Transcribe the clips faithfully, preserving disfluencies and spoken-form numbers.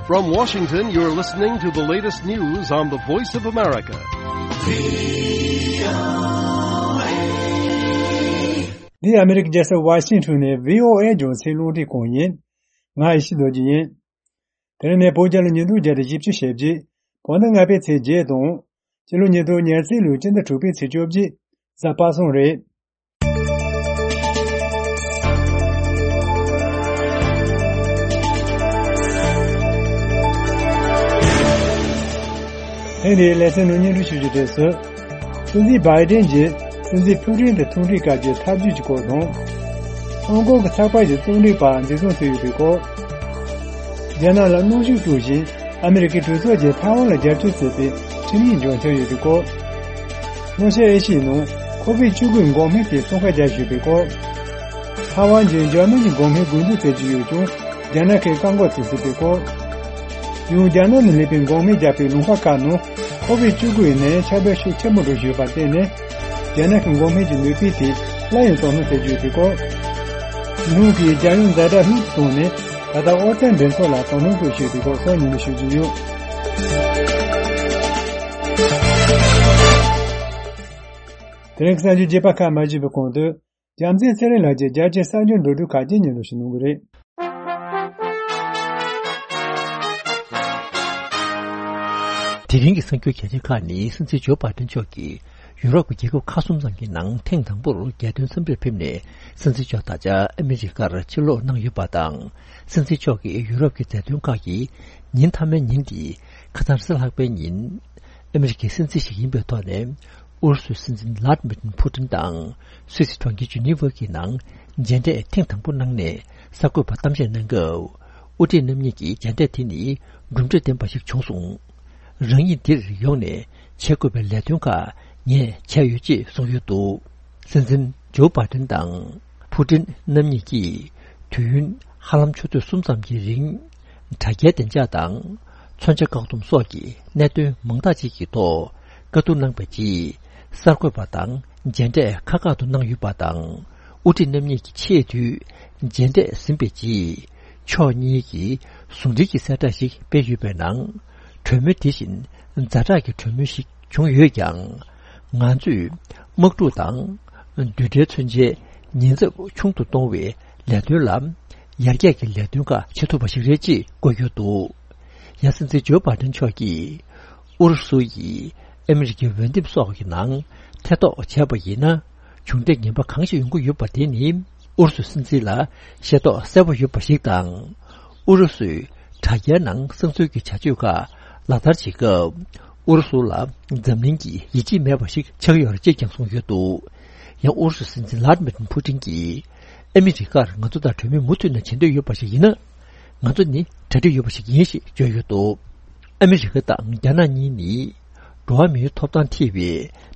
From Washington, you're listening to the latest news on the Voice of America. འདི་ཨ་མི་རི་ཀའི་རྒྱལ་ས་ཝ་ཤིང་ཊོན་ནས་བྷི་ཨོ་ཨེ་རྒྱང་སྲིང་རླུང་འཕྲིན་ཁང་ཡིན། ང་ཡེ་ཤེས་རྡོ་རྗེ་ཡིན། དེ་རིང་ནས་བོད་རྒྱལ་ལོ་ཉིས་སྟོང་བརྒྱ་དང་བཞི་བཅུ་ཞེ་བརྒྱད། བོད་ཟླ་ལྔ་པའི་ཚེས་བརྒྱད་དང་། སྤྱི་ལོ་ཉིས་སྟོང་ཉེར་གཅིག་ལོའི་སྤྱི་ཟླ་དྲུག་པའི་ཚེས་བཅོ་བརྒྱད། གཟའ་པ་སངས་རེད། ཐེངས་འདིའི་ལེ་ཚན་ནང་སྙན་སྒྲོན་ཞུ་རྒྱུ་དེ་སུ། སྲིད་འཛིན་བྷའི་ཌེན་གྱིས་སྲིད་འཛིན་ཕུ་ཀྲིན་དང་ཐུག་འཕྲད་སྐབས་ཀྱི་ཐབས་ཇུས་ཀྱི་སྐོར་དང་། ཧོང་ཀོང་གི་ཚགས་པར་གྱི་རྩོམ་སྒྲིག་པ་འཛིན་བཟུང་བྱས་ཡོད་པའི་སྐོར། རྒྱ་ནག་ལ་གནོན་ཤུགས་སྤྲོད་བཞིན་ཨ་མི་རི་ཀའི་གྲོས་ཚོགས་ཀྱིས་ཐའེ་ཝན་ལ་རྒྱབ་སྐྱོར་བྱས་པའི་ཁྲིམས་ཡིག་འཇོག་འཆར་ཡོད་པའི་སྐོར། ལྷོ་ཤར་ཨེ་ཤི་ཡའི་ནང་ཁོ་བིད་བཅུ་དགུ་འགོག་སྨན་དེ་ཚོང་ཁ་རྒྱག་བཞིན་པའི་སྐོར། ཐའེ་ཝན་གྱིས་འཇར་མན་གྱི་འགོག་སྨན་དགོས་འདུན་བྱེད་ཀྱི་ཡོད་ཀྱང་རྒྱ་ནག་གིས་བཀག་འགོག་བྱེད་སྲིད་པའི་སྐོར། ཡང་རྒྱ་ནག་ནས་སླེབས་པའི་འགོག་སྨན་རྒྱག་པའི་ལུང་པ་ཁག་ནང་ཁོ་བིད་བཅུ་དགུ་ཡི་ནད་ཡམས་ཁྱབ་གདལ་ཤུགས་ཆེན་པོ་འགྲོ་བཞིན་ཡོད་པར་བརྟེན་ནས། རྒྱ་ནག་གི་འགོག་སྨན་གྱི་ནུས་པའི་ཐད་སླར་ཡང་དོ་སྣང་བྱེད་ཀྱི་ཡོད་པའི་སྐོར། ཉི་ཧོང་གིས་རྒྱལ་ཡོངས་ཛ་དྲག་ལྷུག་ཏུ་བཏང་ནས་ད་ལྟ་ཨོ་རྩལ་འགྲན་ཚོགས་ལ་དོ་སྣང་དགོས་ཞེས་པའི་སྐོར་སོགས་ཉིན་མོ་ཞུ་རྒྱུ་ཡོད། དེ་རིང་གི་གསར་འགྱུར་རྒྱས་པ་ཁག་མ་ཞུས་པའི་གོང་དུ། རྒྱལ་མཚན་ཚེ་རིང་ལགས་ཀྱིས་རྒྱལ་སྤྱིའི་གསར་འགྱུར་མདོར་བསྡུས་ཁག་ཅིག་སྙན་སྒྲོན་ཞུ་གནང་གི་རེད། དེ་རིང་གི་གསར་འགྱུར་གལ་ཆེ་ཁག་ནི། སྲིད་འཛིན་ཇོ་བྷའི་ཌེན་མཆོག་གིས་ཡུ་རོབ་ཀྱི་རྒྱལ་ཁབ་ཁག་གསུམ་ཙམ་གྱི་ནང་ཐེངས་དང་པོར་རྒྱལ་དོན་འཚམས་འདྲིར་ཕེབས་ནས། སྲིད་འཛིན་མཆོག་ད་ཆ་ཨ་མི་རི་ཀར་ཕྱིར་ལོག་གནང་ཡོད་པ་དང་། སྲིད་འཛིན་མཆོག་གིས་ཡུ་རོབ་ཀྱི་མཛད་དོན་ཁག་གི་ཉིན་མཐའ་མའི་ཉིན་འདི། ཁ་སང་རེས་གཟའ་ལྷག་པའི་ཉིན། ཨ་མི་རི་ཀའི་སྲིད་འཛིན་ཞིག་ཡིན་པའི་ཐོག་ནས། ཨུ་རུ་སུའི་སྲིད་འཛིན་ལཱ་ཏི་མིར་ཕུ་ཏིན་དང་སུད་སི་གྲོང་ཁྱེར་ཇི་ནི་ཝ་གི་ནང་མཇལ་འཕྲད་ཐེངས་དང་པོ་གནང་ནས། གསར་འགོད་པར་གཏམ་བཤད་གནང་སྐབས། དབུ་ཁྲིད་རྣམ་གཉིས་ཀྱིས་མཇལ་འཕྲད་དེ་ནི་གྲུབ་འབྲས་ལྡན་པ་ཞིག་བྱུང་སོང་། རང་ཉིད་འདིར་ཡོང་ནས་བྱེད་དགོས་པའི་ལས་དོན་ཁག་ངས་བྱས་ཡོད་ཅེས་གསུངས་ཡོད་འདུག། སྲིད་འཛིན་ཇོ་བྷའི་ཏིན་དང་ཕུ་ཏིན་རྣམ་གཉིས་ཀྱིས་དུས་ཡུན་ཧ་ལམ་ཆུ་ཚོད་གསུམ་ཙམ་གྱི་རིང་། དྲ་རྒྱའི་བདེ་འཇགས་དང་། མཚོན་ཆ་བཀག་སྡོམ་སོགས་ཀྱི་གནད་དོན་མང་དག་ཅིག་གི་ཐོག་བཀའ་བསྡུར་གནང་བའི་རྗེས། གསར་འགོད་པ་དང་མཇལ་འཕྲད་ཁག་ཁག་ཏུ་གནང་ཡོད་པ་དང་། དབུ་ཁྲིད་རྣམ་གཉིས་ཀྱི་ཆེས་མཐོའི་མཇལ་འཕྲད་ཟིན་པའི་རྗེས། ཕྱོགས་གཉིས་ཀྱིས་ཟུང་འབྲེལ་གྱི་གསལ་བསྒྲགས་ཤིག་སྤེལ་ཡོད་པའི་ནང་། གྲོས་མོལ་དེ་བཞིན་ཛ་དྲག་གི་གྲོས་མོལ་ཞིག་བྱུང་ཡོད་ཀྱང་། ང་ཚོས་དམག་འཁྲུག་དང་། རྡུལ་ཕྲན་མཚོན་ཆའི་ཉེན་ཚབས་ཆུང་དུ་གཏོང་བའི་ལས་དོན་ལ། ཡར་རྒྱས་ཀྱི་ལས་དོན་ཁག་བྱེད་ཐུབ་པ་ཞིག་རེད་ཅེས་བཀོད་ཡོད་འདུག། ཡང་སྲིད་འཛིན་ཇོ་བྷའི་ཏིན་མཆོག་གིས། ཨུ་རུ་སུ་ཡིས་ཨ་མི་རི་ཀའི་འོས་འདེམས་སོགས་ཀྱི་ནང་ཐེ་གཏོགས་བྱས་པ་ཡིན་ན། བྱུང་འབྲས་ངན་པ་གང་ཞིག་ཡོང་གི་ཡོད་པ་དེ་ནི། ཨུ་རུ་སུའི་སྲིད་འཛིན་ལ་ཤེས་རྟོགས་གསལ་པོ་ཡོད་པ་ཞིག་དང་། ཨུ་རུ་སུས་དྲ་རྒྱའི་ནང་གསང་འཛུལ་གྱི་བྱ་སྤྱོད་ཁག་ལག་བསྟར་བྱེད་སྐབས། ཨུ་རུ་སུ་ལ་འཛམ་གླིང་གིས་ཡིད་ཆེས་མེད་པ་ཞིག་ཆགས་ཡོད་རེད་ཅེས་ཀྱང་གསུངས་ཡོད་འདུག། ཡང་ཨུ་རུ་སུའི་སྲིད་འཛིན་ལཱ་ཏི་མིར་ཕུ་ཏིན་གྱིས། ཨ་མི་རི་ཀར་ང་ཚོ་དང་གྲོས་མོལ་མུ་མཐུད་ནས་བྱེད་འདོད་ཡོད་པ་ཞིག་ཡིན་ན། ང་ཚོ་ནི་གྲ་སྒྲིག་ཡོད་པ་ཞིག་ཡིན་ཞེས་བརྗོད་ཡོད་འདུག། ཨ་མི་རི་ཀ་དང་རྒྱ་ནག་གཉིས་ནི། འགྲོ་བ་མིའི་ཐོབ་ཐང་ཐེ་བའི་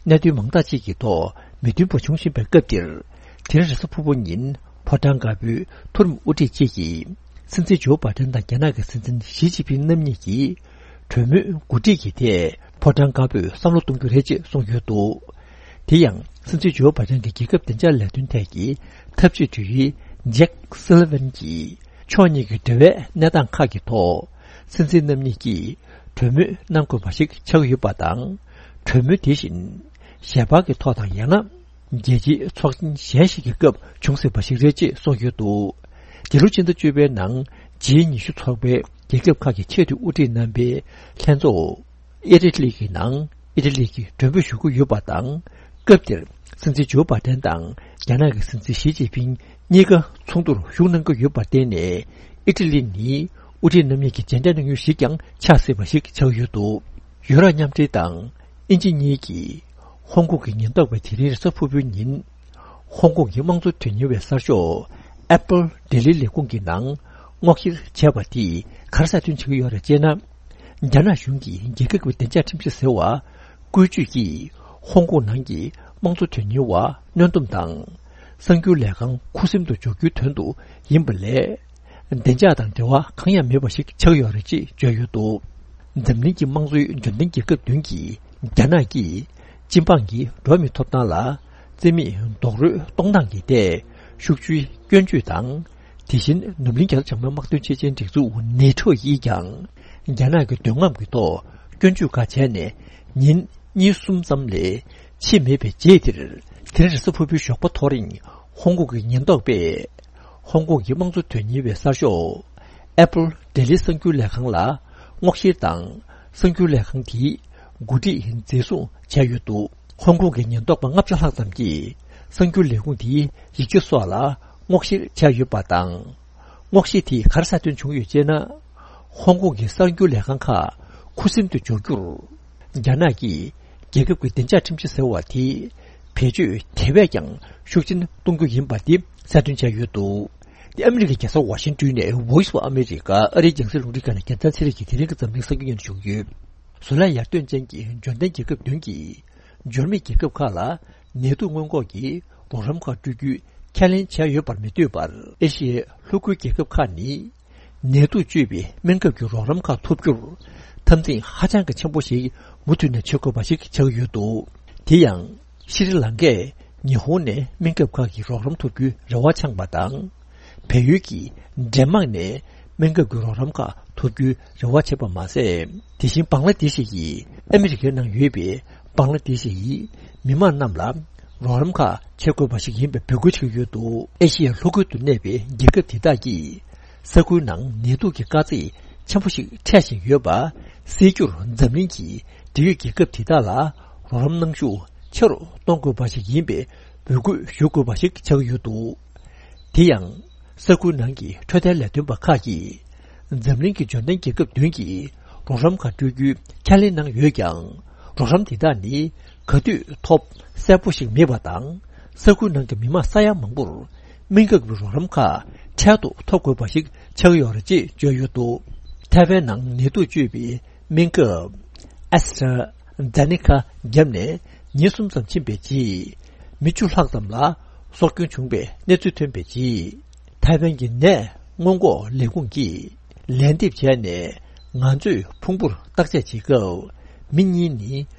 གནད་དོན་མང་དག་ཅིག་གི་ཐོག་མི་མཐུན་པ་བྱུང་བཞིན་པའི་སྐབས་འདིར། དེ་རིང་རེས་གཟའ་ཕུར་བུ་ཉིན་ཕོ་བྲང་དཀར་པོའི་མཐོ་རིམ་དབུ་ཁྲིད་བཅས་ཀྱིས། སྲིད་འཛིན་ཇོ་བྷའི་ཏིན་དང་རྒྱ་ནག་གི་སྲིད་འཛིན་ཞི་ཅིན་ཕིང་རྣམ་གཉིས་ཀྱིས། གྲོས་མོལ་འགོ་ཁྲིད་ཀྱི་ཐད་ཕོ་བྲང་དཀར་པོས་བསམ་བློ་གཏོང་རྒྱུ་རེད་ཅེས་གསུངས་ཡོད་འདུག། དེ་ཡང་། སྲིད་འཛིན་ཇོ་བྷའི་ཏིན་གྱི་རྒྱལ་ཁབ་བདེ་འཇགས་ལས་དོན་ཐད་ཀྱི་ཐབས་ཇུས་དྲུང་ཡིག་ཇེག་སུ་ལི་ཝན་གྱིས། ཕྱོགས་གཉིས་ཀྱི་འབྲེལ་བའི་གནས་སྟངས་ཁག་གི་ཐོག་སྲིད་འཛིན་རྣམ་གཉིས་ཀྱིས་གྲོས་མོལ་གནང་དགོས་པ་ཞིག་ཆགས་ཡོད་པ་དང་། གྲོས་མོལ་དེ་བཞིན་ཞལ་པར་གྱི་ཐོག་དང་ཡང་ན། རྒྱལ་སྤྱིའི་ཚོགས་ཆེན་གཞན་ཞིག་གི་སྐབས་བྱུང་སྲིད་པ་ཞིག་རེད་ཅེས་གསུངས་ཡོད་འདུག། འདི་ལོ་ཕྱི་ཟླ་བཅུ་པའི་ནང་ཇི་ཉི་ཤུ་ཚོགས་པའི་རྒྱལ་ཁབ་ཁག་གི་ཆེས་མཐོའི་དབུ་ཁྲིད་རྣམ་པའི་ལྷན་ཚོགས། ཨི་ཊ་ལི་གི་ནང་ཨི་ཊ་ལི་གིས་མགྲོན་འབོད་ཞུ་གི་ཡོད་པ་དང་། སྐབས་དེར་སྲིད་འཛིན་ཇོ་བྷའི་ཏན་དང་རྒྱ་ནག་གི་སྲིད་འཛིན་ཞི་ཅིན་ཕིང་གཉིས་ཀ་ཚོགས་འདུར་ཞུགས་གནང་གི་ཡོད་པར་བརྟེན་ནས། ཨི་ཊ་ལི་ནི་དབུ་ཁྲིད་རྣམ་གཉིས་ཀྱི་མཇལ་འཕྲད་གནང་ཡུལ་ཞིག་ཀྱང་ཆགས་སྲིད་པ་ཞིག་ཆགས་ཡོད་འདུག། ཡུ་རོབ་མཉམ་འབྲེལ་དང་ཨིན་ཇི་གཉིས་ཀྱིས་ཧོང་ཀོང་གི་ཉེན་རྟོག་པས་དེ་རིང་རེས་གཟའ་ཕུར་བུའི་ཉིན། ཧོང་ཀོང་གི་དམངས་གཙོ་དོན་གཉེར་བའི་གསར་ཤོག་ཨེ་པལ་ལྡི་ལི་ལས་ཁུངས་ཀྱི་ནང་སྔོག་བཤེར་བྱས་པ་དེས་ག་རེ་གསལ་སྟོན་བྱེད་ཀྱི་ཡོད་རེད་ཅེ་ན། རྒྱ་ནག་གཞུང་གིས་རྒྱལ་ཁབ་ཀྱི་བདེ་འཇགས་ཁྲིམས་གཞི་ཟེར་བ་བཀོལ་སྤྱོད་ཀྱིས་ཧོང་ཀོང་ནང་གི་དམངས་གཙོ་དོན་གཉེར་བ་གནོན་སྡོམ་དང་། གསར་འགྱུར་ལས་ཁང་ཁུ་སིམ་དུ་འཇོག་རྒྱུའི་དོན་དུ་ཡིན་པ་ལས། བདེ་འཇགས་དང་འབྲེལ་བ་གང་ཡང་མེད་པ་ཞིག་ཆགས་ཡོད་རེད་ཅེས་བརྗོད་ཡོད་འདུག། འཛམ་གླིང་གི་དམངས་གཙོའི་འབྱོར་ལྡན་རྒྱལ་ཁབ་བདུན་གྱིས། རྒྱ་ནག་གིས་སྤྱི་འབངས་ཀྱི་འགྲོ་བ་མིའི་ཐོབ་ཐང་ལ་རྩིས་མེད་རྡོག་རོལ་གཏོང་སྟངས་ཀྱི་ཐད་ཤུགས་ཆེའི་སྐྱོན་བརྗོད་དང་། དེ་བཞིན་ནུབ་གླིང་རྒྱ་ནག་བྱང་མའི་དམག་དོན་ཆེད་ཆེན་སྒྲིག་འཛུགས་ནེ་ཊོ་ཡིས་ཀྱང་ རྒྱ་ནག་གི་འདོད་རྔམ་གྱི་ཐོག་སྐྱོན་བརྗོད་ཁག་བྱས་ནས་ཉིན་གཉིས་གསུམ་ཙམ་ལས་ཕྱིན་མེད་པའི་རྗེས་དེར། དེ་རིང་རེས་གཟའ་ཕུར་བུའི་ཞོགས་པ་ཐོ་རེངས་ཧོང་ཀོང་གི་ཉེན་རྟོག་པས་ཧོང་ཀོང་གི་དམངས་གཙོ་དོན་གཉེར་བའི་གསར་ཤོག་ཨེ་པལ་ལྡི་ལི་གསར་འགྱུར་ལས་ཁང་ལ་སྔོག་བཤེར་དང་། གསར་འགྱུར་ལས་ཁང་དེའི་འགོ་ཁྲིད་འཛིན་བཟུང་བྱས་ཡོད་འདུག་ཧོང་ཀོང་གི་ཉེན་རྟོག་པ་ལྔ་བཅུ་ལྷག་ཙམ་གྱིས་གསར་འགྱུར་ལས་ཁུངས་དེའི་ཡིག་ཆ་སོགས་ལ་སྔོག་བཤེར་བྱས་ཡོད་པ་དང་། སྔོག་བཤེར་དེས་ག་རེ་གསལ་སྟོན་བྱུང་ཡོད་ཅེ་ན། ཧོང་ཀོང་གི་གསར་འགྱུར་ལས་ཁང་ཁག་ཁུ་སིམ་དུ་འཇོག་རྒྱུར། རྒྱ་ནག་གིས་རྒྱལ་ཁབ་ཀྱི་བདེ་འཇགས་ཁྲིམས་གཞི་ཟེར་བ་དེ་བེད་སྤྱོད་དེ་བས་ཀྱང་ཤུགས་ཆེན་གཏོང་རྒྱུ་ཡིན་པ་དེ་གསལ་སྟོན་བྱས་ཡོད་འདུག་དེ་ཨ་མི་རི་ཀའི་རྒྱལ་ས་ཝ་ཤིང་ཏོན་ནས་Voice of America ཨ་རིའི་རྒྱང་སྲིང་རླུང་འཕྲིན་ཁང་ནས་རྒྱལ་མཚན་ཚེ་རིང་གིས་དེ་རིང་གི་འཛམ་གླིང་གསར་འགྱུར་སྙན་སྒྲོན་ཞུ་གི་ཡོད། བཟོ་ལས་ཡར་ཐོན་ཅན་གྱི་འབྱོར་ལྡན་རྒྱལ་ཁབ་བདུན་གྱིས། འབྱོར་མེད་རྒྱལ་ཁབ་ཁག་ལ་ནད་དུག་སྔོན་འགོག་གི་རོགས་རམ་ཁག་སྤྲོད་རྒྱུའི་ཁས་ལེན་བྱས་ཡོད་པར་མི་ལྟོས་པར། ཨེ་ཤི་ཡའི་ལྷོ་ཁུལ་རྒྱལ་ཁབ་ཁག་ནི། ནད་དུག་བཅོས་པའི་སྨན་ཁབ་ཀྱི་རོགས་རམ་ཁག་ཐོབ་རྒྱུར། འཐབ་འཛིང་ཧ་ཅང་གི་ཆེན་པོ་ཞིག་མུ་མཐུད་ནས་བྱེད་དགོས་པ་ཞིག་ཆགས་ཡོད་འདུག་དེ་ཡང་། ཤྲི་ལང་ཀས་ཉི་ཧོང་ནས་སྨན་ཁབ་ཁག་གི་རོགས་རམ་ཐོབ་རྒྱུའི་རེ་བ་འཆང་བ་དང་། བལ་ཡུལ་གྱིས་ཌེན་མཱག་ནས་སྨན་ཁབ་ཀྱི་རོགས་རམ་ཁག་ཐོབ་རྒྱུའི་རེ་བ་བྱེད་པ་མ་ཟད། དེ་བཞིན་བང་ལ་དེ་ཤི་ཡིས་ཨ་མི་རི་ཀའི་ནང་ཡོད་པའི་བང་ལ་དེ་ཤི་ཡི་མི་མང་རྣམས་ལ་རོགས་རམ་ཁག་བྱེད་དགོས་པ་ཞིག་ཡིན་པའི་འབོད་སྐུལ་བྱེད་ཀྱི་ཡོད་འདུག་ཨེ་ཤི་ཡའི་ལྷོ་ཁུལ་དུ་གནས་པའི་རྒྱལ་ཁབ་དེ་དག་གིས་ས་ཁུལ་ནང་ནད་དུག་གི་དཀའ་ཚེགས་ཆེན་པོ་ཞིག་འཕྲད་བཞིན་ཡོད་པ་སེལ་རྒྱུར། འཛམ་གླིང་གིས་འབྲེལ་ཡོད་རྒྱལ་ཁབ་དེ་དག་ལ་རོགས་རམ་གནང་ཤུགས་ཆེ་རུ་གཏོང་དགོས་པ་ཞིག་ཡིན་པའི་འབོད་སྐུལ་ཞུ་དགོས་པ་ཞིག་ཆགས་ཀྱི་ཡོད་འདུག་དེ་ཡང་། ས་ཁུལ་ནང་གི་འཕྲོད་བསྟེན་ལས་དོན་པ་ཁག་གིས། འཛམ་གླིང་གི་འབྱོར་ལྡན་རྒྱལ་ཁབ་བདུན་གྱིས་རོགས་རམ་ཁག་སྤྲོད་རྒྱུའི་ཁས་ལེན་གནང་ཡོད་ཀྱང་། རོགས་རམ་དེ་དག་ནི་ག་དུས་ཐོབ་གསལ་པོ་ཞིག་མེད་པ་དང་། ས་ཁུལ་ནང་གི་མི་མང་ས་ཡ་མང་པོར་སྨན་ཁབ་ཀྱི་རོགས་རམ་ཁག་འཕྲལ་དུ་ཐོབ་དགོས་པ་ཞིག་ཆགས་ཡོད་རེད་ཅེས་བརྗོད་ཡོད་འདུག་ཐའེ་ཝན་ནང་ནད་དུག་བཅོས་པའི་སྨན་ཁབ་ཨེ་སི་ཊ་ཛེ་ནེ་ཀ་བརྒྱབ་ནས་ཉིན་གསུམ་ཙམ་ཕྱིན་པའི་རྗེས། མི་བཅུ་ལྷག་ཙམ་ལ་སྲོག་སྐྱོན་བྱུང་བའི་གནས་ཚུལ་ཐོན་པའི་རྗེས། ཐའེ་ཝན་གྱི་ནད་སྔོན་འགོག་ལས་ཁུངས་ཀྱིས་ལན་འདེབས་བྱས་ནས། ང་ཚོས་ཕུང་པོར་བརྟག་དཔྱད་བྱེད་སྐབས། མི་གཉིས་ནི་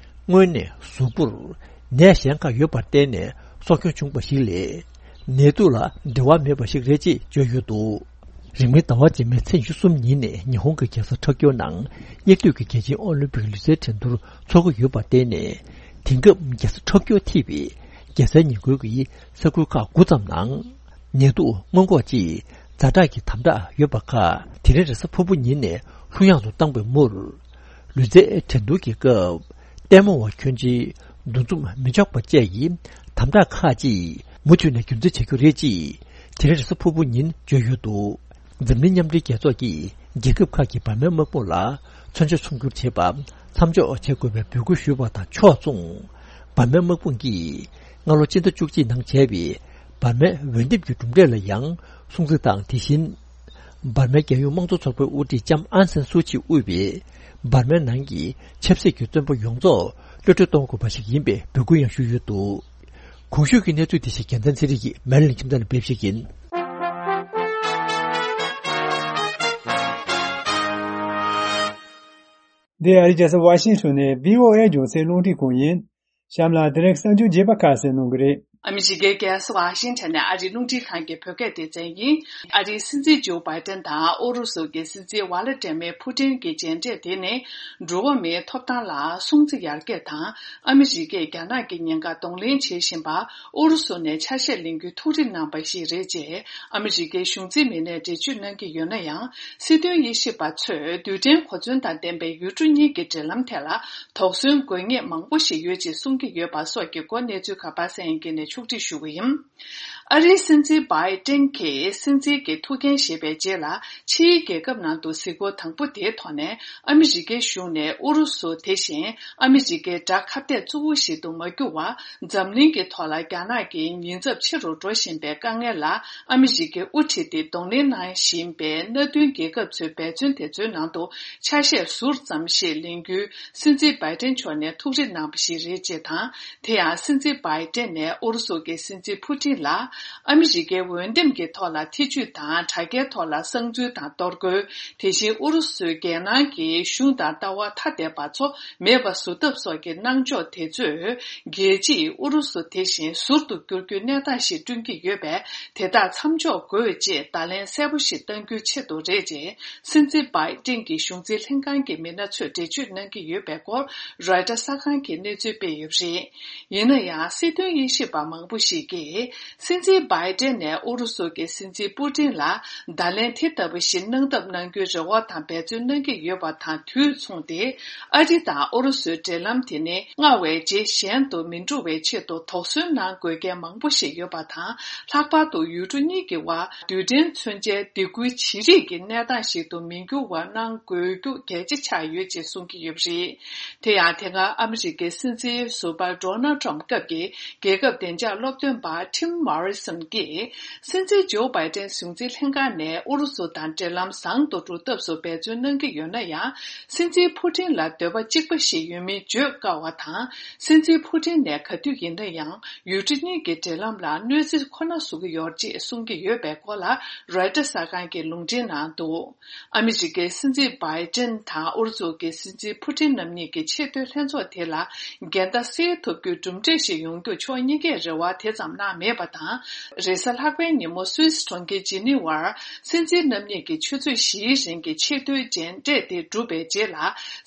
སྔོན་ནས་གཟུགས་པོར་ནད་གཞན་ཁག་ཡོད་པར་བརྟེན་ནས་སྲོག་སྐྱོན་བྱུང་བ་ཞིག་ལས། ནད་དུག་ལ་འབྲེལ་བ་མེད་པ་ཞིག་རེད་ཅེས་བརྗོད་ཡོད་འདུག་རིང་མིན་ཟླ་བ་རྗེས་མའི་ཚེས་ཉི་ཤུ་གསུམ་ཉིན་ནས་ཉི་ཧོང་གི་རྒྱལ་ས་ཊོ་ཀྱོ་ནང་སྙིགས་དུས་ཀྱི་རྒྱལ་ཆེན་ཨོ་ལིམ་པིག་ལུས་རྩལ་འགྲན་བསྡུར་འཚོགས་ཀྱི་ཡོད་པར་བརྟེན་ནས། དེང་སྐབས་རྒྱལ་ས་ཊོ་ཀྱོ་ཐེ་བའི་རྒྱལ་སའི་ཉེ་འཁོར་གྱི་ས་ཁུལ་ཁག་དགུ་ཙམ་ནང་ནད་དུག་སྔོན་འགོག་ཆེད་ཛ་དྲག་གི་དམ་དྲག་ཡོད་པ་ཁག་དེ་རིང་རེས་གཟའ་ཕུར་བུ་ཉིན་ནས་ལྷུག་ཡངས་སུ་བཏང་པའི་མུར། ལུས་རྩལ་འགྲན་བསྡུར་གྱི་སྐབས་ལྟད་མོ་བ་ཁྱོན་ཆེའི་འདུ་འཛོམས་མི་ཆོག་པ་བཅས་ཀྱི་དམ་དྲག་ཁག་ཅིག་མུ་མཐུད་ནས་རྒྱུན་འཛིན་བྱ་རྒྱུ་རེད་ཅེས་དེ་རིང་རེས་གཟའ་ཕུར་བུ་ཉིན་བརྗོད་ཡོད་འདུག་འཛམ་གླིང་མཉམ་འབྲེལ་རྒྱལ་ཚོགས་ཀྱིས་རྒྱལ་ཁབ་ཁག་གི་བར་མའི་དམག་དཔུང་ལ་མཚོན་ཆ་ཚོང་སྒྱུར་བྱེད་པ་མཚམས་འཇོག་བྱེད་དགོས་པའི་འབོད་སྐུལ་ཞུས་པ་དང་ཕྱོགས་མཚུངས། བར་མའི་དམག་དཔུང་གིས་སྔ་ལོ་སྤྱི་ཟླ་བཅུ་གཅིག་ནང་བྱས་པའི་བར་མའི་འོས་འདེམས་ཀྱི་གྲུབ་འབྲས་ལ་ཡང་སྲུང་བརྩི་དང་། དེ་བཞིན་བར་མའི་རྒྱལ་ཡོངས་དམངས་གཙོ་ཚོགས་པའི་དབུ་ཁྲིད་ལྕམ་ཨང་སན་སུའུ་ཅི་དབུས་པའི་བར་མའི་ནང་གི་ཆབ་སྲིད་ཀྱི་བཙོན་པ་ཡོངས་རྫོགས་གློད་གྲོལ་གཏོང་དགོས་པ་ཞིག་ཡིན་པའི་འབོད་སྐུལ་ཡང་ཞུས་ཡོད་འདུག་གོང་ཞུས་ཀྱི་གནས་ཚུལ་དེ་ཞིག་རྒྱལ་མཚན་ཚེ་རིང་གིས་མེ་ལན་ཁྱིམ་ཚང་ནས་སྤེལ་བ་ཞིག་ཡིན། འདི་ཨ་རིའི་རྒྱལ་ས་ཝ་ཤིང་ཊོན་ནས་བྷི་ཨོ་ཨེ་རྒྱང་སྲིང་རླུང་འཕྲིན་ཁང་ཡིན། གཤམ་ལ་དེ་རིང་གསར་འགྱུར་རྒྱས་པ་ཁ་ཤས་གནང་གི་རེད། ཨ་མི་རི་ཀའི་རྒྱལ་ས་ཝ་ཤིང་ཊོན་ནས་ཨ་རིའི་རླུང་འཕྲིན་ཁང་གི་བོད་སྐད་སྡེ་ཚན་ཡིན། ཨ་རིའི་སྲིད་འཛིན་ཇོ་བྷའི་ཏན་དང་ཨུ་རུ་སུ་གི་སྲིད་འཛིན་ཝ་ལ་ཏྲེ་མེ་ཕུ་ཏིན་གྱི་མཇལ་འཕྲད་དེ་ནི། འགྲོ་བ་མིའི་ཐོབ་ཐང་ལ་སྲུང་བརྩི་ཡར་རྒྱས་དང་། ཨ་མི་རི་ཀས་རྒྱ་ནག་གི་ཉེན་ཁ་གདོང་ལེན་བྱེད་བཞིན་པ། ཨུ་རུ་སུ་ནས་ཆ་ཤས་ལེན་རྒྱུའི་ཐུགས་རེ་གནང་བ་ཞིག་རེད་ཅེས་ཨ་མི་རི་ཀའི་གཞུང་འཛིན་མི་སྣས་འགྲེལ་བརྗོད་གནང་གི་ཡོད་ན་ཡང་། སྲིད་དོན་དབྱེ་ཞིབ་པ་ཚོས་རྡུལ་ཕྲན་གོ་མཚོན་དང་ལྡན་པའི་ཡུལ་གྲུ་གཉིས་ཀྱི་འབྲེལ་ལམ་ཐད་ལ་དོགས་ཟོན་དགོས་ངེས་མང་པོ་ཞིག་ཡོད་ཅེས་གསུང་གི་ཡོད་པ་སོགས་ཀྱི་སྐོར་གནས་ཚུལ་ཁག་པ་སངས་དབྱངས་སྐྱིད་ནས་ཕྱོགས་སྒྲིག་ཞུ་གི་ཡིན། ཨ་རིའི་སྲིད་འཛིན་བྷའི་ཏན་གྱིས་སྲིད་འཛིན་གྱི་ཐུགས་འགན་བཞེས་པའི་རྗེས་ལ། ཕྱིའི་རྒྱལ་ཁབ་ནང་དུ་གཟིགས་སྐོར་དང་པོ་དེའི་ཐོག་ནས། ཨ་མི་རི་ཀའི་གཞུང་ནས་ཨུ་རུ་སུ་དེ་བཞིན་ཨ་མི་རི་ཀའི་དགྲ་ཁ་གཏད་གཙོ་བོ་ཞིག་ཏུ་མ་གྱུར་བར། འཛམ་གླིང་གི་ཐོག་ལ་རྒྱ་ནག་གི་ཉེན་ཚབས་ཆེ་རུ་འགྲོ་བཞིན་པའི་དཀའ་ངལ་ལ། ཨ་མི་རི་ཀའི་དབུ་ཁྲིད་དེ་གདོང་ལེན་གནང་བཞིན་པའི་མནའ་མཐུན་རྒྱལ་ཁབ་ཚོའི་འབད་བརྩོན་དེ་ཚོའི་ནང་དུ་ཆ་ཤས་ཟུར་ཙམ་ཞིག་ལེན་རྒྱུའི་སྲིད་འཛིན་བྷའི་ཏན་མཆོག་ནས་ཐུགས་རེ་གནང་བ་ཞིག་རེད་ཅེས་དང་། དེ་ཡང་སྲིད་འཛིན་བྷའི་ཏན་ནས་ཨུ་རུ་ སུ་གི་སྲིད་འཛིན་ཕུ་ཏིན་ལ་ཨ་མི་རི་ཀའི་འོས་འདེམས་ཀྱི་ཐོག་ལ་ཐེ་ཇུས་དང་དྲ་རྒྱའི་ཐོག་ལ་གསང་འཛུལ་དང་གཏོར་རྒོལ། དེ་བཞིན་ཨུ་རུ་སུའི་རྒྱལ་ནང་གི་གཞུང་དང་ལྟ་བ་ཐ་དད་པ་ཚོ་མེད་པ་བཟོ་ཐབས་སོགས་ཀྱི་གནང་ཕྱོགས་དེ་ཚོས་རྒྱལ་སྤྱིས་ཨུ་རུ་སུ་དེ་བཞིན་ཟུར་དུ་བསྐྱུར་རྒྱུའི་གནས་སྟངས་ཤིག་བསྐྲུན་གྱི་ཡོད་པས། དེ་དག་མཚམས་འཇོག་དགོས་ཅེས་བརྡ་ལན་གསལ་པོ་ཞིག་གཏང་རྒྱུའི་ཆེད་དུ་རེད་ཅེས་སྲིད་འཛིན་བྷའི་ཏིན་གྱི་གཞུང་འཛིན་ལྷན་ཁང་གི་མི་སྣ་ཚོས་འགྲེལ་བརྗོད་གནང་གི་ཡོད་པའི་སྐོར་རོའི་ཊར་གསར་ཁང་གིས་གནས་ཚུལ་སྤེལ་ཡོད་པ་རེད། ཡིན་ན་ཡང་སྲིད་དོན་དབྱེ་ཞིབ་པ་མང་པོ་ཞིག་གིས་སྲིད་འཛིན་བྷའི་ཏིན་ནས་ཨུ་རུ་སུ་གི་སྲིད་འཛིན་པུ་ཏིན་ལ་བརྡ་ལན་དེ་ལྟ་བུ་ཞིག་གནང་ཐབས་གནང་རྒྱུའི་རེ་བ་དང་འབད་བརྩོན་གནང་གི་ཡོད་པ་དང་དུས་མཚུངས་ཏེ། ཨ་རི་དང་ཨུ་རུ་སུའི་འབྲེལ་ལམ་དེ་ནི་སྔར་བས་ཇེ་ཞན་དུ་མི་འགྲོ་བའི་ཆེད་དུ་དོགས་ཟོན་གནང་དགོས་གལ་མང་པོ་ཞིག་ཡོད་པ་དང་། ལྷག་པར་དུ་ཡུལ་གྲུ་གཉིས་ཀྱི་དབར་རྡུལ་ཕྲན་མཚོན་ཆའི་སྡིགས་སྐུལ་བྱེད་རིགས་ཀྱི་གནས་སྟངས་ཤིག་ཏུ་མི་འགྱུར་བ་གནང་དགོས་རྒྱུ་གལ་ཆེ་ཆགས་ཡོད་ཅེས་གསུང་གི་ཡོད་པ་རེད། དེ་ཡང་དེ་སྔ་ཨ་མི་རི་ཀའི་སྲིད་འཛིན་ཟུར་པ་ཌོ་ནལ་ཊམ་སྐབས་ཀྱི་རྒྱལ་ཁབ་བདེ་འཇགས་སློབ་སྟོན་པ་ཊིམ་མོ་རི་སོན་གྱིས། སྲིད་འཛིན་ཇོ་བྷའི་ཏན་གཞུང་འཛིན་ལྷན་ཁང་ནས་ཨུ་རུ་སུ་དང་འབྲེལ་ལམ་བཟང་དུ་འགྲོ་ཐབས་སུ་འབད་བརྩོན་གནང་གི་ཡོད་ན་ཡང་། སྲིད་འཛིན་ཕུ་ཏིན་ལ་འདོད་པ་གཅིག་པ་ཞིག་ཡོད་མིན་བརྗོད་དཀའ་བ་དང་། སྲིད་འཛིན་ཕུ་ཏིན་ནས་ག་དུས་ཡིན་ན་ཡང་ཡུལ་གྲུ་གཉིས་ཀྱི་འབྲེལ་ལམ་ལ་གནོད་འཚེ་ཁོ་ན་བཟོ་གི་ཡོད་ཅེས་གསུང་གི་ཡོད་པའི་སྐོར་ལ་རོའི་ཊར་གསར་ཁང་གིས་ལུང་འདྲེན་གནང་འདུག་ཨ་མི་རི་ཀའི་སྲིད་འཛིན་བྷའི་ཏིན་དང་ཨུ་རུ་སུ་གི་སྲིད་འཛིན་ཕུ་ཏིན་རྣམ་གཉིས་ཀྱི་ཆེས་མཐོའི་ལྷན་ཚོགས་དེ་ལ་འགལ་ཟླ་སེལ་ཐུབ་རྒྱུའི་གྲུབ་འབྲས་ཤིག་ཡོང་རྒྱུ་ཕྱོགས་གཉིས་ཀས་རེ་བ་དེ་ཙམ་གནང་མེད་པ་དང་། རེས་གཟའ་ལྷག་པའི་ཉིན་མོ་སུད་སི་གྲོང་ཁྱེར་ཇི་ནི་ཝར་སྲིད་འཛིན་རྣམ་གཉིས་ཀྱི་ཆུ་ཚོད་བཞིའི་རིང་གི་ཆེས་མཐོའི་མཇལ་འཕྲད་དེ་གྲུབ་པའི་རྗེས་ལ།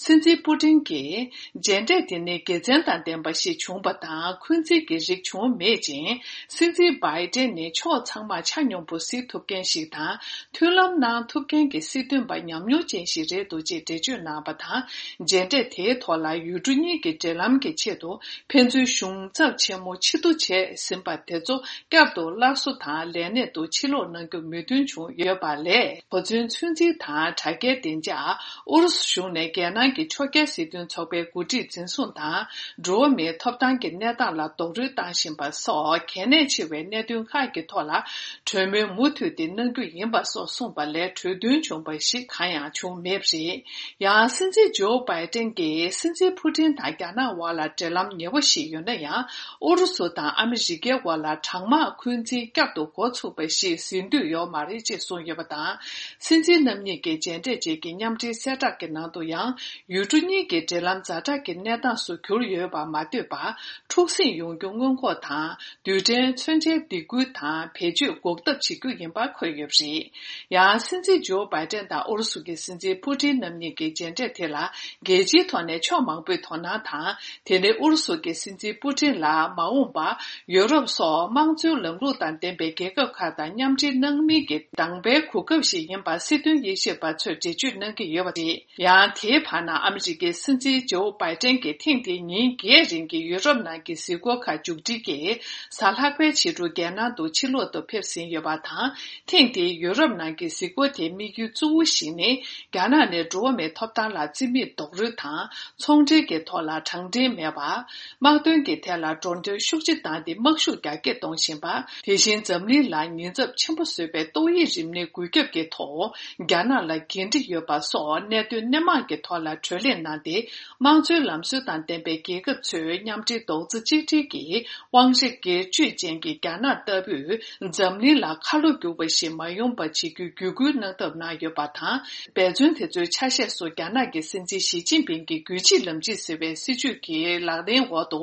སྲིད་འཛིན་ཕུ་ཏིན་གྱིས། མཇལ་འཕྲད་དེ་ནི་དགེ་མཚན་དང་ལྡན་པ་ཞིག་བྱུང་བ་དང་འཁོན་འཛིན་གྱི་རིགས་བྱུང་མེད་ཅིང་། སྲིད་འཛིན་བྷའི་ཏེན་ནི་ཕྱོགས་ཚང་མ་ཆ་སྙོམས་པོ་གཟིགས་ཐུབ་མཁན་ཞིག་དང་མཐུན་ལམ་གནང་ཐུབ་མཁན་གྱི་སྲིད་དོན་པ་ཉམས་མྱོང་ཅན་ཞིག་རེད་འདུག་ཅེས་འགྲེལ་བརྗོད་གནང་བ་དང་། མཇལ་འཕྲད་དེའི་ཐོག་ལ་ཡུལ་གྲུ་གཉིས་ཀྱི་འབྲེལ་ལམ་གྱི་ཆེད་དུ་ཕན་ཚུན་གཞུང་ཚབ་ཆེན་མོ་ཕྱིར་བསྡུ་བྱས་ཟིན་པ་དེ་ཚོ་བསྐྱར་དུ་སླར་གསོ་དང་ལས་གནས་དུ་ཕྱིར་ལོག་གནང་རྒྱུ་མོས་མཐུན་བྱུང་ཡོད་པ་ལས། གོ་མཚོན་ཚོད་འཛིན་དང་དྲ་རྒྱའི་བདེ་འཇགས། ཨུ་རུ་སུ་གཞུང་ནས་རྒྱལ་ནང་གི་ཕྱོགས་འགལ་སྲིད་དོན་ཚོགས་པའི་འགོ་ཁྲིད་འཛིན་བཟུང་དང་། འགྲོ་བ་མིའི་ཐོབ་ཐང་གི་གནས་སྟངས་ལ་རྡོག་རོལ་བཏང་བཞིན་པ་སོགས་གལ་གནད་ཆེ་བའི་གནད་དོན་ཁག་གི་ཐོག་ལ་གྲོས་མོལ་མུ་མཐུད་དེ་གནང་རྒྱུ་ཡིན་པ་སོགས་གསུངས་པ་ལས་གྲོས་མཐུན་བྱུང་བ་ཞིག་གང་ཡང་བྱུང་མེད་པ་རེད། ཡང་སྲིད་འཛིན་ཇོ་བྷའི་ཏན་གྱིས་སྲིད་འཛིན་ཕུ་ཏིན་དང་རྒྱ་ནག་དབར་ལ་འབྲེལ་ལམ་ཉེ་བོ་ཞིག་ཡོད་ན་ཡང་། ཨུ་རུ་སུ་དང་ཨ་མི་རི་ཀའི་དབར་ལ་གྲང་དམག་འཁོན་འཛིན་བསྐྱར་དུ་འགོ་ཚུགས་པ་ཞིག་ཟིན་འདོད་ཡོད་མ་རེད་ཅེས་གསུངས་ཡོད་པ་དང་། སྲིད་འཛིན་རྣམ་གཉིས་ཀྱི་མཇལ་འཕྲད་རྗེས་ཀྱི་མཉམ་འབྲེལ་གསལ་བསྒྲགས་ཀྱི་ནང་དུ་ཡང་། ཡུལ་གྲུ་གཉིས་ཀྱི་འབྲེལ་ལམ་ཛ་དྲག་གི་གནས་སྟངས་སུ་གྱུར་ཡོད་པར་མ་ལྟོས་པར། འཁྲུག་ཟིང་ཡོང་རྒྱུ་སྔོན་འགོག་དང་། རྡུལ་ཕྲན་མཚོན་ཆའི་སྡིགས་སྐུལ་དང་བེད་སྤྱོད་འགོག་ཐབས་བྱེད་རྒྱུ་ཡིན་པ་འཁོད་ཡོད་པ་རེད། ཡང་སྲིད་འཛིན་ཇོ་བྷའི་ཏན་དང་ཨུ་རུ་སུ་གི་སྲིད་འཛིན་ཕུ་ཏིན་རྣམ་གཉིས་ཀྱི་མཇལ་འཕྲད་དེ་ལ་རྒྱལ་སྤྱིའི་ཐོག་ནས་ཕྱོགས་མང་པོས་དོ་སྣང་དང་། དེ་ནི་ཨུ་རུ་སུ་གི་སྲིད་འཛིན་པུ་ཏིན་ལ་མ་འོངས་པར་ཡུ་རོབ་སོགས་དམངས་གཙོའི་ལམ་ལུགས་དང་ལྡན་པའི་རྒྱལ་ཁབ་ཁག་དང་མཉམ་འབྲེལ་གནང་མིན་གྱི་དང་པའི་གོ་སྐབས་ཤིག་ཡིན་པ་སྲིད་དོན་དབྱེ་ཞིབ་པ་ཚོས་འགྲེལ་བརྗོད་གནང་གི་ཡོད་པ་རེད། ཡང་དེའི་བར་ན་ཨ་མི་རི་ཀའི་སྲིད་འཛིན་ཇོ་བྷའི་ཏན་གྱིས་ཐེངས་འདིའི་ཉིན་བརྒྱད་རིང་གི་ཡུ་རོབ་ནང་གི་གཟིགས་སྐོར་ཁག་མཇུག་སྒྲིལ་གྱིས་གཟའ་ལྷག་པའི་ཕྱི་དྲོ་རྒྱལ་ནང་དུ་ཕྱིར་ལོག་ཏུ་ཕེབས་ཟིན་ཡོད་པ་དང་། ཐེངས་འདིའི་ཡུ་རོབ་ནང་གི་གཟིགས་སྐོར་དེའི་དམིགས་ཡུལ་གཙོ་བོ་ཞིག་ནི། རྒྱ་ནག་ནས་འགྲོ་བ་མིའི་ཐོབ་ཐང་ལ་བརྩི་མེད་རྡོག་རོལ་དང་། ཚོང་འབྲེལ་གྱི་ཐོག་ལ་དྲང་བདེན་མེད་པ། དམག་དོན་གྱི་ཐད་ལ་འགྲོ་གྲོན་ཤུགས་ཆེ་བཏང་སྟེ་དམག་ཤུགས་རྒྱ་སྐྱེད་གཏོང་བཞིན་པ། དེ་བཞིན་འཛམ་གླིང་ལ་ཉེན་ཚབས་ཆེན་པོ་བཟོས་པའི་ཏོག་དབྱིབས་རིམས་ནད་འགོས་ཁྱབ་ཀྱི་ཐོག་རྒྱ་ནག་ལ་འགན་འཁྲི་ཡོད་པ་སོགས་གནད་དོན་སྣེ་མང་གི་ཐོག་ལ་གྲོས་གླེང་གནང་སྟེ། དམངས་གཙོའི་ལམ་སྲོལ་དང་ལྡན་པའི་རྒྱལ་ཁབ་ཚོས་མཉམ་འབྲེལ་རྡོག་རྩ་གཅིག་སྒྲིལ་གྱིས་དབང་ཆ་སྒེར་གཅོད་ཅན་གྱི་རྒྱ་ནག་ལྟ་བུས་འཛམ་གླིང་ལ་ཁ་ལོ་སྒྱུར་བ་ཞིག་མ་ཡོང་པ་བྱེད་རྒྱུའི་བརྒྱུད་སྐུལ་གནང་ཐབས་གནང་ཡོད་པ་དང་། འབད་བརྩོན་དེ་ཚོའི་ཆ་ཤས་སུ་རྒྱ་ནག་གི་སྲིད་འཛིན་ཞི་ཅིན་ཕིང་གི་རྒྱུད་གཅིག་ལམ་གཅིག་ཟེར་བའི་སྲིད་བྱུས་ཀྱི་ལག་ལེན་འོག་ཏུ།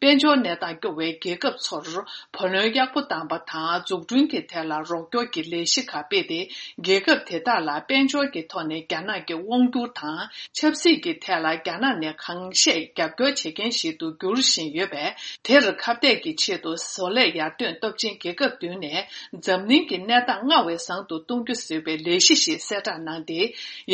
དཔལ་འབྱོར་གནས་སྟངས་སྐྱོ་བའི་རྒྱལ་ཁབ་ཚོར་བུ་ལོན་ཡག་པོ་བཏང་པ་དང་། འཛུགས་སྐྲུན་གྱི་ཐད་ལ་རོགས་སྐྱོར་གྱི་ལས་གཞི་ཁག་སྤེལ་ཏེ། རྒྱལ་ཁབ་དེ་དག་ལ་དཔལ་འབྱོར་གྱི་ཐོག་ནས་རྒྱ་ནག་གི་དབང་བསྒྱུར་དང་། ཆབ་སྲིད་ཀྱི་ཐད་ལ་རྒྱ་ནག་ནས་གང་ཤེས་རྒྱབ་སྐྱོར་བྱེད་མཁན་ཞིག་ཏུ་འགྱུར་བཞིན་ཡོད་པས། དེར་ཁ་གཏད་ཀྱི་ཆེད་དུ་བཟོ་ལས་ཡར་ཐོན་སྟོབས་ཆེན་རྒྱལ་ཁབ་བདུན་ནས་འཛམ་གླིང་གི་གནས་སྟངས་སྔར་བས་བཟང་དུ་གཏོང་རྒྱུ་ཟེར་བའི་ལས་གཞི་ཞིག་གསལ་བསྒྲགས་གནང་སྟེ།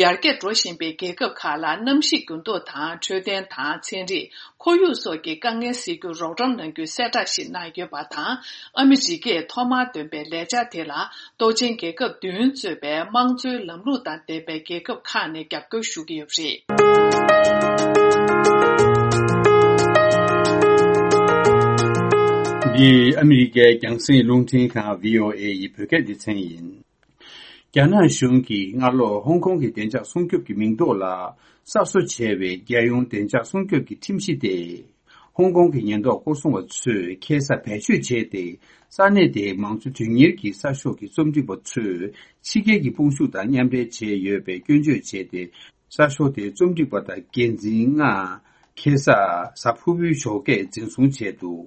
ཡར་རྒྱས་འགྲོ་བཞིན་པའི་རྒྱལ་ཁབ་ཁག་ལ་གནམ་གཤིས་འགྱུར་ལྡོག་དང་འཕྲོད་བསྟེན་དང་ཚན་རིག་ཁོར་ཡུག་སོགས་ཀྱི་དཀའ་ངལ་སེལ་རྒྱུར་རོགས་རམ་གནང་རྒྱུའི་གསལ་བསྒྲགས་ཤིག་གནང་ཡོད་པ་དང་། ཨ་མི་རི་ཀས་ཐོག་མར་འདོན་པའི་ལས་འཆར་དེ་ལ། གཏོགས་ཆེན་རྒྱལ་ཁབ་བདུན་གཙོས་པའི་དམངས་གཙོའི་ལམ་ལུགས་དང་ལྡན་པའི་རྒྱལ་ཁབ་ཁག་ནས་རྒྱབ་སྐྱོར་ཞུ་གི་ཡོད་པ་རེད། འདི་ཨ་མི་རི་ཀའི་རྒྱང་སྲིང་རླུང་འཕྲིན་ཁང་བྷི་ཨོ་ཨེ་ཡི་བོད་སྐད་སྡེ་ཚན་ཡིན། རྒྱ་ནག་གཞུང་གིས་སྔ་ལོ་ཧོང་ཀོང་གི་བདེ་འཇགས་སྲུང་སྐྱོབ་ཀྱི་མིང་ཐོག་ལ་གསར་བཟོ་བྱས་པའི་རྒྱལ་ཡོངས་བདེ་འཇགས་སྲུང་སྐྱོབ་ཀྱི་ཁྲིམས་གཞི་དེ། ཧོང་ཀོང་གི་ཉེན་རྟོག་སྐོར་སྲུང་བ་ཚོས་ཁ་སང་བེད་སྤྱོད་བྱས་ཏེ། ས་གནས་དེའི་མང་གཙོ་དོན་གཉེར་གྱི་གསར་ཤོག་གི་རྩོམ་སྒྲིག་པ་ཚོས་ཕྱི་རྒྱལ་གྱི་དཔུང་ཤུགས་དང་མཉམ་འབྲེལ་བྱས་ཡོད་པའི་སྐྱོན་བརྗོད་བྱས་ཏེ། གསར་ཤོག་དེའི་རྩོམ་སྒྲིག་པ་དང་འགན་འཛིན་ལྔ་ཁ་སང་གཟའ་ཕུར་བུའི་ཞོགས་ཀས་འཛིན་བཟུང་བྱས་འདུག་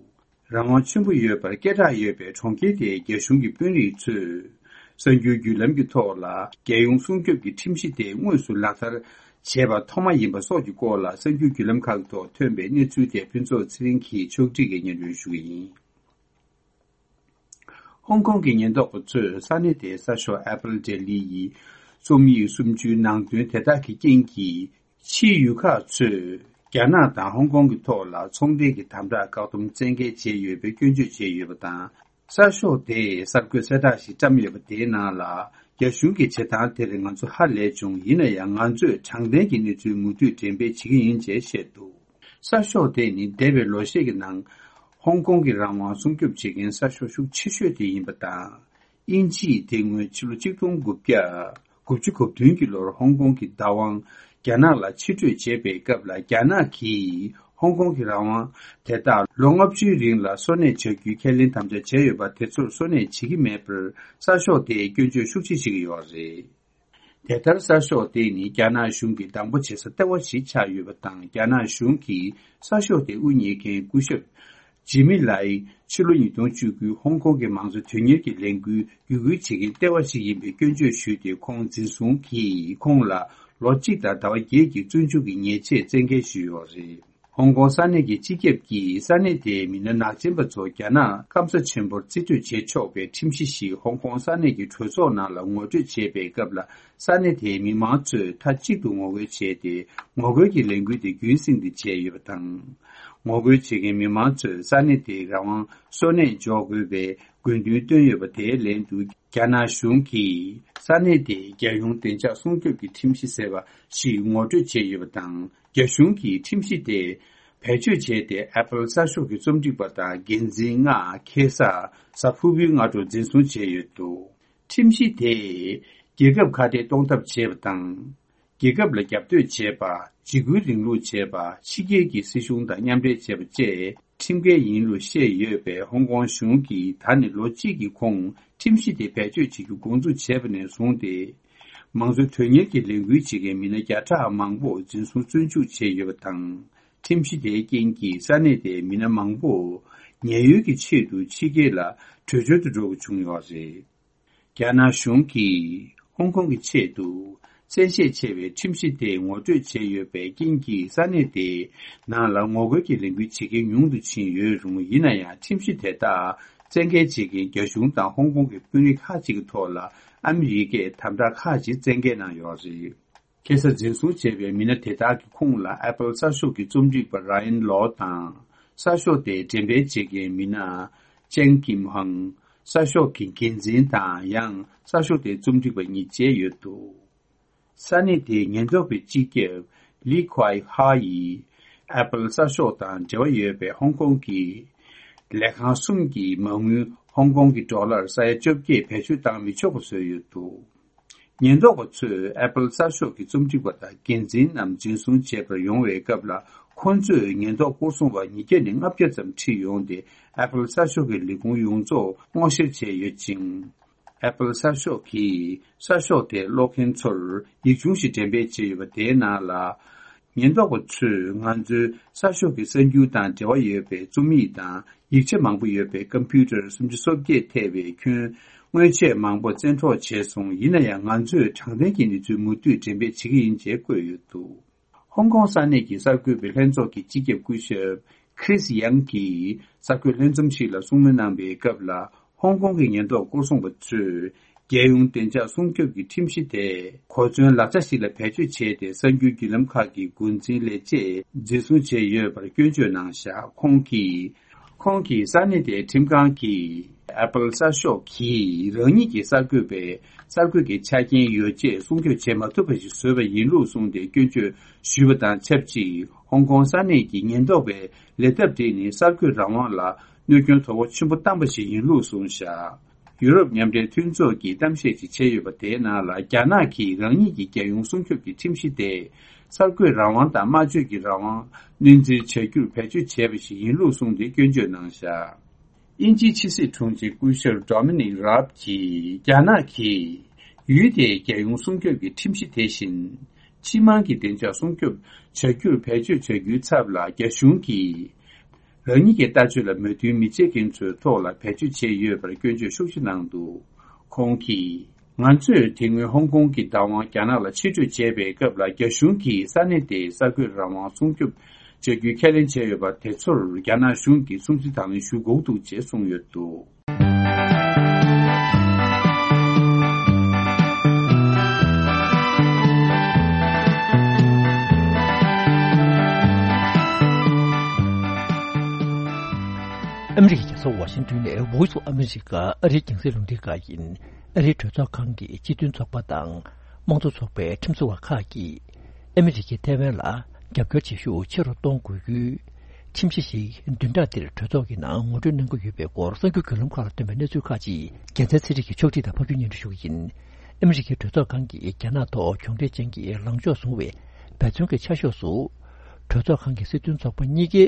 རང་དབང་ཆེན་པོ་ཡོད་པར་སྐད་གྲགས་ཡོད་པའི་གྲོང་ཁྱེར་དེའི་རྒྱ་གཞུང་གི་དཔོན་རིགས་ཚོས། གསར་འགྱུར་བརྒྱུད་ལམ་གྱི་ཐོག་ལ། རྒྱལ་ཡོངས་སྲུང་སྐྱོབ་ཀྱི་ཁྲིམས་གཞི་དེ་དངོས་སུ་ལག་བསྟར་བྱས་པ་ཐོག་མ་ཡིན་པ་སོགས་ཀྱི་སྐོར་ལ། གསར་འགྱུར་བརྒྱུད་ལམ་ཁག་གི་ཐོག་ཐོན་པའི་གནས་ཚུལ་དེ་ཕུན་ཚོགས་ཚེ་རིང་གིས་ཕྱོགས་སྒྲིག་གིས་སྙན་སྒྲོན་ཞུ་གི་ཡིན། ཧོང་ཀོང་གི་ཉེན་རྟོག་པ་ཚོས་ས་གནས་དེའི་གསར་ཤོག་Apple Daily་ཡི་རྩོམ་ཡིག་སུམ་ཅུའི་ནང་དོན་དེ་དག་གི་རྐྱེན་གྱིས། ཕྱིའི་ཡུལ་ཁག་ཚོས་རྒྱ་ནག་དང་ཧོང་ཀོང་གི་ཐོག་ལ་ཚོང་འབྲེལ་གྱི་དམ་དྲག་བཀག་སྡོམ་བཙན་འགེལ་བྱས་ཡོད་པའི་སྐྱོན་བརྗོད་བྱས་ཡོད་པ་དང་། གསར་ཤོག་དེས་གསར་འགོད་གསལ་བསྒྲགས་ཤིག་བཀྲམ་ཡོད་པ་དེའི་ནང་ལ། རྒྱ་གཞུང་གི་བྱེད་སྟངས་དེར་ང་ཚོ་ཧ་ལས་བྱུང་། ཡིན་ན་ཡང་ང་ཚོས་དྲང་བདེན་གྱི་གནས་ཚུལ་མུ་མཐུད་འགྲེམས་སྤེལ་བྱེད་ཀྱི་ཡིན་ཅེས་བཤད་འདུག་གསར་ཤོག་དེ་ནི་འདས་པའི་ལོ་ཤས་ཀྱི་ནང་ཧོང་ཀོང་གི་རང་དབང་སྲུང་སྐྱོབ་བྱེད་མཁན་གསར་ཤོག་ཤུགས་ཆེ་ཤོས་དེ་ཡིན་པ་དང་། དབྱིན་ཇིས་དེ་སྔོན་ཕྱི་ལོ་ཆིག་སྟོང་དགུ་བརྒྱ་དགུ་བཅུ་གོ་བདུན་གྱི་ལོར་ཧོང་ཀོང་གི་བདག་དབང་རྒྱ་ནག་ལ་ཕྱིར་སྤྲོད་བྱས་པའི་སྐབས་ལ། རྒྱ་ནག་གིས་ཧོང་ཀོང་གི་རང་དབང་དེ་དག་ལོ་ལྔ་བཅུའི་རིང་ལ་སོར་གནས་བྱ་རྒྱུའི་ཁས་ལེན་དམ་བཅའ་བྱས་ཡོད་པ་དེ་ཚོར་སོར་གནས་བྱེད་ཀྱི་མེད་པར་གསར་ཤོག་དེས་སྐྱོན་བརྗོད་ཤུགས་ཆེ་བྱེད་ཀྱི་ཡོད་རེད། དེ་ལྟར་གསར་ཤོག་དེ་ནི་རྒྱ་ནག་གཞུང་གིས་སྡང་པོ་བྱེད་ས་ལྟེ་བ་ཞིག་ཆགས་ཡོད་པ་དང་། རྒྱ་ནག་གཞུང་གིས་གསར་ཤོག་དེ་དབུ་བརྙེས་མཁན་སྐུ་ཞབས་ཇི་མི་ལའི་ཕྱི་ལོ་ཉིས་སྟོང་བཅུ་དགུའི་ཧོང་ཀོང་གི་མང་གཙོ་དོན་གཉེར་གྱི་ལས་འགུལ་བརྒྱུད་སྐུལ་བྱེད་མཁན་ལྟེ་བ་ཞིག་ཡིན་པའི་སྐྱོན་བརྗོད་ཞུས་ཏེ། ཁོང་འཛིན་བཟུང་གིས་ཁོང་ལ་ལོ་གཅིག་དང་ཟླ་བ་བརྒྱད་ཀྱི་བཙོན་འཇུག་གི་ཉེས་ཆད་བཙན་འགེལ་ཞུས་ཡོད་རེད། ཧོང་ཀོང་ས་གནས་ཀྱི་སྤྱི་ཁྱབ་ཀྱིས་ས་གནས་དེའི་མི་སྣ་ནག་ཅན་པ་ཚོ་རྒྱ་ནག་སྐམ་ས་ཆེན་པོར་རྩིས་སྤྲོད་བྱེད་ཆོག་པའི་ཁྲིམས་གཞི་ཞིག་ཧོང་ཀོང་ས་གནས་ཀྱི་གྲོས་ཚོགས་ནང་ལ་ངོ་སྤྲོད་བྱས་པའི་སྐབས་ལ། ས་གནས་དེའི་མི་མང་ཚོས་མཐའ་གཅིག་ཏུ་ངོ་རྒོལ་བྱས་ཏེ། ངོ་རྒོལ་གྱི་ལས་འགུལ་དེ་རྒྱུན་བསྲིངས་ཏེ་བྱས་ཡོད་པ་དང་། ངོ་རྒོལ་བྱེད་མཁན་མི་མང་ཚོས་ས་གནས་དེའི་རང་དབང་སོར་གནས་འཇོག་དགོས་པའི་དགོས་འདུན་བཏོན་ཡོད་པ། དེའི་ལན་དུ། རྒྱ་ནག་གཞུང་གིས་ས་གནས་དེའི་རྒྱལ་ཡོངས་བདེ་འཇགས་སྲུང་སྐྱོབ་ཀྱི་ཁྲིམས་གཞི་ཟེར་བ་ཞིག་ངོ་སྤྲོད་བྱས་ཡོད་པ་དང་། རྒྱ་གཞུང་གིས་ཁྲིམས་གཞི་དེ་བེད་སྤྱོད་བྱས་ཏེ། Apple་གསར་ཤོག་གི་རྩོམ་སྒྲིག་པ་དང་འགན་འཛིན་ལྔ་ཁ་སང་གཟའ་ཕུར་བུའི་སྔ་དྲོ་འཛིན་བཟུང་བྱས་ཡོད་འདུག་ཁྲིམས་གཞི་དེས་རྒྱལ་ཁབ་ཁ་གཏད་གཏོང་ཐབས་བྱས་པ་དང་། རྒྱལ་ཁབ་ལ་རྒྱབ་གཏོད་བྱས་པ། འཇིགས་སྐུལ་རིང་ལུགས་བྱས་པ། ཕྱི་རྒྱལ་གྱི་སྲིད་གཞུང་དང་མཉམ་འབྲེལ་བྱས་པ་བཅས་ཁྲིམས་འགལ་ཡིན་ལུགས་བཤད་ཡོད་པས། ཧོང་ཀོང་གཞུང་གིས་ད་ནི་ལོ་གཅིག་གི་གོང་ཁྲིམས་གཞི་དེ་བེད་སྤྱོད་བྱེད་རྒྱུ་འགོ་འཛུགས་བྱས་པ་ནས་བཟུང་སྟེ། མང་གཙོ་དོན་གཉེར་གྱི་ལས་འགུལ་བྱེད་མཁན་མི་སྣ་བརྒྱ་ཕྲག་མང་པོ་འཛིན་བཟུང་བཙོན་འཇུག་བྱས་ཡོད་པ་དང་། ཁྲིམས་གཞི་དེའི་རྐྱེན་གྱིས་ས་གནས་དེའི་མི་སྣ་མང་པོ་ཉེན་གཡོལ་གྱི་ཆེད་དུ་ཕྱི་རྒྱལ་ལ་བྲོས་བྱོལ་དུ་འགྲོ་དགོས་བྱུང་ཡོད་རེད། རྒྱ་ནག་གཞུང་གིས་ཧོང་ཀོང་གི་ཆེད་དུ་བཙན་ཤེད་ཆེ་བའི་ཁྲིམས་གཞི་དེ་ངོ་སྤྲོད་བྱས་ཡོད་པའི་རྐྱེན་གྱིས། ས་གནས་དེའི་ནང་ལ་ངོ་རྒོལ་གྱི་ལས་འགུལ་བྱེད་མཁན་ཉུང་དུ་ཕྱིན་ཡོད་རུང་། ཡིན་ན་ཡང་ཁྲིམས་གཞི་དེ་དག་བཙན་འགེལ་བྱེད་མཁན་རྒྱ་གཞུང་དང་ཧོང་ཀོང་གི་དཔོན་རིགས་ཁག་ཅིག་གི་ཐོག་ལ་ཨ་མི་རི་ཀས་དམ་དྲག་ཁག་ཅིག་བཙན་འགེལ་གནང་ཡོད་རེད། ཁ་སང་འཛིན་བཟུང་བྱས་པའི་མི་སྣ་དེ་དག་གི་ཁོངས་ལ་Apple་གསར་ཤོག་གི་རྩོམ་སྒྲིག་པ་Ryan Law་དང་། གསར་ཤོག་དེ་འགྲེམས་སྤེལ་བྱེད་མཁན་མི་སྣ་Chen Kim་ཧང་། གསར་ཤོག་གི་འགན་འཛིན་དང་ཡང་གསར་ཤོག་དེའི་རྩོམ་སྒྲིག་པ་གཉིས་བཅས་ཡོད་འདུག་ས་གནས་དེའི་ཉེན་རྟོག་པའི་སྤྱི་ཁྱབ་Li Kuai Ha་ཡིས་Apple་གསར་ཤོག་དང་འབྲེལ་བ་ཡོད་པའི་ཧོང་ཀོང་གི་ལས་ཁང་གསུམ་གྱི་མ་དངུལ་ཧོང་ཀོང་གི་ཌོ་ལར་ས་ཡ་བཅོ་བརྒྱད་བེད་སྤྱོད་བཏང་མི་ཆོག་པ་བཟོས་ཡོད་འདུག་ཉེན་རྟོག་པ་ཚོས་Apple་གསར་ཤོག་གི་རྩོམ་སྒྲིག་པ་དང་འགན་འཛིན་རྣམས་འཛིན་བཟུང་བྱེད་པར་ཡོང་བའི་སྐབས་ལ། ཁོང་ཚོས་ཉེན་རྟོག་སྐོར་སྲུང་བ་ཉིས་བརྒྱ་ནས་ལྔ་བརྒྱ་ཙམ་ཁྲིད་ཡོང་སྟེ། Apple་གསར་ཤོག་གི་ལས་ཁུངས་ཡོངས་རྫོགས་སྔོག་བཤེར་བྱས་ཡོད་ཅིང་། Apple་གསར་ཤོག་གིས་གསར་ཤོག་དེ་ཀློག་མཁན་ཚོར་ཡིག་ཆུང་ཞིག་འགྲེམས་སྤེལ་བྱས་ཡོད་པ་དེའི་ནང་ལ། ཉེན་རྟོག་པ་ཚོས་ང་ཚོའི་གསར་ཤོག་གི་གསར་འགྱུར་དང་འབྲེལ་བ་ཡོད་པའི་རྩོམ་ཡིག་དང་ཡིག་ཆ་མང་པོ་ཡོད་པའི་ཀམ་པུ་ཊར་སུམ་ཅུ་སོ་བརྒྱད་ཐེ་བའི་ཁྱོན་དངོས་ཆས་མང་པོ་བཙན་འཕྲོག་བྱས་སོང་། ཡིན་ན་ཡང་ང་ཚོས་དྲང་བདེན་གྱི་གནས་ཚུལ་མུ་མཐུད་འགྲེམས་སྤེལ་བྱེད་ཀྱི་ཡིན་ཅེས་བཀོད་ཡོད་འདུག་ཧོང་ཀོང་ས་གནས་ཀྱི་གསར་འགོད་པའི་ལྷན་ཚོགས་ཀྱི་སྤྱི་ཁྱབ་སྐུ་ཞབས་Chris Yang་གིས་གསར་འགོད་ལྷན་འཛོམས་ཤིག་ལ་གསུང་མོལ་གནང་བའི་སྐབས་ལ། ཧོང་ཀོང་གི་ཉེན་རྟོག་སྐོར་སྲུང་བ་ཚོས་རྒྱལ་ཡོངས་བདེ་འཇགས་སྲུང་སྐྱོབ་ཀྱི་ཁྲིམས་གཞི་དེ་གོ་མཚོན་ལག་ཆ་ཞིག་ལ་བེད་སྤྱོད་བྱས་ཏེ། གསར་འགྱུར་བརྒྱུད་ལམ་ཁག་གི་འགོ་འཛིན་ལས་བྱེད་འཛིན་བཟུང་བྱས་ཡོད་པར་སྐྱོན་བརྗོད་གནང་བཞག་ཁོང་གིས། ཁོང་གིས་ས་གནས་དེའི་ཁྲིམས་ཁང་གིས་Apple་གསར་ཤོག་གིས་རང་ཉིད་ཀྱི་གསར་འགོད་པའི་གསར་འགོད་ཀྱི་ཆ་རྐྱེན་ཡོ་བྱད་སྲུང་སྐྱོབ་བྱེད་མ་ཐུབ་པ་ཞིག་བཟོས་པ་ཡིན་ལུགས་གསུངས་ཏེ་སྐྱོན་བརྗོད་ཞུས་པ་དང་ཆབས་ཅིག་ཧོང་ཀོང་ས་གནས་ཀྱི་ཉེན་རྟོག་པའི་ལས་ཐབས་དེ་ནི་གསར་འགོད་རང་དབང་ལ་གནོད་སྐྱོན་དོ་ཕོག་ཆེན་པོ་བཏང་པ་ཞིག་ཡིན་ལུགས་གསུངས་བཞག་ཡུ་རོབ་མཉམ་འབྲེལ་མཐུན་ཚོགས་ཀྱིས་གཏམ་བཤད་ཅིག་བྱས་ཡོད་པ་དེའི་ནང་ལ། རྒྱ་ནག་གིས་རང་ཉིད་ཀྱི་རྒྱལ་ཡོངས་སྲུང་སྐྱོབ་ཀྱི་ཁྲིམས་གཞི་དེ་གསར་འགོད་རང་དབང་དང་སྨྲ་བརྗོད་ཀྱི་རང་དབང་སྣོན་འཛིན་བྱ་རྒྱུར་བེད་སྤྱོད་བྱས་པ་ཞིག་ཡིན་ལུགས་གསུངས་ཏེ་སྐྱོན་བརྗོད་གནང་བཞག་དབྱིན་ཇིའི་ཕྱི་སྲིད་དྲུང་ཆེ་སྐུ་ཞབས་Dominic Raab གྱིས། རྒྱ་ནག་གིས་ཡུལ་དེའི་རྒྱལ་ཡོངས་སྲུང་སྐྱོབ་ཀྱི་ཁྲིམས་གཞི་དེ་བཞིན་སྤྱི་དམངས་ཀྱི་བདེ་འཇགས་སྲུང་སྐྱོབ་བྱ་རྒྱུར་བེད་སྤྱོད་བྱ་རྒྱུའི་ཚབ་ལ། རྒྱ་གཞུང་གིས་རང་ཉིད་ཀྱི་ལྟ་སྤྱོད་ལ་མོས་མཐུན་མི་བྱེད་མཁན་ཚོའི་ཐོག་ལ་བེད་སྤྱོད་བྱས་ཡོད་པར་སྐྱོན་བརྗོད་ཤུགས་ཆེ་གནང་འདུག་ཁོང་གིས། ང་ཚོས་དེ་སྔོན་ཧོང་ཀོང་གི་བདག་དབང་རྒྱ་ནག་ལ་ཕྱིར་སྤྲོད་བྱས་པའི་སྐབས་ལ། རྒྱ་གཞུང་གིས་ས་གནས་དེའི་གསར་འགོད་རང་དབང་སྲུང་སྐྱོབ་བྱ་རྒྱུའི་ཁས་ལེན་བྱས་ཡོད་པ་དེ་ཚོར་རྒྱ་ནག་གཞུང་གིས་སྲུང་བརྩི་དང་ལེན་ཞུ་དགོས་འདུག་ཅེས་གསུངས་ཡོད་འདུག་ཨ་མི་རི་ཀའི་རྒྱལ་ས་ཝ་ཤིང་ཏོན་ནས་Voice of America ཨ་རིའི་རྒྱང་སྲིང་རླུང་འཕྲིན་ཁང་ཡིན། ཨ་རིའི་གྲོས་ཚོགས་ཁང་གི་སྤྱི་མཐུན་ཚོགས་པ་དང་དམངས་གཙོ་ཚོགས་པའི་ཁྲིམས་བཟོ་བ་ཁག་གིས་ཨ་མི་རི་ཀས་ཐའེ་ཝན་ལ་རྒྱབ་སྐྱོར་བྱེད་ཤུགས་ཆེ་རུ་གཏོང་དགོས་རྒྱུའི་ཁྲིམས་གཞི་ཞིག་བདུན་ཕྲག་འདིར་གྲོས་ཚོགས་ཀྱི་ནང་ངོ་སྤྲོད་གནང་གི་ཡོད་པའི་སྐོར་གསར་འགྱུར་བརྒྱུད་ལམ་ཁག་ལ་ཐོན་པའི་གནས་ཚུལ་ཁག་ཅིག་རྒྱལ་མཚན་ཚེ་རིང་གིས་ཕྱོགས་སྒྲིག་དང་ཕབ་སྒྱུར་སྙན་སྒྲོན་ཞུ་གི་ཡིན། ཨ་མི་རི་ཀའི་གྲོས་ཚོགས་ཁང་གིས་རྒྱ་ནག་ཐོག་གྱོང་གྲས་ཅན་གྱི་ལངས་ཕྱོགས་བཟུང་བའི་འབད་བརྩོན་གྱི་ཆ་ཤས་སུ། གྲོས་ཚོགས་ཁང་གི་སྲིད་དོན་ཚོགས་པ་གཉིས་ཀའི་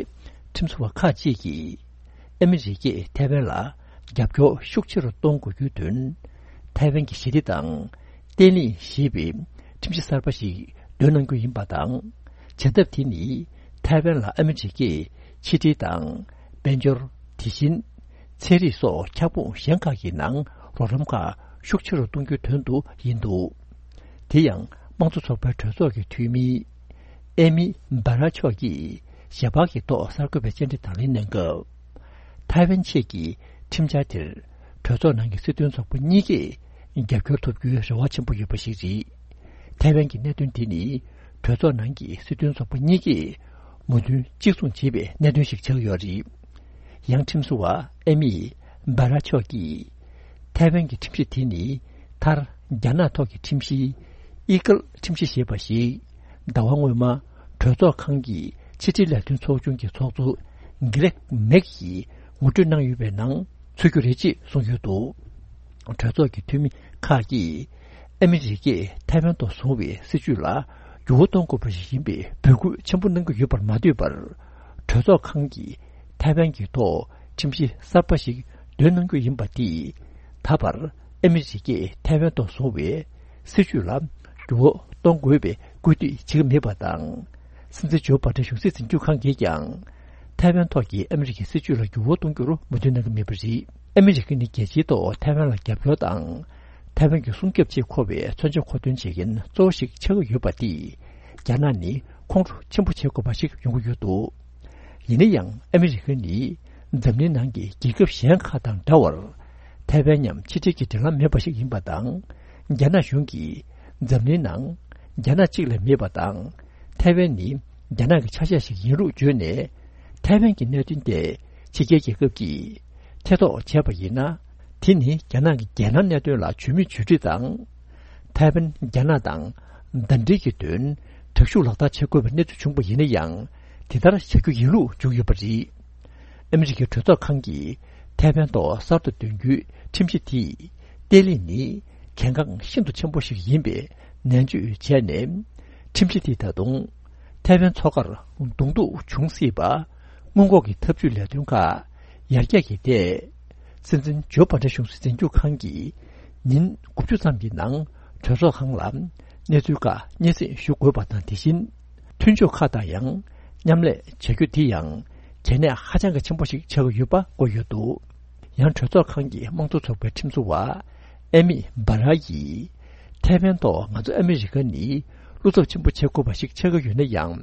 ཁྲིམས་བཟོ་བ་ཁག་ཅིག་གིས། ཨ་མི་རི་ཀས་ཐའེ་ཝན་ལ་རྒྱབ་སྐྱོར་ཤུགས་ཆེ་རུ་གཏོང་དགོས་རྒྱུའི་དོན། ཐའེ་ཝན་གྱི་ཞི་བདེ་དང་བརྟན་ལྷིང་ཞེས་པའི་ཁྲིམས་གཞི་གསར་པ་ཞིག་འདོན་གནང་རྒྱུ་ཡིན་པ་དང་། བྱ་ཐབས་དེ་ནི་ཐའེ་ཝན་ལ་ཨ་མི་རི་ཀས་ཕྱི་འབྲེལ་དང་། དཔལ་འབྱོར། དེ་བཞིན། ཚན་རིག་སོགས་ཁྱབ་ཁོངས་གཞན་ཁག་གི་ནང་རོགས་རམ་ཁག་ཤུགས་ཆེ་རུ་གཏོང་རྒྱུའི་དོན་དུ་ཡིན་འདུག་དེ་ཡང་དམངས་གཙོ་ཚོགས་པའི་གྲོས་ཚོགས་ཀྱི་འཐུས་མི་ཨེ་མི་བྷ་ར་མཆོག་གིས་ཞལ་པར་གྱི་ཐོག་གསར་འགོད་པའི་བཅར་འདྲི་དང་ལེན་གནང་སྐབས། ཐའེ་ཝན་ཆེད་ཀྱི་ཁྲིམས་འཆར་དེར་གྲོས་ཚོགས་ནང་གི་སྲིད་དོན་ཚོགས་པ་གཉིས་ཀས་རྒྱབ་སྐྱོར་ཐོབ་རྒྱུའི་རེ་བ་ཆེན་པོ་ཡོད་པ་ཞིག་རེད། ཐའེ་ཝན་གྱི་གནད་དོན་དེ་ནི་གྲོས་ཚོགས་ནང་གི་སྲིད་དོན་ཚོགས་པ་གཉིས་ཀས་མོས་མཐུན་གཅིག་མཚུངས་བྱས་པའི་གནད་དོན་ཞིག་ཆགས་ཡོད་རེད། ཡང་ཁྲིམས་བཟོ་བ་ཨེ་མི་བྷ་ར་མཆོག་གིས། ཐའེ་ཝན་གྱི་ཁྲིམས་གཞི་དེ་ནི་མཐར་རྒྱ་ནག་ཐོག་གི་ཁྲིམས་གཞི་ཨི་ཀལ་ཁྲིམས་གཞི་ཞེས་པ་ཞིག་ཟླ་བ་སྔོན་མ་གྲོས་ཚོགས་ཁང་གི་ཕྱི་དྲིལ་ལས་དོན་ཚོགས་ཆུང་གི་ཚོགས་གཙོ་གྷི་རེག་མེག་གིས་ངོ་སྤྲོད་གནང་ཡོད་པའི་ནང་ཚུད་རྒྱུ་རེད་ཅེས་གསུངས་ཡོད་འདུག་གྲོས་ཚོགས་ཀྱི་འཐུས་མི་ཁག་གིས་ཨ་མི་རི་ཀས་ཐའེ་ཝན་ཐོག་བཟུང་བའི་སྲིད་བྱུས་ལ་འགྱུར་བ་གཏོང་དགོས་པ་ཞིག་ཡིན་པའི་འབོད་སྐུལ་ཆེན་པོ་གནང་གི་ཡོད་པར་མ་ལྟོས་པར། གྲོས་ཚོགས་ཁང་གིས་ཐའེ་ཝན་གྱི་ཐོག་ཁྲིམས་གཞི་གསར་པ་ཞིག་འདོན་གནང་རྒྱུ་ཡིན་པ་འདིས། ད་བར་ཨ་མི་རི་ཀས་ཐའེ་ཝན་ཐོག་བཟུང་བའི་སྲིད་བྱུས་ལ་འགྱུར་བ་གཏོང་དགོས་པའི་སྐུལ་འདེད་བྱེད་ཀྱི་མེད་པ་དང་། སྲིད་འཛིན་ཇོ་བྷ་ཌེན་གཞུང་སྲིད་འཛིན་སྐྱོང་ཁང་གིས་ཀྱང་། ཐའེ་ཝན་ཐོག་གི་ཨ་མི་རི་ཀའི་སྲིད་བྱུས་ལ་འགྱུར་བ་གཏོང་རྒྱུར་མོས་མཐུན་གནང་གི་མེད་པ་རེད། ཨ་མི་རི་ཀ་ནི་རྒྱལ་སྤྱིའི་ཐོག་ཐའེ་ཝན་ལ་རྒྱབ་སྐྱོར་དང་། ཐའེ་ཝན་གྱི་སྲུང་སྐྱོབ་ཆེད་མཁོ་བའི་མཚོན་ཆ་མཁོ་འདོན་བྱེད་མཁན་གཙོ་བོ་ཞིག་ཆགས་ཀྱི་ཡོད་པ་དེས། རྒྱ་ནག་ནི་ཁོང་ཁྲོ་ཆེན་པོ་བྱེད་དགོས་པ་ཞིག་ཡོང་གི་ཡོད་འདུག་ཡིན་ན་ཡང་ཨ་མི་རི་ཀ་ནི་འཛམ་གླིང་ནང་གི་རྒྱལ་ཁབ་གཞན་ཁག་དང་འདྲ་བར། ཐའེ་ཝན་མཉམ་ཕྱི་འབྲེལ་གྱི་འབྲེལ་ལམ་མེད་པ་ཞིག་ཡིན་པ་དང་། རྒྱ་ནག་གཞུང་གིས་འཛམ་གླིང་ནང་རྒྱ་ནག་གཅིག་ལས་མེད་པ་དང་། ཐའེ་ཝན་ནི་རྒྱ་ནག་གི་ཆ་ཤས་ཤིག་ཡིན་ལུགས་བརྗོད་ནས། ཐའེ་ཝན་གྱི་གནད་དོན་དེ་ཕྱི་རྒྱལ་རྒྱལ་ཁབ་ཀྱིས་ཐེ་གཏོགས་བྱས་པ་ཡིན་ན། དེ་ནི་རྒྱ་ནག་གི་རྒྱལ་ནང་གནད་དོན་ལ་ཇུས་མེད་ཇུས་འགྲིག་དང་། ཐའེ་ཝན་རྒྱ་ནག་དང་ཟླ་སྒྲིལ་གྱི་དོན་དྲག་ཤུགས་ལག་བསྟར་བྱེད་དགོས་པའི་གནས་ཚུལ་བྱུང་པ་ཡིན་ན་ཡང་། དེ་ལྟར་བྱ་རྒྱུ་ཡིན་ལུགས་བརྗོད་ཡོད་པ་རེད། ཨ་མི་རི་ཀའི་གྲོས་ཚོགས་ཁང་གིས་ཐའེ་ཝན་ཐོག་གསར་དུ་འདོན་རྒྱུའི་ཁྲིམས་གཞི་དེས། བརྟན་ལྷིང་ནི་གལ་འགངས་ཤིན་ཏུ་ཆེན་པོ་ཞིག་ཡིན་པའི་ནན་བརྗོད་བྱས་ནས། ཁྲིམས་གཞི་དེས་ད་དུང་ཐའེ་ཝན་མཚོ་ཁར་གདོང་ཐུག་འབྱུང་སྲིད་པ། སྔོན་འགོག་གི་ཐབས་ཇུས་ལས་དོན་ཁག་ཡར་རྒྱས་ཀྱི་ཐད། སྲིད་འཛིན་ཇོ་བྷ་ཌེན་གཞུང་སྲིད་འཛིན་སྐྱོང་ཁང་གིས་ཉིན་དགུ་བཅུ་ཙམ་གྱི་ནང་གྲོས་ཚོགས་ཁང་ལ་གནས་ཚུལ་ཁག་སྙན་སེང་ཞུ་དགོས་པ་དང་། དེ་བཞིན་མཐུན་ཕྱོགས་ཁག་དང་ཡང་མཉམ་ལས་བྱ་རྒྱུ་དེ་ཡང་གལ་གནད་ཧ་ཅང་གི་ཆེན་པོ་ཞིག་ཆགས་ཀྱི་ཡོད་པ་བཀོད་ཡོད་འདུག་ཡང་གྲོས་ཚོགས་ཁང་གི་དམངས་གཙོ་ཚོགས་པའི་ཁྲིམས་བཟོ་བ་ཨེ་མི་སྦ་ར་ཡིས། ཐའེ་ཝན་ཐོག་ང་ཚོ་ཨ་མི་རི་ཀ་ནི་བློ་འཚབ་ཆེན་པོ་བྱེད་དགོས་པ་ཞིག་ཆགས་ཀྱི་ཡོད་ན་ཡང་།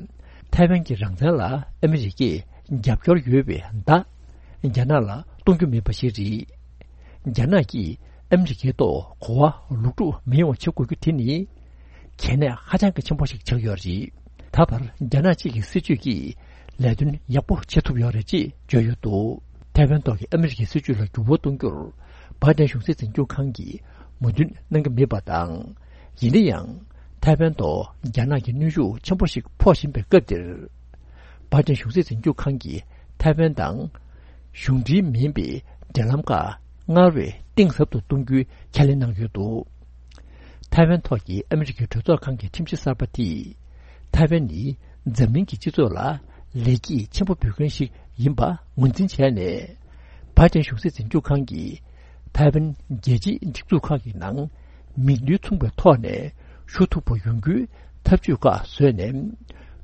ཐའེ་ཝན་གྱི་རང་བཙན་ལ་ཨ་མི་རི་ཀས་རྒྱབ་སྐྱོར་ཡོད་པའི་བརྡ་རྒྱ་ནག་ལ་གཏོང་རྒྱུ་མེད་པ་ཞིག་རེད། རྒྱ་ནག་གིས་ཨ་མི་རི་ཀའི་ཐོག་གོ་བ་ལོག་སྒྲུབ་མི་ཡོང་བ་བྱེད་དགོས་རྒྱུ་དེ་ནི་གལ་གནད་ཧ་ཅང་གི་ཆེན་པོ་ཞིག་ཆགས་ཡོད་རེད། ད་བར་རྒྱ་ནག་གཅིག་གི་སྲིད་བྱུས་ཀྱིས་ལས་དོན་ཡག་པོ་བྱེད་ཐུབ་ཡོད་རེད་ཅེས་བརྗོད་ཡོད་འདུག་ཐའེ་ཝན་ཐོག་གི་ཨ་མི་རི་ཀའི་སྲིད་བྱུས་ལ་འགྱུར་བ་གཏོང་རྒྱུར་བྷའི་ཏན་གཞུང་སྲིད་འཛིན་སྐྱོང་ཁང་གིས་མོས་མཐུན་གནང་གི་མེད་པ་དང་། ཡིན་ན་ཡང་ཐའེ་ཝན་ཐོག་རྒྱ་ནག་གི་གནོན་ཤུགས་ཆེན་པོ་ཞིག་ཕོག་བཞིན་པའི་སྐབས་འདིར། བྷའི་ཏན་གཞུང་སྲིད་འཛིན་སྐྱོང་ཁང་གིས་ཐའེ་ཝན་དང་གཞུང་འབྲེལ་མིན་པའི་འབྲེལ་ལམ་ཁག་ སྔར་བས་གཏིང་ཟབ་ཏུ་གཏོང་རྒྱུའི་ཁས་ལེན་གནང་ཡོད་འདུག། ཐའེ་ཝན་ཐོག་གི་ཨ་མི་རི་ཀའི་གྲོས་ཚོགས་ཁང་གི་ཁྲིམས་གཞི་གསར་པ་དེས། ཐའེ་ཝན་ནི་འཛམ་གླིང་གི་སྤྱི་ཚོགས་ལ་ལེགས་སྐྱེས་ཆེན་པོ་འབུལ་མཁན་ཞིག་ཡིན་པ་ངོས་འཛིན་བྱས་ནས། བྷའི་ཏན་གཞུང་སྲིད་འཛིན་སྐྱོང་ཁང་གིས་ཐའེ་ཝན་རྒྱལ་སྤྱིའི་སྒྲིག་འཛུགས་ཁག་གི་ནང་མིག་ནུས་མཚུངས་པའི་ཐོག་ནས་ཞུགས་ཐུབ་པ་ཡོང་རྒྱུའི་ཐབས་ཇུས་ཁག་བཟོས་ནས།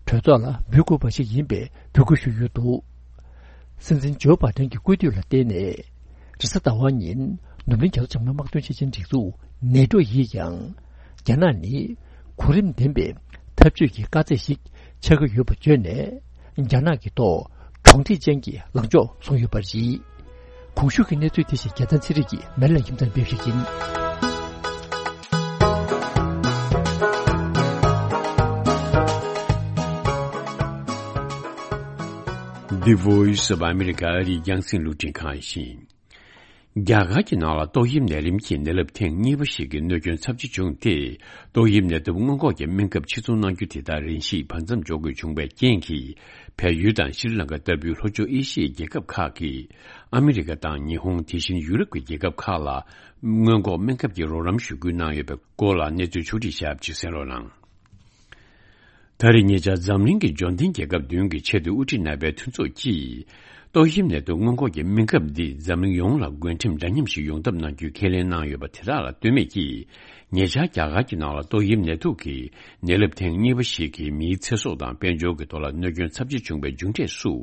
གྲོས་ཚོགས་ལ་འབུལ་དགོས་པ་ཞིག་ཡིན་པའི་འབོད་སྐུལ་ཞུས་ཡོད་འདུག། སྲིད་འཛིན་ཇོ་བྷའི་ཏན་གྱི་སྐུལ་འདེད་ལ་བརྟེན་ནས། རེས་གཟའ་ཟླ་བ་ཉིན་ནུབ་གླིང་རྒྱ་མཚོ་བྱང་མའི་དམག་དོན་ཆེད་ཆེན་སྒྲིག་འཛུགས་ནེ་ཏོ་ཡིས་ཀྱང་། རྒྱ་ནག་ནི་གོ་རིམ་ལྡན་པའི་འཐབ་ཇུས་ཀྱི་དཀའ་ཚེགས་ཤིག་ཆགས་ཀྱི་ཡོད་པ་བརྗོད་ནས། རྒྱ་ནག་གི་ཐོག་གྲོང་སྡེ་ཅན་གྱི་ལངས་ཕྱོགས་བཟུང་ཡོད་པ་རེད། གོང་ཞུས་ཀྱི་གནས་ཚུལ་དེ་བཞིན་རྒྱལ་མཚན་ཚེ་རིང་གིས་མེ་ལ་ཁྱིམ་ཚང་སྤེལ་ཞིག་ཡིན། The Voice of America ཨ་རིའི་རྒྱང་སྲིང་རླུང་འཕྲིན་ཁང་ཡིན། རྒྱ་གར་གྱི་ནང་ལ་ཏོག་དབྱིབས་ནད་རིམས་ཀྱི་ནད་རླབས་ཐེངས་གཉིས་པ་ཞིག་གི་གནོད་སྐྱོན་ཚབས་ཆེ་བྱུང་སྟེ། ཏོག་དབྱིབས་ནད་དུག་སྔོན་འགོག་གི་སྨན་ཁབ་ཕྱིར་ཚོང་གནང་རྒྱུ་དེ་དག་རིང་ཞིག་བར་མཚམས་འཇོག་དགོས་བྱུང་བའི་རྐྱེན་གྱིས། བལ་ཡུལ་དང་ཤྲི་ལང་ཀ་ལྟ་བུའི་ལྷོ་ཕྱོགས་ཨེ་ཤི་ཡའི་རྒྱལ་ཁབ་ཁག་གིས་ཨ་མི་རི་ཀ་དང་ཉི་ཧོང་། དེ་བཞིན་ཡུ་རོབ་ཀྱི་རྒྱལ་ཁབ་ཁག་ལ་སྔོན་འགོག་སྨན་ཁབ་ཀྱི་རོགས་རམ་ཞུ་སྐུལ་གནང་ཡོད་པའི་སྐོར་ལ་གནས་ཚུལ་ཕྱོགས་བསྒྲིགས་བྱས་པ་ཅིག་གསན་རོགས་གནང་། ད་རེས་ཉེ་ཆར་འཛམ་གླིང་གི་འབྱོར་ལྡན་རྒྱལ་ཁབ་བདུན་གྱི་ཆེས་མཐོའི་དབུ་ཁྲིད་རྣམ་པའི་མཐུན་ཚོགས་ཀྱིས། ཏོག་དབྱིབས་ནད་དུག་སྔོན་འགོག་གི་སྨན་ཁབ་འདི་འཛམ་གླིང་ཡོངས་ལ་བགོ་འགྲེམས་འདྲ་མཉམ་ཞིག་ཡོང་ཐབས་གནང་རྒྱུའི་ཁས་ལེན་གནང་ཡོད་པ་དེ་དག་ལ་ལྟོས་མེད་ཀྱིས། ཉེ་ཆར་རྒྱ་གར་གྱི་ནང་ལ་ཏོག་དབྱིབས་ནད་དུག་གི་ནད་རླབས་ཐེངས་གཉིས་པ་ཞིག་གིས་མིའི་ཚེ་སྲོག་དང་དཔལ་འབྱོར་གྱི་ཐོག་ལ་གནོད་སྐྱོན་ཚབས་ཆེ་བྱུང་བའི་མཇུག་འབྲས་སུ།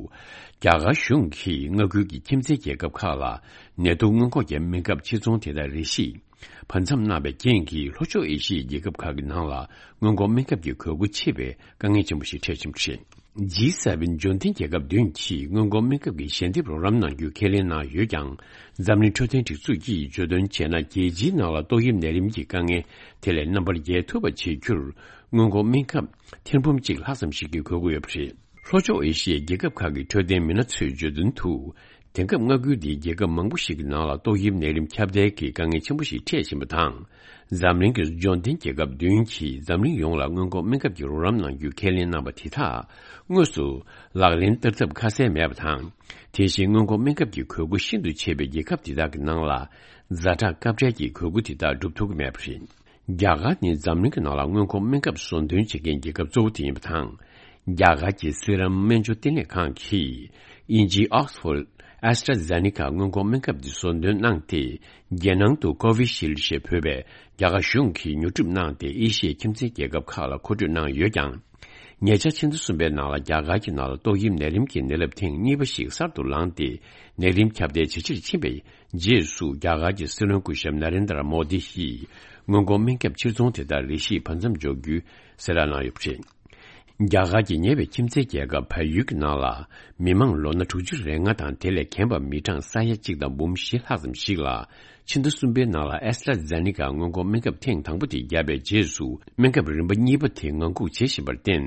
རྒྱ་གར་གཞུང་གིས་མངའ་ཁུལ་གྱི་ཁྱིམ་མཚེས་རྒྱལ་ཁབ་ཁག་ལ་ནད་དུག་སྔོན་འགོག་གི་སྨན་ཁབ་ཕྱིར་ཚོང་དེ་དག་རེ་ཞིག་བར་མཚམས་གནང་བའི་རྐྱེན་གྱིས། ལྷོ་ཕྱོགས་ཨེ་ཤི་ཡའི་རྒྱལ་ཁབ་ཁག་གི་ནང་ལ་སྔོན་འགོག་སྨན་ཁབ་ཀྱི་དགོས་མཁོ་ཆེ་བའི་དཀའ་ངལ་ཆེན་པོ་ཞིག་འཕྲད་བཞིན་པ་རེད། ཇི་སེ་ཝེན་འབྱོར་ལྡན་རྒྱལ་ཁབ་བདུན་གྱིས་སྔོན་འགོག་སྨན་ཁབ་ཀྱི་ཞལ་འདེབས་རོགས་རམ་གནང་རྒྱུའི་ཁས་ལེན་གནང་ཡོད་ཀྱང་། འཛམ་གླིང་འཕྲོད་བསྟེན་སྒྲིག་འཛུགས་ཀྱིས་བརྗོད་དོན་བྱས་ན། རྒྱལ་སྤྱིའི་ནང་ལ་ཏོག་དབྱིབས་ནད་རིམས་ཀྱི་དཀའ་ངལ་དེ་ལས་རྣམ་པར་རྒྱལ་ཐུབ་པ་བྱེད་རྒྱུར། སྔོན་འགོག་སྨན་ཁབ་ཐེར་འབུམ་གཅིག་ལྷག་ཙམ་ཞིག་གི་དགོས་མཁོ་ཡོད་པ་རེད། ལྷོ་ཕྱོགས་ཨེ་ཤི་ཡའི་རྒྱལ་ཁབ་ཁག་གི་འཕྲོད་བསྟེན་མི་སྣ་ཚོས་བརྗོད་དོན་དུ། དེང་སྐབས་མངའ་ཁུལ་འདིའི་རྒྱལ་ཁབ་མང་པོ་ཞིག་གི་ནང་ལ་ཏོག་དབྱིབས་ནད་རིམས་ཁྱབ་གདལ་གྱི་དཀའ་ངལ་ཆེན་པོ་ཞིག་འཕྲད་བཞིན་པ་དང་། འཛམ་གླིང་གི་འབྱོར་ལྡན་རྒྱལ་ཁབ་བདུན་གྱིས་འཛམ་གླིང་ཡོངས་ལ་སྔོན་འགོག་སྨན་ཁབ་ཀྱི་རོགས་རམ་གནང་རྒྱུའི་ཁས་ལེན་གནང་བ་དེ་དག་དངོས་སུ་ལག་ལེན་བསྟར་ཐབས་ཁ་གསལ་མེད་པ་དང་། དེ་བཞིན་སྔོན་འགོག་སྨན་ཁབ་ཀྱི་དགོས་མཁོ་ཤིན་ཏུ་ཆེ་བའི་རྒྱལ་ཁབ་དེ་དག་གི་ནང་ལ་ཛ་དྲག་སྐབས་འཕྲལ་གྱི་དགོས་མཁོ་དེ་དག་སྒྲུབ་ཐུབ་ཀྱི་མེད་པ་རེད། རྒྱ་གར་ནི་འཛམ་གླིང་གི་ནང་ལ་སྔོན་འགོག་སྨན་ཁབ་ཟོ་འདོན་བྱེད་མཁན་རྒྱལ་ཁབ་གཙོ་བོ་དེ་ཡིན་པ་དང་། རྒྱ་གར་གྱི་སི་རམ་སྨན་བཅོས་ལྟེ་གནས་ཁང་གིས། དབྱིན་ཇིའི་Oxford AstraZeneca སྔོན་འགོག་སྨན་ཁབ་འདི་ཟོ་འདོན་གནང་སྟེ། རྒྱལ་ནང་དུ་Covishield ཞེས་འབོད་པའི་རྒྱ་གར་གཞུང་གིས་ཉོ་སྒྲུབ་གནང་སྟེ། ཨེ་ཤི་ཡའི་ཁྱིམ་མཚེས་རྒྱལ་ཁབ་ཁག་ལ་མཁོ་སྤྲོད་གནང་ཡོད་ཀྱང་། ཉེ་ཆར་ཕྱི་ཟླ་གསུམ་པའི་ནང་ལ་རྒྱ་གར་གྱི་ནང་ལ་ཏོག་དབྱིབས་ནད་རིམས་ཀྱི་ནད་རླབས་ཐེངས་གཉིས་པ་ཞིག་གསར་དུ་ལངས་ཏེ། ནད་རིམས་ཁྱབ་གདལ་ཇེ་ཆེར་ཕྱིན་པའི་རྗེས་སུ། རྒྱ་གར་གྱི་སྲིད་བློན་སྐུ་ཞབས་ན་རེན་དྲ་མོ་དི་ཡིས་སྔོན་འགོག་སྨན་ཁབ་ཕྱིར་ཚོང་དེ་དག་རེ་ཞིག་བར་མཚམས་འཇོག་རྒྱུའི་གསལ་བསྒྲགས་གནང་ཡོད་པ་རེད། རྒྱ་གར་གྱི་ཉེ་བའི་ཁྱིམ་མཚེས་རྒྱལ་ཁབ་བལ་ཡུལ་གྱི་ནང་ལ། མི་མང་ལོ་ན་དྲུག་ཅུ་རེ་ལྔ་དང་དེ་ལས་རྒན་པ་མི་གྲངས་ས་ཡ་གཅིག་དང་འབུམ་བཞི་ལྷག་ཙམ་ཞིག་ལ། ཕྱི་ཟླ་གསུམ་པའི་ནང་ལ་AstraZeneca སྔོན་འགོག་སྨན་ཁབ་ཐེངས་དང་པོ་དེ་བརྒྱབ་པའི་རྗེས་སུ། སྨན་ཁབ་རིམ་པ་གཉིས་པ་དེ་ངང་སྒུག་བྱེད་བཞིན་པར་བརྟེན།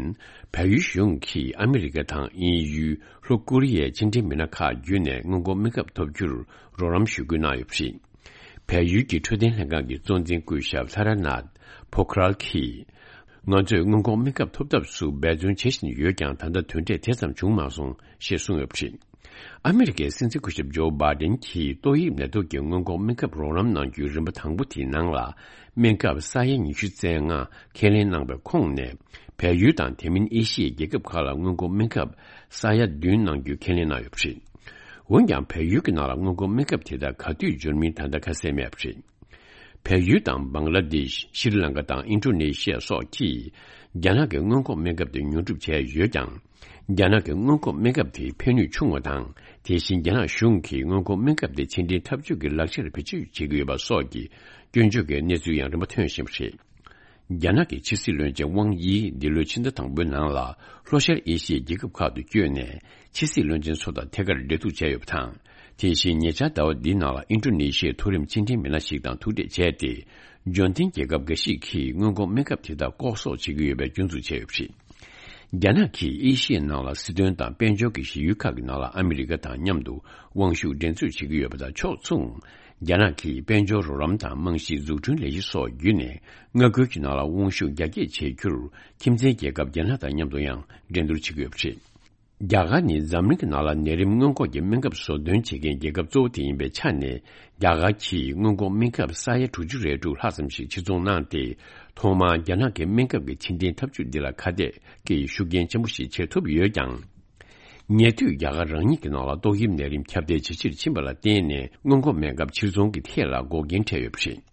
བལ་ཡུལ་གཞུང་གིས་ཨ་མི་རི་ཀ་དང་དབྱིན་ཡུལ། ལྷོ་ཀོ་རི་ཡའི་ཕྱི་འབྲེལ་མི་སྣ་ཁག་བརྒྱུད་ནས་སྔོན་འགོག་སྨན་ཁབ་ཐོབ་རྒྱུར་རོགས་རམ་ཞུ་སྐུལ་གནང་ཡོད་པ་རེད། བལ་ཡུལ་གྱི་འཕྲོད་བསྟེན་ལྷན་ཁང་གི་གཙོ་འཛིན་སྐུ་ཞབས་ལྷ་ར་ནཱཐ་པོ་ཁ་རལ་གྱིས། ང་ཚོས་སྔོན་འགོག་སྨན་ཁབ་ཐོབ་ཐབས་སུ་འབད་བརྩོན་བྱེད་བཞིན་ཡོད་ཀྱང་། ད་ལྟ་དོན་འབྲས་དེ་ཙམ་བྱུང་མ་སོང་ཞེས་གསུངས་ཡོད་པ་རེད། ཨ་མི་རི་ཀའི་སྲིད་འཛིན་སྐུ་ཞབས་ཇོ་བྷའི་ཌེན་གྱིས་ཏོག་དབྱིབས་ནད་དུག་གི་སྔོན་འགོག་སྨན་ཁབ་རོགས་རམ་གནང་རྒྱུའི་རིམ་པ་དང་པོ་དེའི་ནང་ལ། སྨན་ཁབ་ས་ཡ་ཉི་ཤུ་རྩ་ལྔ་ཁས་ལེན་གནང་བའི་ཁོངས་ནས། བལ་ཡུལ་དང་དེ་མིན་ཨེ་ཤི་ཡའི་རྒྱལ་ཁབ་ཁག་ལ་སྔོན་འགོག་སྨན་ཁབ་ས་ཡ་བདུན་གནང་རྒྱུའི་ཁས་ལེན་གནང་ཡོད་པ་རེད། འོན་ཀྱང་། བལ་ཡུལ་གྱི་ནང་ལ་སྔོན་འགོག་སྨན་ཁབ་དེ་དག་ག་དུས་འབྱོར་མིན་ད་ལྟ་ཁ་གསལ་མེད་པ་རེད། བལ་ཡུལ་དང་། བང་ལ་དེཤ། ཤྲི་ལང་ཀ་དང་། ཨིན་ཌོ་ནེ་ཤི་ཡ་སོགས་ཀྱིས་རྒྱ་ནག་གི་སྔོན་འགོག་སྨན་ཁབ་དེ་ཉོ་སྒྲུབ་བྱས་ཡོད་ཀྱང་། རྒྱ་ནག་གི་སྔོན་འགོག་སྨན་ཁབ་དེ་ཕན་ནུས་ཆུང་བ་དང་། དེ་བཞིན་རྒྱ་ནག་གཞུང་གིས་སྔོན་འགོག་སྨན་ཁབ་དེ་ཕྱི་འབྲེལ་འཐབ་ཇུས་ཀྱི་ལག་ཆར་བེད་སྤྱོད་བྱེད་ཀྱི་ཡོད་པ་སོགས་ཀྱི་སྐྱོན་བརྗོད་ཀྱི་གནས་ཚུལ་ཡང་རིམ་པ་ཐོན་བཞིན་པ་རེད། རྒྱ་ནག་གི་ཕྱི་སྲིད་བློན་ཆེན་ཝང་དབྱི་འདི་ལོའི་ཕྱི་ཟླ་དང་པོའི་ནང་ལ་ལྷོ་ཤར་ཨེ་ཤི་ཡའི་རྒྱལ་ཁབ་ཁག་ཏུ་བསྐྱོད་ནས། ཕྱི་སྲིད་བློན་ཆེན་ཚོ་དང་ཐད་ཀར་འབྲེལ་གཏུག་བྱས་ཡོད་པ་དང་། དེ་བཞིན་ཉེ་ཆར་ཟླ་བ་འདིའི་ནང་ལ་ཨིན་ཌོ་ནེ་ཤི་ཡའི་མཐོ་རིམ་ཕྱི་འབྲེལ་མི་སྣ་ཞིག་དང་ཐུག་འཕྲད་བྱས་ཏེ། འབྱོར་ལྡན་རྒྱལ་ཁབ་འགའ་ཞིག་གིས་སྔོན་འགོག་སྨན་ཁབ་དེ་དག་ལྐོག་གསོག་བྱེད་ཀྱི་ཡོད་པའི་སྐྱོན་འཛུགས་བྱས་ཡོད་པ་རེད། རྒྱ་ནག་གིས་ཨེ་ཤི་ཡའི་ནང་ལ་སྲིད་དོན་དང་དཔལ་འབྱོར་གྱི་གཞི་ཡུལ་ཁག་གི་ནང་ལ་ཨ་མི་རི་ཀ་དང་མཉམ་དུ་དབང་ཤུགས་འགྲན་རྩོད་བྱེད་ཀྱི་ཡོད་པ་དང་ཕྱོགས་མཚུངས། རྒྱ་ནག་གིས་དཔལ་འབྱོར་རོགས་རམ་དང་རྨང་གཞིའི་འཛུགས་སྐྲུན་ལས་གཞི་སོགས་བརྒྱུད་ནས། མངའ་ཁུལ་གྱི་ནང་ལ་དབང་ཤུགས་རྒྱ་སྐྱེད་བྱེད་རྒྱུར། ཁྱིམ་མཚེས་རྒྱལ་ཁབ་རྒྱ་ནག་དང་མཉམ་དུ་ཡང་འགྲན་བསྡུར་བྱེད་ཀྱི་ཡོད་པ་རེད། རྒྱ་གར་ནི་འཛམ་གླིང་གི་ནང་ལ་ནད་རིམས་སྔོན་འགོག་གི་སྨན་ཁབ་བཟོ་སྡོད་བྱེད་མཁན་རྒྱལ་ཁབ་གཙོ་བོ་དེ་ཡིན་པའི་ཆ་ནས། རྒྱ་གར་གྱིས་སྔོན་འགོག་སྨན་ཁབ་ས་ཡ་དྲུག་ཅུ་རེ་དྲུག་ལྷག་ཙམ་ཞིག་ཕྱིར་ཚོང་གནང་སྟེ། ཐོག་མར་རྒྱ་ནག་གི་སྨན་ཁབ་ཀྱི་ཕྱིར་འཐེན་ཐབས་ཇུས་འདི་ལ་ཁ་གཏད་ཀྱིས་ཤུགས་རྐྱེན་ཆེན་པོ་ཞིག་བྱེད་ཐུབ་ཡོད་ཀྱང་། ཉེ་དུས་རྒྱ་གར་རང་ཉིད་ཀྱི་ནང་ལ་ཏོག་དབྱིབས་ནད་རིམས་ཁྱབ་གདལ་ཇེ་ཆེར་ཕྱིན་པ་ལ་བརྟེན་ནས། སྔོན་འགོག་སྨན་ཁབ་ཕྱིར་ཚོང་གི་ཐད་ལ་འགོག་རྐྱེན་འཕྲད་ཡོད་པ་རེད།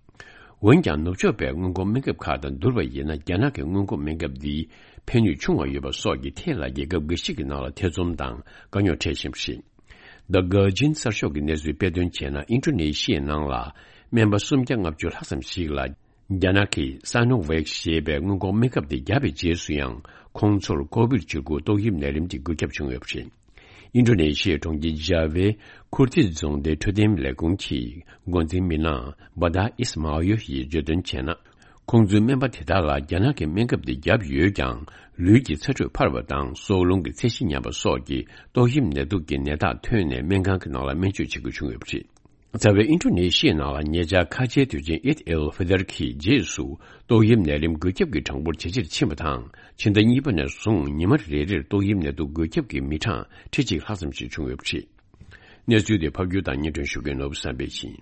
འོན་ཀྱང་། ནུབ་ཕྱོགས་པའི་སྔོན་འགོག་སྨན་ཁབ་ཁག་དང་བསྡུར་བ་ཡིན་ན། རྒྱ་ནག་གི་སྔོན་འགོག་སྨན་ཁབ་འདིའི་ཕན་ནུས་ཆུང་བ་ཡོད་པ་སོགས་ཀྱི་ཐད་ལ། རྒྱལ་ཁབ་འགའ་ཞིག་གི་ནང་ལ་ཐེ་ཚོམ་དང་དཀའ་རྙོག་འཕྲད་བཞིན་པ་རེད། The Guardian གསར་ཤོག་གི་གནས་ཚུལ་དཔེ་སྟོན་བྱས་ན། ཨིན་ཌོ་ནེ་ཤི་ཡའི་ནང་ལ་སྨན་པ་སུམ་བརྒྱ་ལྔ་བཅུ་ལྷག་ཙམ་ཞིག་ལ། རྒྱ་ནག་གི་སི་ནོ་ཝེག་ཞེས་པའི་སྔོན་འགོག་སྨན་ཁབ་དེ་བརྒྱབ་པའི་རྗེས་སུ་ཡང་། ཁོང་ཚོར་ཀོ་བིཌ་བཅུ་དགུ་ཏོག་དབྱིབས་ནད་རིམས་ཀྱི་འགོས་ཁྱབ་བྱུང་ཡོད་པ་རེད། ཨིན་ཌོ་ནེ་ཤི་ཡའི་གྲོང་ཁྱེར་ཇཱ་ཝའི་ཁུར་ཏི་རྫོང་སྡེའི་འཕྲོད་བསྟེན་ལས་ཁུངས་ཀྱི་འགོ་འཛིན་མི་སྣ་བ་ད་ཨིས་མའོ་ཡོ་ཡིས་བརྗོད་དོན་བྱས་ན། ཁོང་ཚོའི་སྨན་པ་དེ་དག་ལ་རྒྱ་ནག་གི་སྨན་ཁབ་དེ་བརྒྱབ་ཡོད་ཀྱང་། ལུས་ཀྱི་ཚ་དྲོད་འཕར་བ་དང་། སྲོག་རླུང་གི་ཚད་གཞི་ཉམས་པ་སོགས་ཀྱི་ཏོག་དབྱིབས་ནད་དུག་གི་ནད་རྟགས་ཐོན་ནས། སྨན་ཁང་གི་ནང་ལ་སྨན་བཅོས་བྱེད་དགོས་བྱུང་ཡོད་པ་རེད། རྩ་བའི་ཨིན་ཌོ་ནེ་ཤི་ཡའི་ནང་ལ་ཉེ་ཆར་ཁ་ཆེའི་དུས་ཆེན་ཨིད་ཨེལ་ཧྥི་ཏར་གྱི་རྗེས་སུ། ཏོག་དབྱིབས་ནད་རིམས་འགོས་ཁྱབ་ཀྱི་གྲངས་འབོར་ཇེ་ཆེར་ཕྱིན་པ་དང་། ཕྱི་ཟླ་གཉིས་པ་ནས་བཟུང་ཉི་མ་རེ་རེར་ཏོག་དབྱིབས་ནད་དུག་འགོས་ཁྱབ་ཀྱི་མི་གྲངས་ཁྲི་གཅིག་ལྷག་ཙམ་ཞིག་བྱུང་ཡོད་པ་རེད། གནས་ཚུལ་དེ་ཕབ་སྒྱུར་དང་སྙན་སྒྲོན་ཞུ་མཁན་ནོར་བུ་བསམ་འཕེལ་ཡིན།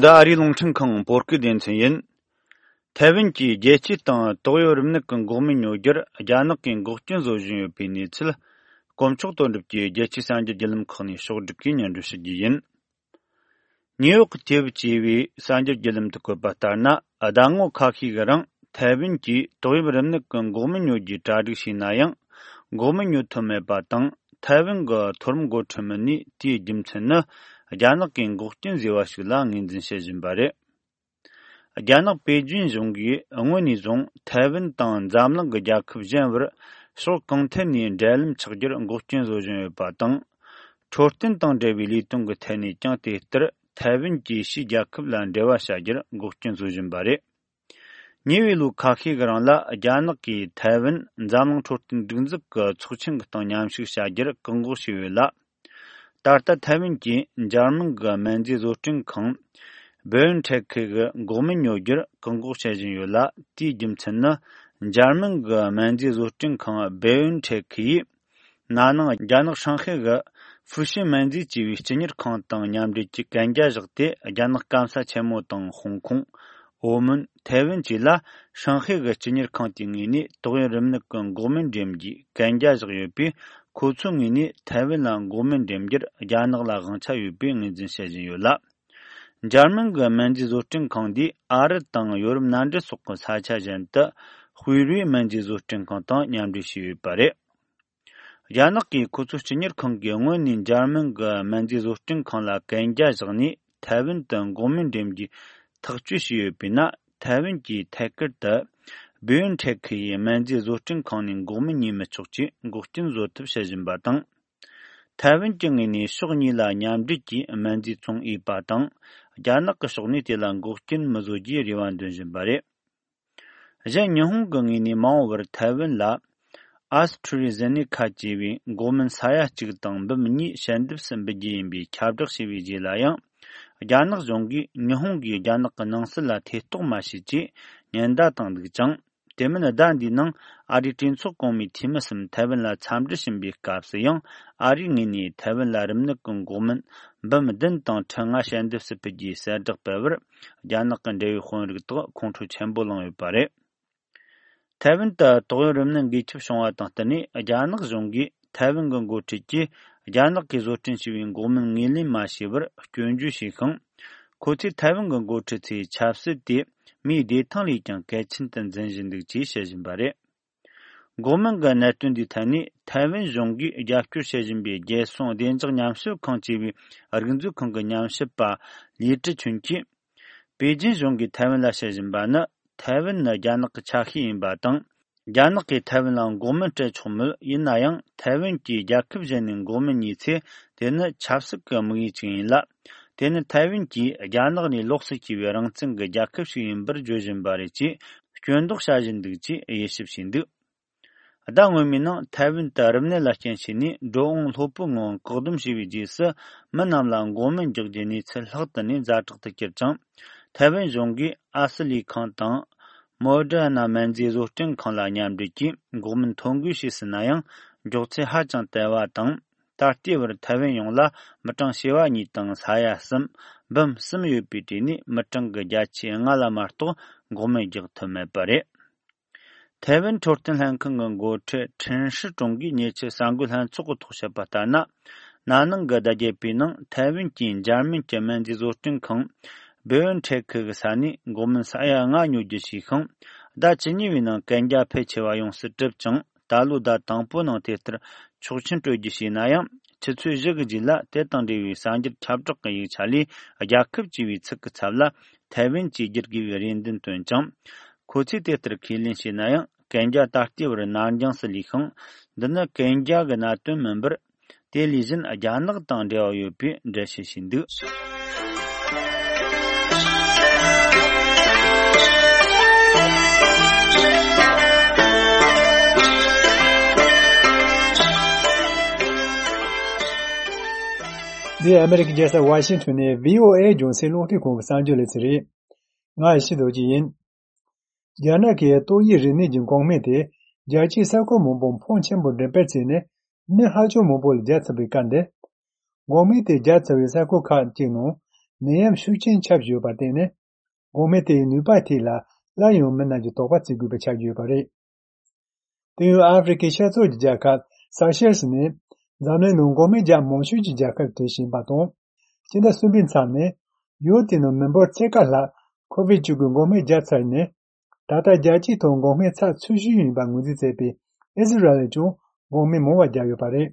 འདི་ཨ་རིའི་རླུང་འཕྲིན་ཁང་བོད་སྐད་སྡེ་ཚན་ཡིན། ཐའེ་ཝན་གྱིས་རྒྱལ་སྤྱིའི་སྟེང་ཏོག་དབྱིབས་རིམས་ནད་ཀྱི་འགོག་སྨན་ཉོ་རྒྱུར་རྒྱ་ནག་གིས་འགོག་རྐྱེན་བཟོ་བཞིན་ཡོད་པའི་གནས་ཚུལ། དཀོན་མཆོག་དོན་གྲུབ་ཀྱིས་རྒྱལ་སྤྱིའི་གསར་འགྱུར་བརྒྱུད་ལམ་ཁག་ནས་ཕྱོགས་བསྒྲིགས་ཀྱིས་སྙན་སྒྲོན་ཞུ་རྒྱུ་ཡིན། ནིའུ་ཡོག་གི་ཊེབ་ཅེས་པའི་གསར་འགྱུར་བརྒྱུད་ལམ་དུ་བཀོད་པ་ལྟར་ན། ཟླ་ངོ་ཁ་ཤས་ཀྱི་རིང་ཐའེ་ཝན་གྱིས་ཏོག་དབྱིབས་རིམས་ནད་ཀྱི་འགོག་སྨན་ཉོ་རྒྱུའི་གྲ་སྒྲིག་བྱས་ན་ཡང་། འགོག་སྨན་ཉོ་ཐུབ་མེད་པ་དང་། ཐའེ་ཝན་གྱི་མཐོ་རིམ་འགོ་ཁྲིད་མི་སྣས་དེའི་རྒྱུ་མཚན་ནི། རྒྱ་ནག་གིས་འགོག་རྐྱེན་བཟོས་པ་ཞིག་ལ་ངོས་འཛིན་བྱེད་བཞིན་པ་རེད། རྒྱ་ནག་པེ་ཅིན་གཞུང་གིས་སྔོན་ནས་བཟུང་ཐའེ་ཝན་དང་འཛམ་གླིང་གི་རྒྱལ་ཁབ་གཞན་བར་ཕྱོགས་གང་ཐད་ནས་འབྲེལ་ལམ་ཆགས་རྒྱུར་འགོག་རྐྱེན་བཟོ་བཞིན་ཡོད་པ་དང་། འཕྲོད་བསྟེན་དང་འབྲེལ་བའི་ལས་དོན་གྱི་ཐད་ནས་ཀྱང་དེ་ལྟར་ཐའེ་ཝན་གྱིས་ཕྱིའི་རྒྱལ་ཁབ་ལ་འབྲེལ་བ་བྱ་རྒྱུར་འགོག་རྐྱེན་བཟོ་བཞིན་པ་རེད། ཉེ་བའི་ལོ་ཁ་ཤས་ཀྱི་རིང་ལ་རྒྱ་ནག་གིས་ཐའེ་ཝན་འཛམ་གླིང་འཕྲོད་བསྟེན་སྒྲིག་འཛུགས་ཀྱི་ཚོགས་ཆེན་གྱི་སྟེང་མཉམ་ཞུགས་བྱ་རྒྱུར་བཀག་འགོག་བྱས་ཡོད་ལ། ད་ལྟ་ཐའེ་ཝན་གྱིས་འཇར་མན་གྱི་སྨན་རྫས་བཟོ་སྐྲུན་ཁང་བེ་ཡོན་ཐེག་གི་འགོག་སྨན་ཉོ་རྒྱུར་བཀག་འགོག་བྱེད་བཞིན་ཡོད་ལ། དེའི་རྒྱུ་མཚན་ནི། འཇར་མན་གྱི་སྨན་རྫས་བཟོ་སྐྲུན་ཁང་བེ་ཡོན་ཐེག་གིས། ན་ནིང་རྒྱ་ནག་ཧྲང་ཧའེ་གི་ཧྥུ་ཤི་སྨན་རྫས་ཅེས་པའི་སྤྱི་གཉེར་ཁང་དང་མཉམ་འབྲེལ་གྱིས་གན་རྒྱ་བཞག་སྟེ། རྒྱ་ནག་སྐམ་ས་ཆེན་མོ་དང་ཧོང་ཀོང་། ཨོ་མོན། ཐའེ་ཝན་བཅས་ལ་ཧྲང་ཧའེ་གི་སྤྱི་གཉེར་ཁང་དེའི་ངོས་ནས་ཏོག་དབྱིབས་རིམས་ནད་ཀྱི་འགོག་སྨན་འགྲེམས་རྒྱུའི་གན་རྒྱ་བཞག་ཡོད་པས། ཁོ་ཚོའི་ངོས་ནས་ཐའེ་ཝན་ལ་འགོག་སྨན་འགྲེམས་རྒྱུར་རྒྱ་ནག་ལ་དབང་ཆ་ཡོད་པའི་ངོས་འཛིན་བྱེད་བཞིན་ཡོད་ལ། འཇར་མན་གྱི་སྨན་རྫས་བཟོ་སྐྲུན་ཁང་འདིས་ཨ་རི་དང་ཡོ་རོབ་མནའ་འབྲེལ་སོགས་ཀྱི་ས་ཆ་གཞན་དུ་ཧུའེ་རུའི་སྨན་རྫས་བཟོ་སྐྲུན་ཁང་དང་མཉམ་འབྲེལ་བྱས་ཡོད་པ་རེད། རྒྱ་ནག་གིས་ཁོ་ཚོའི་སྤྱི་གཉེར་ཁང་གིས་སྔོན་ནས་འཇར་མན་གྱི་སྨན་རྫས་བཟོ་སྐྲུན་ཁང་ལ་གན་རྒྱ་བཞག་ནས། ཐའེ་ཝན་དུ་འགོག་སྨན་འགྲེམས་རྒྱུའི་ཐག་གཅོད་བྱས་ཡོད་པས་ན། ཐའེ་ཝན་གྱིས་ཐད་ཀར་དུ་བེ་ཡོན་ཐེག་ཁི་ཡི་སྨན་རྫས་བཟོ་སྐྲུན་ཁང་ནས་འགོག་སྨན་ཉོས་མི་ཆོག་ཅེས་འགོག་རྐྱེན་བཟོ་ཐབས་བྱེད་བཞིན་པ་དང་། ཐའེ་ཝན་གྱི་ངོས་ནས་ཕྱོགས་གཉིས་ལ་མཉམ་འབྲེལ་གྱིས་སྨན་རྫས་ཚོང་འོས་པ་དང་། རྒྱ་ནག་གི་ཕྱོགས་ནས་དེ་ལ་འགོག་རྐྱེན་མི་བཟོ་རྒྱུའི་རེ་བ་འདོན་བཞིན་པ་རེད། གཞན། ཉི་ཧོང་གི་ངོས་ནས་མ་འོངས་པར་ཐའེ་ཝན་ལ་ཨ་སི་ཁྲུ་རི་ཟེ་ནེ་ཁ་ཅེས་པའི་འགོག་སྨན་ས་ཡ་གཅིག་དང་འབུམ་གཉིས་ཞལ་འདེབས་སུ་འབུལ་རྒྱུ་ཡིན་པའི་ཁྱབ་བསྒྲགས་བྱས་པའི་རྗེས་ལ་ཡང་། རྒྱ་ནག་གཞུང་གིས་ཉི་ཧོང་གིས་རྒྱ་ནག་གི་ནང་སྲིད་ལ་ཐེ་གཏོགས་མ་བྱེད་ཅེས་ཉེན་བརྡ་བཏང་འདུག་ཅིང་། དེ་མིན། ཟླ་འདིའི་ནང་ཨ་རིའི་གྲོས་ཚོགས་གོང་མའི་འཐུས་མི་གསུམ་ཐའེ་ཝན་ལ་འཚམས་འདྲི་ཕྱིན་པའི་སྐབས་སུ་ཡང་། ཨ་རིའི་ངོས་ནས་ཐའེ་ཝན་ལ་རིམས་ནད་ཀྱི་འགོག་སྨན་འབུམ་བདུན་དང་ཁྲི་ལྔ་ཞལ་འདེབས་སུ་ཕུལ་རྒྱུའི་གསལ་བསྒྲགས་སྤེལ་བར། རྒྱ་ནག་གི་འབྲེལ་ཡོད་དཔོན་རིགས་དག་ཁོང་ཁྲོ་ཆེན་པོ་ལངས་ཡོད་པ་རེད། ཐའེ་ཝན་དུ་ཏོག་དབྱིབས་རིམས་ནད་འགོས་ཁྱབ་བྱུང་བ་དང་བསྟུན་ནས། རྒྱ་ནག་གཞུང་གིས་ཐའེ་ཝན་གྱི་འགོ་ཁྲིད་ཀྱིས་རྒྱ་ནག་གིས་བཟོ་སྐྲུན་བྱས་པའི་འགོག་སྨན་ངོས་ལེན་མ་བྱས་པར་སྐྱོན་བརྗོད་བྱས་ཤིང་། ཁོ་ཚོས་ཐའེ་ཝན་གྱི་འགོ་ཁྲིད་ཚོའི་ཆབ་སྲིད་དེ་མིའི་བདེ་ཐང་ལས་ཀྱང་གལ་ཆེན་དུ་འཛིན་བཞིན་འདུག་ཅེས་བཤད་བཞིན་པ་རེད། འགོག་སྨན་གྱི་གནད་དོན་འདིའི་ཐད་ནས་ཐའེ་ཝན་གཞུང་གིས་རྒྱབ་སྐྱོར་བྱེད་བཞིན་པའི་རྒྱལ་སྲུང་བདེ་འཇགས་ཉམས་ཞིབ་ཁང་ཅེས་པའི་རིག་མཛོད་ཁང་གི་ཉམས་ཞིབ་པ་ལི་ཀྲི་ཆུན་གྱིས། པེ་ཅིན་གཞུང་གིས་ཐའེ་ཝན་ལ་བཤད་བཞིན་པ་ནི། ཐའེ་ཝན་ནི་རྒྱ་ནག་གི་ཆ་ཤས་ཡིན་པ་དང་། རྒྱ་ནག་གིས་ཐའེ་ཝན་ལ་འགོག་སྨན་སྤྲད་ཆོག་མོད། ཡིན་ན་ཡང་། ཐའེ་ཝན་གྱིས་རྒྱལ་ཁབ་གཞན་ནས་འགོག་སྨན་ཉོས་ཚེ། དེ་ནི་ཆབ་སྲིད་ཀྱི་དམིགས་ཡུལ་ཅིག་ཡིན་ལ། དེ་ནི་ཐའེ་ཝན་གྱིས་རྒྱ་ནག་ནས་ལོགས་སུ་གྱེས་པའི་རང་བཙན་གྱི་རྒྱལ་ཁབ་ཞིག་ཡིན་པར་བརྗོད་བཞིན་པ་རེད་ཅེས་སྐྱོན་འདོགས་བྱ་བཞིན་འདུག་ཅེས་དབྱེ་ཞིབ་བྱས་འདུག་ཟླ་སྔོན་མའི་ནང་ཐའེ་ཝན་དུ་རིམས་ནད་ལ་རྐྱེན་བྱས་ནས་འགྲོ་འོང་ལྷོད་པོའི་ངང་བཀག་སྡོམ་བྱས་པའི་རྗེས་སུ། མི་རྣམས་ལ་འགོག་སྨན་རྒྱག་རྒྱུའི་གནས་ཚུལ་ལྷག་ཏུ་ནས་ཛ་དྲག་ཏུ་གྱུར་ཅིང་། ཐའེ་ཝན་གཞུང་གིས་ཨ་སི་ལི་ཁང་དང་མོ་ཌར་ན་སྨན་རྫས་བཟོ་སྐྲུན་ཁང་ལ་མཉམ་འབྲེལ་གྱིས་འགོག་སྨན་ཐོ་འགོད་བྱས་ཟིན་ན་ཡང་། མགྱོགས་ཚད་ཧ་ཅང་དལ་བ་དང་། ད་ལྟའི་བར་ཐའེ་ཝན་ཡོངས་ལ་མི་གྲངས་བྱེ་བ་གཉིས་དང་ས་ཡ་གསུམ་འབུམ་གསུམ་ཡོད་པའི་གྲས་ནས་མི་གྲངས་ཀྱི་བརྒྱ་ཆའི་ལྔ་ལ་མ་གཏོགས་འགོག་སྨན་རྒྱག་ཐུབ་མེད་པ་རེད། ཐའེ་ཝན་འཕྲོད་བསྟེན་ལྷན་ཁང་གི་འགོ་ཁྲིད་ཁྲིན་ཧྲི་ཀྲུང་གིས་ཉེ་ཆར་གསར་འགོད་ལྷན་ཚོགས་ཀྱི་ཐོག་བཤད་པ་ལྟར་ན། ན་ནིང་གི་ཟླ་བརྒྱད་པའི་ནང་ཐའེ་ཝན་གྱི་འཇར་མན་གྱི་སྨན་རྫས་བཟོ་སྐྲུན་ཁང་བེ་ཡོན་ཐེག་གི་ས་ནས་འགོག་སྨན་ས་ཡ་ལྔ་ཉོ་རྒྱུ་བྱས་ཤིང་། ཟླ་བཅུ་གཉིས་པའི་ནང་གན་རྒྱ་ཕལ་ཆེ་བ་ཡོངས་སུ་གྲུབ་ཅིང་། ད་ལོའི་ཟླ་དང་པོའི་ནང་དེ་ལྟར་ཆོག་མཆན་སྤྲོད་རྒྱུ་བྱས་ན་ཡང་། ཆུ་ཚོད་བཞི་གི་རྗེས་ལ་དེ་དང་འབྲེལ་བའི་གསར་འགྱུར་ཁྱབ་བསྒྲགས་ཀྱི་ཡིག་ཆ་ལས། རྒྱལ་ཁབ་ཅེས་པའི་ཚིག་གི་ཚབ་ལ་ཐའེ་ཝན་ཅེས་བསྒྱུར་དགོས་པའི་རེ་འདུན་བཏོན་ཅིང་། ཁོ་ཚོས་དེ་ལྟར་ཁས་ལེན་བྱས་ན་ཡང་། གན་རྒྱ་ད་ལྟའི་བར་ནར་འགྱངས་སུ་ལུས་ཤིང་། འདི་ནི་གན་རྒྱ་གི་གནད་དོན་མིན་པར། དེ་ལས་གཞན་རྒྱ་ནག་དང་འབྲེལ་བ་ཡོད་པའི་འགྲེལ་བཤད་བྱས་འདུག། འདི་ཨ་མེ་རི་ཀའི་རྒྱལ་ས་ཝ་ཤིང་ཊོན་ནས་བྷི་ཨོ་ཨེ་རྒྱང་སྲིང་རླུང་འཕྲིན་ཁང་གི་གསར་འགྱུར་ལེ་ཚན་རེད། ང་ཡེ་ཤེས་རྡོ་རྗེ་ཡིན། རྒྱ་ནག་གི་ཏོག་དབྱིབས་རིམས་ནད་ཀྱི་འགོག་སྨན་དེ་རྒྱལ་སྤྱིའི་ས་ཁུལ་མང་པོར་ཕོན་ཆེན་པོ་འགྲེམས་སྤེལ་བྱས་ནས། མི་ཧ་ཅང་མང་པོ་ལ་བརྒྱབ་ཚར་བའི་སྐབས་འདིར། འགོག་སྨན་དེ་བརྒྱབ་ཚར་བའི་ས་ཁུལ་ཁག་ཅིག་ནང་ནད་ཡམས་ཤུགས་ཆེན་ཁྱབ་བཞིན་ཡོད་པར་བརྟེན་ནས། འགོག་སྨན་དེའི་ནུས་པ་ཐད་ལ་སླར་ཡང་མི་རྣམས་ཀྱིས་དོགས་པ་བྱེད་དགོས་པ་ཆགས་ཀྱི་ཡོད་པ་རེད། དེ་ཡང་ཨ་ཧྥེ་རི་ཁའི་ཤར་ཕྱོགས་ཀྱི་རྒྱལ་ཁབ་སེ་ཤེལ་སི་ནས་འཛམ་གླིང་ནང་འགོག་སྨན་རྒྱག་མང་ཤོས་ཀྱི་རྒྱལ་ཁབ་གྲས་ཤིག་ཡིན་པ་དང་། སྤྱི་ཟླ་གསུམ་པའི་མཚམས་ནས་ཡུལ་དེའི་ནང་མི་འབོར་ཕྱེད་ཀ་ལྷག་ཁོ་བིད་བཅུ་དགུ་འགོག་སྨན་བརྒྱབ་ཚར་ནས། ད་ལྟ་རྒྱལ་སྤྱིའི་ཐོག་འགོག་སྨན་ཚད་ཆེ་ཤོས་ཡིན་པར་ངོས་འཛིན་བྱས་པའི་ཨི་ཟི་རལ་ལས་ཀྱང་འགོག་སྨན་མང་བ་བརྒྱབ་ཡོད་པ་རེད།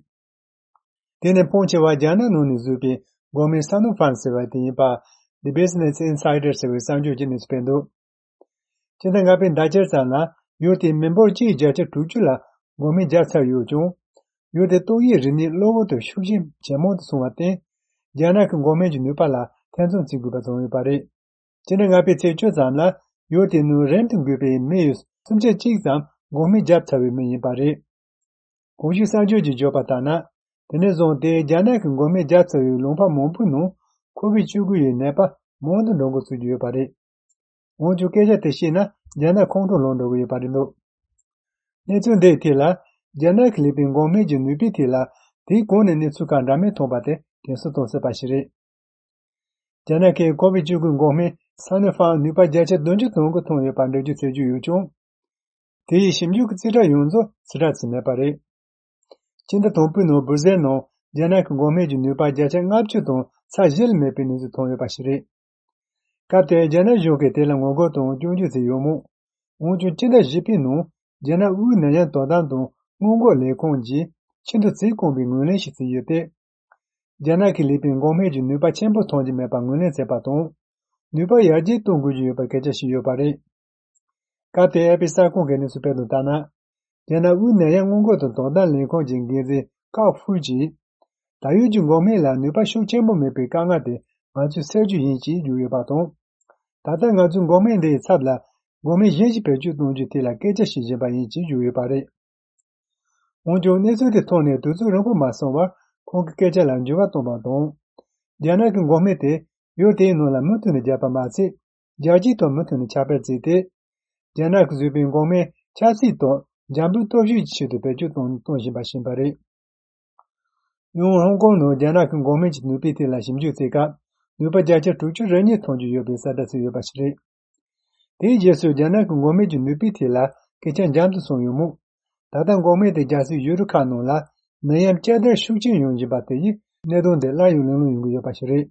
དེ་ནི་ཕོན་ཆེ་བ་རྒྱ་ནག་ནང་ནས་བཟོས་པའི་འགོག་སྨན་ས་ནོ་ཕཱརམ་ཟེར་བ་དེ་ཡིན་པ། The Business Insider ཟེར་བའི་གསར་འགྱུར་གྱིས་གནས་ཚུལ་སྤེལ་འདུག། སྤྱི་ཟླ་ལྔ་པའི་ཟླ་ཕྱེད་ཙམ་ལ་ཡུལ་དེའི་མི་འབོར་གཅིག་བརྒྱ་ཆ་དྲུག་ཅུ་ལ་འགོག་སྨན་བརྒྱབ་ཚར་ཡོད་ཀྱང་། ཡུལ་དེ་ཏོག་དབྱིབས་རིམས་ནད་གློ་བུར་དུ་ཤུགས་རྐྱེན་ཇེ་མང་དུ་སོང་བར་བརྟེན། རྒྱ་ནག་གི་འགོག་སྨན་གྱི་ནུས་པ་ལ་ཐེ་ཚོམ་བྱེད་དགོས་པ་བྱུང་ཡོད་པ་རེད། སྤྱི་ཟླ་ལྔ་པའི་ཚེས་བཅུ་ཙམ་ལ་ཡུལ་དེའི་ནང་རིམ་དུ་འགོས་པའི་མི་ཡི་སུམ་ཆ་གཅིག་ཙམ་འགོག་སྨན་བརྒྱབ་ཚར་བའི་མི་ཡིན་པ་རེད། གོང་ཞུས་གསར་འགྱུར་གྱིས་བརྗོད་པ་ལྟར་ན། དེ་ནས་བཟུང་སྟེ་རྒྱ་ནག་གི་འགོག་སྨན་བརྒྱབ་ཚར་བའི་ལུང་པ་མང་པོའི་ནང་ཁོ་བིད་བཅུ་དགུ་ཡི་ནད་པ་མང་དུ་འགྲོ་འགོ་ཚུགས་ཀྱི་ཡོད་པ་རེད། འོན་ཀྱང་སྐད་ཆ་དེ་བཤད་ན་རྒྱ་ནག་ཁོང་ཁྲོ་ལངས་འགྲོ་གི་ཡོད་པ་རེད་འདུག། གནས་ཚུལ་འདིའི་ཐད་ལ་རྒྱ་ནག་གིས་ལས་པའི་འགོག་སྨན་གྱི་ནུས་པའི་ཐད་ལ་དེའི་གོང་ནས་གནས་ཚུལ་ཁག་འདྲ་མིན་མཐོང་པ་དེ་དྲན་གསོ་གཏོང་སྲིད་པ་ཞིག་རེད། རྒྱ་ནག་གིས་ཁོ་བིད་བཅུ་དགུ་འགོག་སྨན་ས་ནོ་ཕཱརམ་ནུས་པ་བརྒྱ་ཆ་བདུན་ཅུ་ཙམ་གྱི་ཐོན་ཡོད་པ་འགྲེལ་བརྗོད་བྱེད་ཀྱི་ཡོད་ཀྱང་། དེ་ཡི་ཞིབ་འཇུག་གི་རྩིས་ཁྲ་ཡོངས་རྫོགས་རྩིས་ཁྲ་བརྩིས་མེད་པ་རེད། སྤྱི་ཟླ་དང་པོའི་ནང་སྦུར་ཟེར་ནང་རྒྱ་ནག་གི་འགོག་སྨན་གྱི་ནུས་པ་བརྒྱ་ཆ་ལྔ་བཅུ་དང་ཚད་གཞི་ལས་མེད་པའི་གནས་ཚུལ་ཐོན་ཡོད་པ་ཞིག་རེད། སྐབས་དེར་རྒྱ་ནག་གཞུང་གིས་དེ་ལ་ངོ་རྒོལ་དང་སྐྱོན་བརྗོད་བྱས་ཡོད་མོད། འོན་ཀྱང་སྤྱི་ཟླ་བཞི་པའི་ནང་རྒྱ་ནག་དབུས་ནད་ཡམས་དོ་དམ་དང་སྔོན་འགོག་ལས་ཁུངས་ཀྱིས་ཆེས་མཐོའི་བརྩི་བཀུར་བའི་ངོས་ལེན་ཞིག་བྱས་ཡོད་དེ། རྒྱ་ནག་གིས་ལས་པའི་འགོག་སྨན་གྱི་ནུས་པ་ཆེན་པོ་ཐོན་གྱི་མེད་པར་ངོས་ལེན་བྱས་པ་དང་། ནུས་པ་ཡར་རྒྱས་གཏོང་དགོས་ཀྱི་ཡོད་པའི་སྐད་ཆ་བཤད་ཡོད་པ་རེད། སྐབས་དེར་ཨེ་ཕི་གསར་ཁང་གིས་གནས་ཚུལ་སྤེལ་དོན་ལྟར་ན། རྒྱ་ནག་དབུས་ནད་ཡམས་སྔོན་འགོག་དང་དོ་དམ་ལས་ཁུངས་ཀྱི་འགན་འཛིན་ཀའོ་ཧྥུའུ་ཅིས། ད་ཡོད་ཀྱི་འགོག་སྨན་ལ་ནུས་པ་ཤུགས་ཆེན་པོ་མེད་པའི་དཀའ་ངལ་དེ་ང་ཚོས་སེལ་རྒྱུ་ཡིན་ཅེས་བརྗོད་ཡོད་པ་དང་། ད་ལྟ་ང་ཚོས་འགོག་སྨན་འདི་ཡི་ཚབ་ལ་འགོག་སྨན་གཞན་ཞིག་བེད་སྤྱོད་གཏོང་རྒྱུའི་ཐད་ལ་སྐད་ཆ་བཤད་བཞིན་པ་ཡིན་ཅེས་བརྗོད་ཡོད་པ་རེད། འོན་ཀྱང་གནས་ཚུལ་དེ་ཐོན་ནས་དུས་ཚོད་རིང་པོ་མ་སོང་བར་ཁོང་གི་སྐད་ཆ་ལ་འགྱུར་བ་བཏང་བ་དང་། རྒྱ་ནག་གི་འགོག་སྨན་དེ་ཡུལ་དེའི་ནང་ལ་མུ་མཐུད་ནས་བརྒྱབ་པ་མ་ཟད། རྒྱལ་སྤྱིའི་ཐོག་མུ་མཐུད་ནས་ཁྱབ་སྤེལ་བྱས་ཏེ། རྒྱ་ནག་གིས་བཟོས་པའི་འགོག་སྨན་ཆབ་སྲིད་ཐོག་འཇམ་པོའི་སྟོབས་ཤུགས་ཀྱི་ཆེད་དུ་བེད་སྤྱོད་གཏོང་གཏོང་བཞིན་པ་ཞིག་ཡིན་པ་རེད། ཡང་ཧོང་ཀོང་ནང་རྒྱ་ནག་གི་འགོག་སྨན་གྱི་ནུས་པའི་ཐད་ལ་ཞིབ་འཇུག་བྱེད་སྐབས། ནུས་པ་བརྒྱ་ཆ་དྲུག་ཅུ་རེ་གཉིས་ཐོན་གྱི་ཡོད་པའི་གསལ་བསྒྲགས་བྱས་ཡོད་པ་ཞིག་རེད། དེའི་རྗེས་སུ་རྒྱ་ནག་གི་འགོག་སྨན་གྱི་ནུས་པའི་ཐད་ལ་སྐད་ཆ་འཇམ་དུ་སོང་ཡོད་མོད། ད་ལྟ་འགོག་སྨན་དེ་རྒྱལ་སའི་ཡུལ་གྲུ་ཁག་ནང་ལ་ནད་ཡམས་བསྐྱར་དར་ཤུགས་ཆེན་ཡོང་བཞིན་པ་དེ་ཡིས་གནད་དོན་དེ་སླར་ཡང་གླེང་སློང་ཡོང་གི་ཡོད་པ་ཞིག་རེད།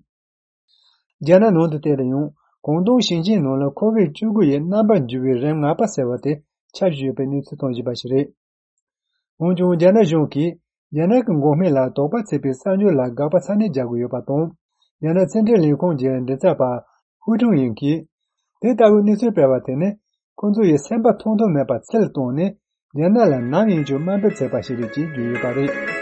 རྒྱ་ནག་ནང་དུ་བལྟས་ན་ཡང་ཀོང་ཏུང་ཞིང་ཆེན་ནང་ལ་ཁོ་བིད་བཅུ་དགུ་ཡི་རྣམ་པར་འགྱུར་བའི་རིམས་ང་པ་ཟེར་བ་དེ་ཁྱབ་བཞིན་ཡོད་པའི་གནས་ཚུལ་ཐོན་བཞིན་པ་ཞིག་རེད། འོན་ཀྱང་རྒྱ་ནག་གཞུང་གིས་རྒྱ་ནག་གི་འགོག་སྨན་ལ་དོགས་པ་བྱེད་པའི་གསར་འགྱུར་ལ་དགག་པ་ཚ་ནན་རྒྱག་གི་ཡོད་པ་དང་། རྒྱ་ནག་ཕྱི་འབྲེལ་ལས་ཁུངས་ཀྱི་མགྲིན་ཚབ་པ་ཧུའུ་ཁྲུང་ཡིང་གིས། དེ་ལྟ་བུའི་གནས་ཚུལ་སྤེལ་བ་དེ་ནི་ཁོ་ཚོ་ཡི་སེམས་པ་ཐོགས་མཐོ་མེད་པར་ཚུལ་བཏང་ནས། རྒྱ་ནག་ལ་ནམ་ཡིན་ཀྱང་དམའ་འབེབས་བྱས་པ་ཞིག་རེད་ཅེས་བརྗོད་ཡོད་པ་རེད།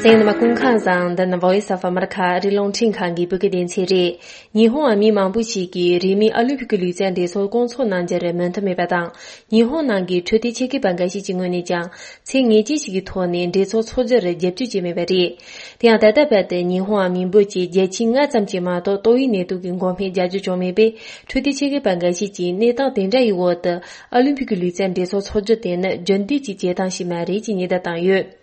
ཨེ་ནི་མ་ཀུན་ཁང་བཟང་འདི་ནི་Voice of America རི་ལུང་འཕྲིན་ཁང་གི་བོད་སྐད་སྡེ་ཚན་རེད། ཉི་ཧོང་བ་མི་མང་པོ་ཞིག་གིས་རིས་མེད་ཨོ་ལིམ་ཕིག་གི་ལུས་རྩལ་འགྲན་ཚོགས་སྐོང་ཚོགས་གནང་རྒྱུར་མོས་མཐུན་མེད་པ་དང་། ཉི་ཧོང་ནང་གི་འཕྲོད་བསྟེན་ཆེད་མཁས་པ་འགའ་ཤས་ཀྱི་ངོས་ནས་ཀྱང་ཚད་ངེས་ཅན་ཞིག་གི་ཐོག་ནས་འགྲན་ཚོགས་འཚོགས་རྒྱུར་རྒྱབ་སྐྱོར་བྱས་མེད་པ་རེད། དེ་ཡང་ད་ལྟ་བར་དུ་ཉི་ཧོང་བ་མི་འབོར་གྱི་བརྒྱ་ཆ་ལྔ་ཙམ་གྱིས་མ་གཏོགས་ཏོག་དབྱིབས་ནད་དུག་གི་འགོག་སྨན་རྒྱག་རྒྱུ་བྱུང་མེད་པས། འཕྲོད་བསྟེན་ཆེད་མཁས་པ་འགའ་ཤས་ཀྱིས་གནས་སྟངས་དེ་འདྲ་ཡི་འོག་ཏུ་ཨོ་ལིམ་ཕིག་གི་ལུས་རྩལ་འགྲན་ཚོགས་འཚོགས་རྒྱུ་དེ་ནི་རྒྱུན་ལྡན་གྱི་བྱེད་སྟངས་ཤིག་མ་རེད་ཅེས་ཉེན་བརྡ་བཏང་ཡོད།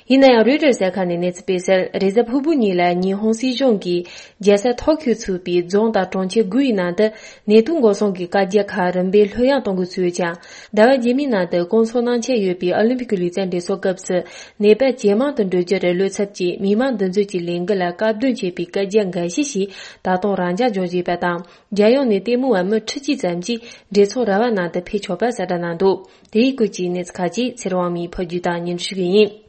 ཡིན་ན་ཡང་རོའི་ཊར་གསར་ཁང་ནས་གནས་ཚུལ་སྤེལ་གསལ། རེས་གཟའ་ཕུར་བུ་ཉིན་ལ་ཉི་ཧོང་སྲིད་གཞུང་གིས་རྒྱལ་ས་ཐོ་ཁྱོ་ཚུད་པའི་རྫོང་དང་གྲོང་ཁྱེར་དགུ་ཡི་ནང་དུ་ནད་དུག་འགོག་སྲུང་གི་བཀའ་རྒྱ་ཁག་རིམ་པས་ལྷོད་ཡངས་གཏོང་དགོས་ཚུལ་ཡོད་ཀྱང་། ཟླ་བ་རྗེས་མའི་ནང་དུ་སྐོང་ཚོགས་གནང་འཆར་ཡོད་པའི་ཨོ་ལིམ་ཕིག་གི་ལུས་རྩལ་འགྲན་ཚོགས་སྐབས་སུ་ནད་པ་ཇེ་མང་དུ་འགྲོ་རྒྱུར་བློ་འཚབ་ཀྱིས་མི་མང་འདུ་འཛོམས་ཀྱི་ལས་འགུལ་ལ་བཀག་སྡོམ་བྱེད་པའི་བཀའ་རྒྱ་འགའ་ཤས་ཤིག་ད་དུང་རང་འཇགས་འཇོག་བཞིན་པ་དང་། རྒྱལ་ཡོངས་ནས་ལྟད་མོ་བ་མི་ཁྲི་གཅིག་ཙམ་གྱིས་འགྲན་ཚོགས་ར་བ་ནང་དུ་ཕེབས་ཆོག་པ་གསལ་བསྒྲགས་གནང་འདུག་དེའི་སྐོར་གྱི་གནས་ཚུལ་ཁག་ཅིག་ཚེ་རིང་དབང་མོས་ཕབ་སྒྱུར་དང་སྙན་སྒྲོན་ཞུ་གི་ཡིན།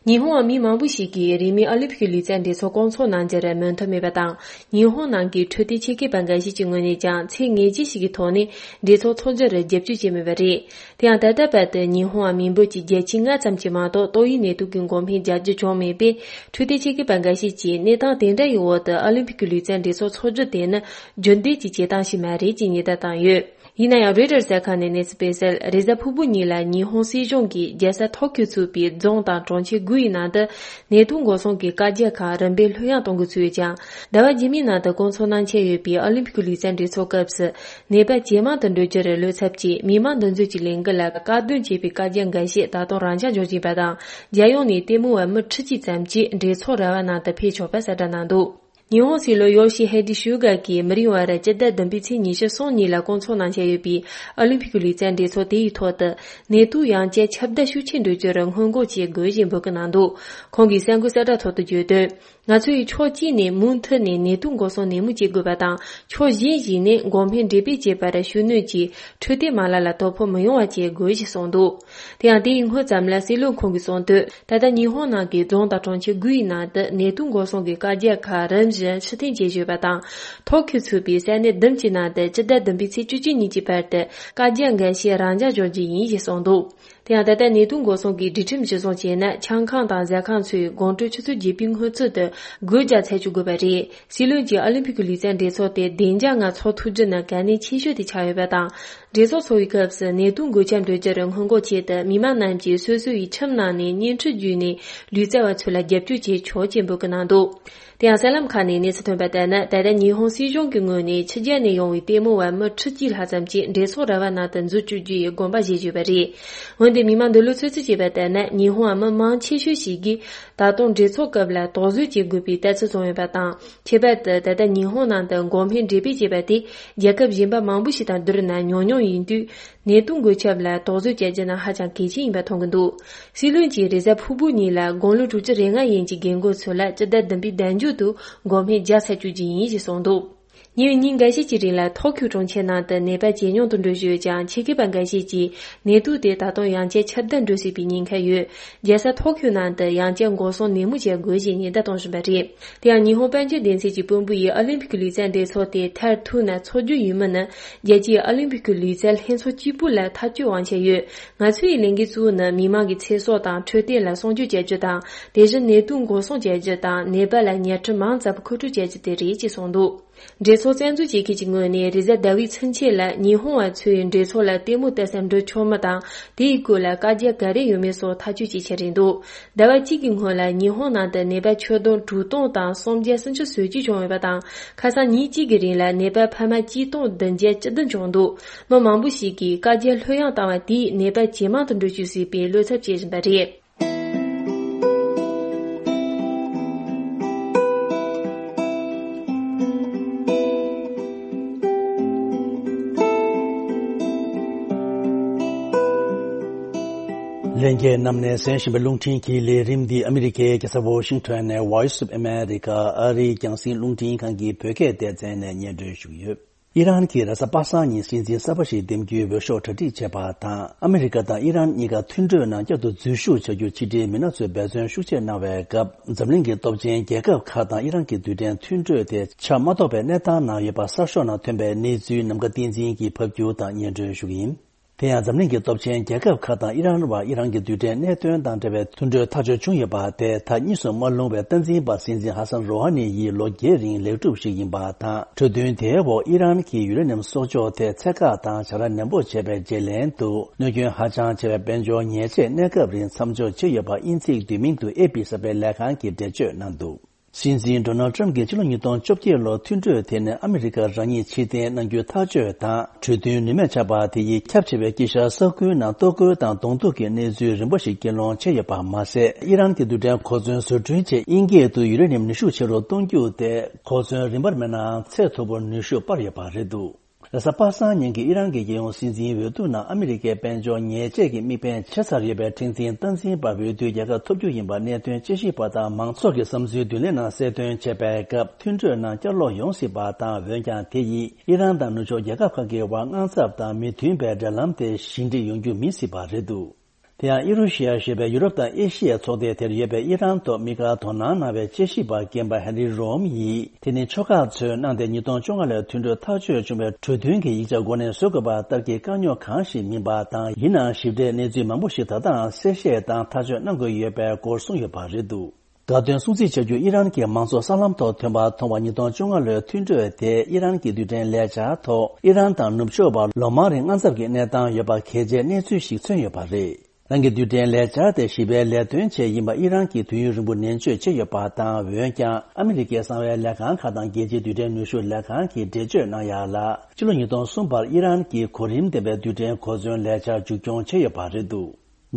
ཉི་ཧོང་བ་མི་མང་པོ་ཞིག་གིས་རིས་མེད་ཨོ་ལིམ་ཕིག་གི་ལུས་རྩལ་འགྲན་ཚོགས་སྐོང་ཚོགས་གནང་རྒྱུར་མོས་མཐུན་མེད་པ་དང་། ཉི་ཧོང་ནང་གི་འཕྲོད་བསྟེན་ཆེད་མཁས་པ་འགའ་ཤས་ཀྱི་ངོས་ནས་ཀྱང་ཚད་ངེས་ཅན་ཞིག་གི་ཐོག་ནས་འགྲན་ཚོགས་འཚོགས་རྒྱུར་རྒྱབ་སྐྱོར་བྱས་མེད་པ་རེད། དེ་ཡང་ད་ལྟ་བར་དུ་ཉི་ཧོང་བ་མི་འབོར་གྱི་བརྒྱ་ཆ་ལྔ་ཙམ་གྱིས་མ་གཏོགས་ཏོག་དབྱིབས་ནད་དུག་གི་འགོག་སྨན་རྒྱག་རྒྱུ་བྱུང་མེད་པས། འཕྲོད་བསྟེན་ཆེད་མཁས་པ་འགའ་ཤས་ཀྱིས་གནས་སྟངས་དེ་འདྲ་ཡི་འོག་ཏུ་ཨོ་ལིམ་ཕིག་གི་ལུས་རྩལ་འགྲན་ཚོགས་འཚོགས་རྒྱུ་དེ་ནི་རྒྱུན་ལྡན་གྱི་བྱེད་སྟངས་ཤིག་མ་རེད་ཅེས་ཉེན་བརྡ་བཏང་ཡོད། ཡིན་ན་ཡང་རོའི་ཊར་གསར་ཁང་ནས་གནས་ཚུལ་སྤེལ་གསལ། རེས་གཟའ་ཕུར་བུ་ཉིན་ལ་ཉི་ཧོང་སྲིད་གཞུང་གིས་རྒྱལ་ས་ཐོ་ཁྱོ་ཚུད་པའི་རྫོང་དང་གྲོང་ཁྱེར་དགུ་ཡི་ནང་དུ་ནད་དུག་འགོག་སྲུང་གི་བཀའ་རྒྱ་ཁག་རིམ་པས་ལྷོད་ཡངས་གཏོང་དགོས་ཚུལ་ཡོད་ཀྱང་། ཟླ་བ་རྗེས་མའི་ནང་དུ་སྐོང་ཚོགས་གནང་འཆར་ཡོད་པའི་ཨོ་ལིམ་ཕིག་གི་ལུས་རྩལ་འགྲན་ཚོགས་སྐབས་སུ་ནད་པ་ཇེ་མང་དུ་འགྲོ་རྒྱུར་བློ་འཚབ་ཀྱིས་མི་མང་འདུ་འཛོམས་ཀྱི་ལས་འགུལ་ལ་བཀག་སྡོམ་བྱེད་པའི་བཀའ་རྒྱ་འགའ་ཤས་ད་དུང་རང་འཇགས་འཇོག་བཞིན་པ་དང་། རྒྱལ་ཡོངས་ནས་ལྟད་མོ་བ་མི་ཁྲི་གཅིག་ཙམ་གྱིས་འགྲན་ཚོགས་ར་བ་ནང་དུ་ཕེབས་ཆོག་པ་གསལ་བསྒྲགས་གནང་འདུག་ཉི་ཧོང་སྲིད་བློན་ཡོ་ཤི་ཧེ་ཏི་སུ་ག་གིས་མི་རིང་བར་སྤྱི་ཟླ་བདུན་པའི་ཚེས་ཉི་ཤུ་གསུམ་ཉིན་ལ་སྐོང་ཚོགས་གནང་འཆར་ཡོད་པའི་ཨོ་ལིམ་ཕིག་གི་ལུས་རྩལ་འགྲན་ཚོགས་དེ་ཡི་ཐོག་ཏུ་ནད་དུག་ཡང་བསྐྱར་ཁྱབ་གདལ་ཤུགས་ཆེ་འགྲོ་རྒྱུར་སྔོན་འགོག་བྱེད་དགོས་ཞེས་འབོད་སྐུལ་གནང་འདུག་ཁོང་གིས་གསར་འགོད་གསལ་བསྒྲགས་ཐོག་ཏུ་བརྗོད་དོན། ང་ཚོ་ཡིས་ཕྱོགས་གཅིག་ནས་མུ་མཐུད་ནས་ནད་དུག་འགོག་སྲུང་ནན་མོ་བྱེད་དགོས་པ་དང་། ཕྱོགས་གཞན་ཞིག་ནས་འགོག་སྨན་འབྲེལ་སྤེལ་བྱེད་པར་ཤུགས་སྣོན་གྱིས་འཕྲོད་བསྟེན་མ་ལག་ལ་དོ་ཕོག་མི་ཡོང་བ་བྱེད་དགོས་ཞེས་གསུངས་འདུག་དེ་ཡང་དེ་ཡི་སྔོན་ཙམ་ལ་སྲིད་བློན་ཁོང་གིས་གསུངས་དོན། ད་ལྟ་ཉི་ཧོང་ནང་གི་རྫོང་དང་གྲོང་ཁྱེར་དགུ་ཡི་ནང་དུ་ནད་དུག་འགོག་སྲུང་གི་བཀའ་རྒྱ་ཁག་རིམ་བཞིན་ཕྱིར་འཐེན་བྱེད་བཞིན་ཡོད་པ་དང་། ཐོ་ཁྱོ་ཚུད་པའི་ས་གནས་བདུན་གྱི་ནང་དུ་སྤྱི་ཟླ་བདུན་པའི་ཚེས་བཅུ་གཅིག་ཉིན་གྱི་བར་དུ་བཀའ་རྒྱ་འགའ་ཤས་རང་འཇགས་འཇོག་རྒྱུ་ཡིན་ཞེས་གསུངས་འདུག་དེ་ཡང་ད་ལྟ་ནད་དུག་འགོག་སྲུང་གི་སྒྲིག་ཁྲིམས་གཞིར་བཟུང་བྱས་ན། ཆང་ཁང་དང་ཟ་ཁང་ཚོས་དགོང་དྲོ་ཆུ་ཚོད་བརྒྱད་པའི་སྔོན་ཚུད་དུ་སྒོ་རྒྱག་ཚར་བཅུག་དགོས་པ་རེད། སྲིད་བློན་གྱིས་ཨོ་ལིམ་ཕིག་གི་ལུས་རྩལ་འགྲན་ཚོགས་དེ་བདེ་འཇགས་ངང་འཚོགས་ཐུབ་རྒྱུ་ནི་གལ་གནད་ཆེ་ཤོས་དེ་ཆགས་ཡོད་པ་དང་། འགྲན་ཚོགས་འཚོགས་པའི་སྐབས་སུ་ནད་དུག་འགོས་ཁྱབ་འགྲོ་རྒྱུར་སྔོན་འགོག་ཆེད་དུ། མི་མང་རྣམས་ཀྱིས་སོ་སོ་ཡི་ཁྱིམ་ནང་ནས་བརྙན་འཕྲིན་བརྒྱུད་ནས་ལུས་རྩལ་བ་ཚོ་ལ་རྒྱབ་སྐྱོར་བྱེད་ཆོག་ཅེས་འབོད་སྐུལ་གནང་འདུག་དེ་ཡང་གསར་ལམ་ཁག་ནས་གནས་ཚུལ་ཐོན་པ་ལྟར་ན། ད་ལྟ་ཉི་ཧོང་སྲིད་གཞུང་གི་ངོས་ནས་ཕྱི་རྒྱལ་ནས་ཡོང་བའི་ལྟད་མོ་བ་མི་ཁྲི་གཅིག་ལྷག་ཙམ་གྱིས་འགྲན་ཚོགས་ར་བ་ནང་དུ་འཛུལ་བཅུག་རྒྱུ་ཡི་དགོངས་པ་བཞེས་ཡོད་པ་རེད། འོན་ཏེ་མི་མང་འདོད་བློ་ཚོད་རྩིས་བྱས་པ་ལྟར་ན། ཉི་ཧོང་བ་མི་མང་ཆེ་ཤོས་ཤིག་གིས་ད་དུང་འགྲན་ཚོགས་སྐབས་ལ་དོགས་ཟོན་བྱེད་དགོས་པའི་ལྟ་ཚུལ་བཟུང་ཡོད་པ་དང་། ཁྱད་པར་དུ་ད་ལྟ་ཉི་ཧོང་ནང་དུ་འགོག་སྨན་འབྲེལ་སྤེལ་བྱས་པ་དེ་རྒྱལ་ཁབ་གཞན་པ་མང་པོ་ཞིག་དང་བསྡུར་ན་ཉུང་ཉུང་ཡིན་དུས། ནད་དུག་འགོས་ཁྱབ་ལ་དོགས་ཟོན་བྱ་རྒྱུ་ནི་ཧ་ཅང་གལ་ཆེན་ཡིན་པ་མཐོང་གི་འདུག་སྲིད་བློན་གྱིས་རེས་གཟའ་ཕུར་བུ་ཉིན་ལ་དགུང་ལོ་དྲུག་ཅུ་རེ་ལྔ་ཡན་གྱི་རྒན་རྒོན་ཚོ་ལ་སྤྱི་ཟླ་བདུན་པའི་ཟླ་མཇུག་ཏུ་འགོག་སྨན་རྒྱག་ཚར་བཅུག་རྒྱུ་ཡིན་ཞེས་གསུངས་འདུག་ཉིན་ཉིན་འགའ་ཤས་ཀྱི་རིང་ལ་ཐོ་ཁྱོ་གྲོང་ཁྱེར་ནང་དུ་ནད་པ་ཇེ་ཉུང་དུ་འགྲོ་བཞིན་ཡོད་ཀྱང་། ཆེད་མཁས་པ་འགའ་ཤས་ཀྱིས་ནད་དུག་དེ་ད་དུང་ཡང་བསྐྱར་ཁྱབ་གདལ་འགྲོ་སྲིད་པའི་ཉེན་ཁ་ཡོད། རྒྱལ་ས་ཐོ་ཁྱོ་ནང་དུ་ཡང་བསྐྱར་འགོག་སྲུང་ནན་མོ་བྱ་དགོས་ཞེས་ཉེན་བརྡ་གཏོང་བཞིན་པ་རེད། དེ་ཡང་ཉི་ཧོང་དཔལ་འབྱོར་སྡེ་ཚན་གྱི་དཔོན་པོ་ཡིས་ཨོ་ལིམ་ཕིག་གི་ལུས་རྩལ་འགྲན་ཚོགས་དེ་མཐར་ཐུག་ན་འཚོགས་རྒྱུ་ཡིན་མིན་ནི། རྒྱལ་སྤྱིའི་ཨོ་ལིམ་ཕིག་གི་ལུས་རྩལ་ལྷན་ཚོགས་གཅིག་པུ་ལ་ཐག་གཅོད་དབང་ཆ་ཡོད། ང་ཚོའི་ལས་འགན་གཙོ་བོ་ནི་མི་མང་གི་ཚེ་སྲོག་དང་འཕྲོད་བསྟེན་ལ་སྲུང་སྐྱོབ་བྱ་རྒྱུ་དང་། དེ་བཞིན་ནད་དུག་འགོག་སྲུང་བྱ་རྒྱུ་དང་། ནད་པ་ལ་ཉལ་ཁྲི་མང་ཙམ་མཁོ་སྤྲོད་བྱ་རྒྱུ་དེ་རེད་ཅེས་གསུངས་འདུག་འགྲན་ཚོགས་རྩ་འཛུགས་བྱེད་མཁན་གྱི་ངོས་ནས་རེས་གཟའ་ཟླ་བའི་ཚུན་ཆད་ལ་ཉི་ཧོང་བ་ཚོས་འགྲན་ཚོགས་ལ་ལྟད་མོ་ལྟ་སར་འགྲོ་ཆོག་མིན་དང་། དེའི་སྐོར་ལ་བཀའ་རྒྱ་ག་རེ་ཡོད་མེད་སོགས་ཐག་གཅོད་བྱེད་འཆར་རེད་འདུག་ཟླ་བ་གཅིག་གི་སྔོན་ལ་ཉི་ཧོང་ནང་དུ་ནད་པ་ཁྱོན་བསྡོམས་དྲུག་སྟོང་དང་སུམ་བརྒྱ་སུམ་ཅུ་སོ་གཅིག་བྱུང་ཡོད་པ་དང་། ཁ་སང་ཉིན་གཅིག་གི་རིང་ལ་ནད་པ་ཕལ་མ་གཅིག་སྟོང་བདུན་བརྒྱ་བཅུ་བདུན་བྱུང་འདུག་མི་མང་པོ་ཞིག་གིས་བཀའ་རྒྱ་ལྷོད་ཡངས་བཏང་བ་དེས་ནད་པ་ཇེ་མང་དུ་འགྲོ་བཅུག་སྲིད་པའི་བློ་འཚབ་བྱེད་བཞིན་པ་རེད། ལྷན་རྒྱས་རྣམས་ནས་གསན་བཞིན་པའི་རླུང་འཕྲིན་གྱི་ལས་རིམ་འདི་ཨ་མི་རི་ཀའི་རྒྱལ་ས་ཝོ་ཤིང་ཊོན་ནས་Voice of America ཨ་རིའི་རྒྱང་སྲིང་རླུང་འཕྲིན་ཁང་གི་བོད་སྐད་སྡེ་ཚན་ནས་སྙན་སྒྲོན་ཞུ་གི་ཡོད། ཨི་རན་གྱིས་རེས་གཟའ་པ་སངས་ཉིན་སྲིད་འཛིན་གསར་པ་ཞིག་འདེམས་རྒྱུའི་འོས་ཤོག་གྲ་སྒྲིག་བྱས་པ་དང་། ཨ་མི་རི་ཀ་དང་ཨི་རན་གཉིས་ཀ་མཐུན་གྲོས་ནང་བསྐྱར་དུ་འཛུལ་ཞུགས་བྱ་རྒྱུར་ཕྱི་འབྲེལ་མི་སྣ་ཚོས་འབད་བརྩོན་ཤུགས་ཆེ་གནང་བའི་སྐབས། འཛམ་གླིང་གི་སྟོབས་ཆེན་རྒྱལ་ཁབ་ཁག་དང་ཨི་རན་གྱི་རྡུལ་ཕྲན་མཐུན་གྲོས་དེ་ཆ་མ་གཏོགས་པའི་གནས་སྟངས་ནང་ཡོད་པ་གསར་ཤོག་ནང་ཐོན་པའི་གནས་ཚུལ་ནམ་མཁའ་བསྟན་འཛིན་གྱིས་ཕབ་སྒྱུར་དང་སྙན་སྒྲོན་ཞུ་གི་ཡིན། དེ་ཡང་འཛམ་གླིང་གི་སྟོབས་ཆེན་རྒྱལ་ཁབ་ཁག་དང་ཨི་རན་བར་ཨི་རན་གྱི་རྡུལ་ཕྲན་གནད་དོན་དང་འབྲེལ་བའི་མཐུན་གྲོས་ཐག་གཅོད་བྱུང་ཡོད་པ་དེ་ད་གཉིས་སུ་མ་ལྷུང་བའི་སྟངས་འཛིན་པ་སྲིད་འཛིན་ཧ་སན་རོ་ཧ་ནི་ཡིས་ལོ་བརྒྱད་རིང་ལེགས་གྲུབ་ཞིག་ཡིན་པ་དང་། གྲོས་མཐུན་དེའི་འོག་ཨི་རན་གྱིས་ཡུ་རེ་ནི་ཡམ་གསོག་འཇོག་ཐད་ཚད་བཀག་དང་བྱ་ར་ནན་པོ་བྱས་པའི་རྗེས་ལན་དུ། གནོད་སྐྱོན་ཧ་ཅང་ཆེ་བའི་དཔལ་འབྱོར་ཉེས་ཆད་གནས་སྐབས་རིང་མཚམས་འཇོག་བྱས་ཡོད་པ་དབྱིན་ཚིག་བསྡུས་མིང་དུ་ཨེ་པི་གསར་སྤེལ་ལས་ཁང་གིས་འགྲེལ་བརྗོད་གནང་འདུག་སྲིད་འཛིན་ཌོ་ནལ་ཊམ་གྱིས་ཕྱི་ལོ་ཉིས་སྟོང་བཅོ་བརྒྱད་ལོར་མཐུན་གྲོས་དེ་ནི་ཨ་མི་རི་ཀ་རང་ཉིད་ཕྱིར་འཐེན་གནང་རྒྱུའི་ཐག་གཅོད་དང་། གྲོས་མཐུན་ནུས་མེད་ཆགས་པ་དེ་ཡིས་ཁྱབ་ཆེ་བའི་དཀྱིལ་ཤར་ས་ཁུལ་ནང་གཏོར་རྒོལ་དང་གདོང་ཐུག་གི་གནས་ཚུལ་རིམ་པ་ཞིག་སྐུལ་སློང་བྱས་ཡོད་པ་མ་ཟད། ཨི་རན་གྱི་རྡུལ་ཕྲན་གོ་མཚོན་བཟོ་སྐྲུན་ཆེད་དབྱིན་སྐད་དུ་ཡུ་རེ་ནི་ཡམ་ནུས་ཤུགས་ཆེ་རུ་གཏོང་རྒྱུ་དེ་གོ་མཚོན་རིམ་པར་མེད་ནའང་ཚད་མཐོ་པོར་ནུས་ཤུགས་སྤར་ཡོད་པ་རེད་འདུག་རེས་གཟའ་པ་སངས་ཉིན་གྱི་ཨི་རན་གྱི་རྒྱལ་ཡོངས་སྲིད་འཛིན་འོས་བསྡུ་ནང་ཨ་མི་རི་ཀའི་དཔལ་འབྱོར་ཉེས་ཆད་ཀྱི་དམིགས་འབེན་བྱས་ཚར་ཡོད་པའི་འཁྲུག་འཛིང་སྟངས་འཛིན་པ་འོས་བསྡུའི་རྒྱལ་ཁ་ཐོབ་རྒྱུ་ཡིན་པ་གནད་དོན་དཔྱད་ཞིབ་པ་དང་མང་ཚོགས་ཀྱི་བསམ་ཚུལ་བསྡུ་ལེན་ནང་གསལ་སྟོན་བྱས་པའི་སྐབས། མཐུན་གྲོས་ནང་བསྐྱར་ལོག་ཡོང་སྲིད་པ་དང་། འོན་ཀྱང་དེ་ཡིས་ཨི་རན་དང་ནུབ་ཕྱོགས་རྒྱལ་ཁབ་ཁག་གི་དབར་དངངས་འཚབ་དང་མི་མཐུན་པའི་འབྲེལ་ལམ་དེ་ཞི་འགྲིག་ཡོང་རྒྱུ་མིན་སྲིད་པ་རེད་འདུག་དེ་ཡང་ཨི་རུ་ཤི་ཡ་ཞེས་པའི་ཡུ་རོབ་དང་ཨེ་ཤི་ཡའི་ཚོགས་སྡེ་དེར་ཡོད་པའི་ཨི་རན་ཐོག་དམིགས་བཀར་དོ་སྣང་གནང་བའི་དཔྱད་ཞིབ་པ་རྒན་པ་ཧེན་རི་རོམ་ཡིས། དེ་ནི་ཕྱོགས་ཁག་ཚོས་གནང་སྟེ་ཉིས་སྟོང་བཅོ་ལྔ་ལོའི་མཐུན་གྲོས་ཐག་གཅོད་བྱུང་བའི་གྲོས་མཐུན་གྱི་ཡིག་ཆ་འགོ་ནས་བཟོ་དགོས་པ་ལྟར་གྱི་དཀའ་རྙོག་གང་ཞིག་མིན་པ་དང་། ཡིན་ནའང་ཞིབ་ཕྲའི་གནས་ཚུལ་མང་པོ་ཞིག་ད་ལྟའང་གསལ་བཤད་དང་ཐག་གཅོད་གནང་དགོས་ཡོད་པའི་སྐོར་གསུངས་ཡོད་པ་རེད་འདུག་དགའ་སྟོན་སྲུང་བརྩི་བྱ་རྒྱུ་ཨི་རན་གྱི་མང་ཚོགས་གསར་ལམ་ཐོག་ཐོན་པ་མཐོང་བ། ཉིས་སྟོང་བཅོ་ལྔ་ལོའི་མཐུན་གྲོས་དེ་ཨི་རན་གྱི་རྡུལ་ཕྲན་ལས་འཆར་ཐོག་ཨི་རན་དང་ནུབ་ཕྱོགས་བར་ལོ་མང་རིང་དངངས་འཚབ་ཀྱི་གནས་སྟངས་ཡོད་པ་གལ་ཆེའི་གནས་ཚུལ་ཞིག་མཚོན་ཡོད་པ་རེད། རང་གི་རྡུལ་ཕྲན་ལས་འཆར་དེ་ཞི་བའི་ལས་དོན་ཆེད་ཡིན་པ་ཨི་རན་གྱིས་དུས་ཡུན་རིང་པོ་ནན་བརྗོད་བྱས་ཡོད་པ་དང་། འོན་ཀྱང་ཨ་མི་རི་ཀའི་གསང་བའི་ལས་ཁང་ཁག་དང་རྒྱལ་སྤྱིའི་རྡུལ་ཕྲན་ནུས་ཤུགས་ལས་ཁང་གིས་འགྲེལ་བརྗོད་གནང་ཡག་ལ། ཕྱི་ལོ་ཉིས་སྟོང་གསུམ་བར་ཨི་རན་གྱིས་གོ་རིམ་ལྡན་པའི་རྡུལ་ཕྲན་གོ་མཚོན་ལས་འཆར་མཇུག་སྐྱོང་བྱས་ཡོད་པ་རེད་འདུག་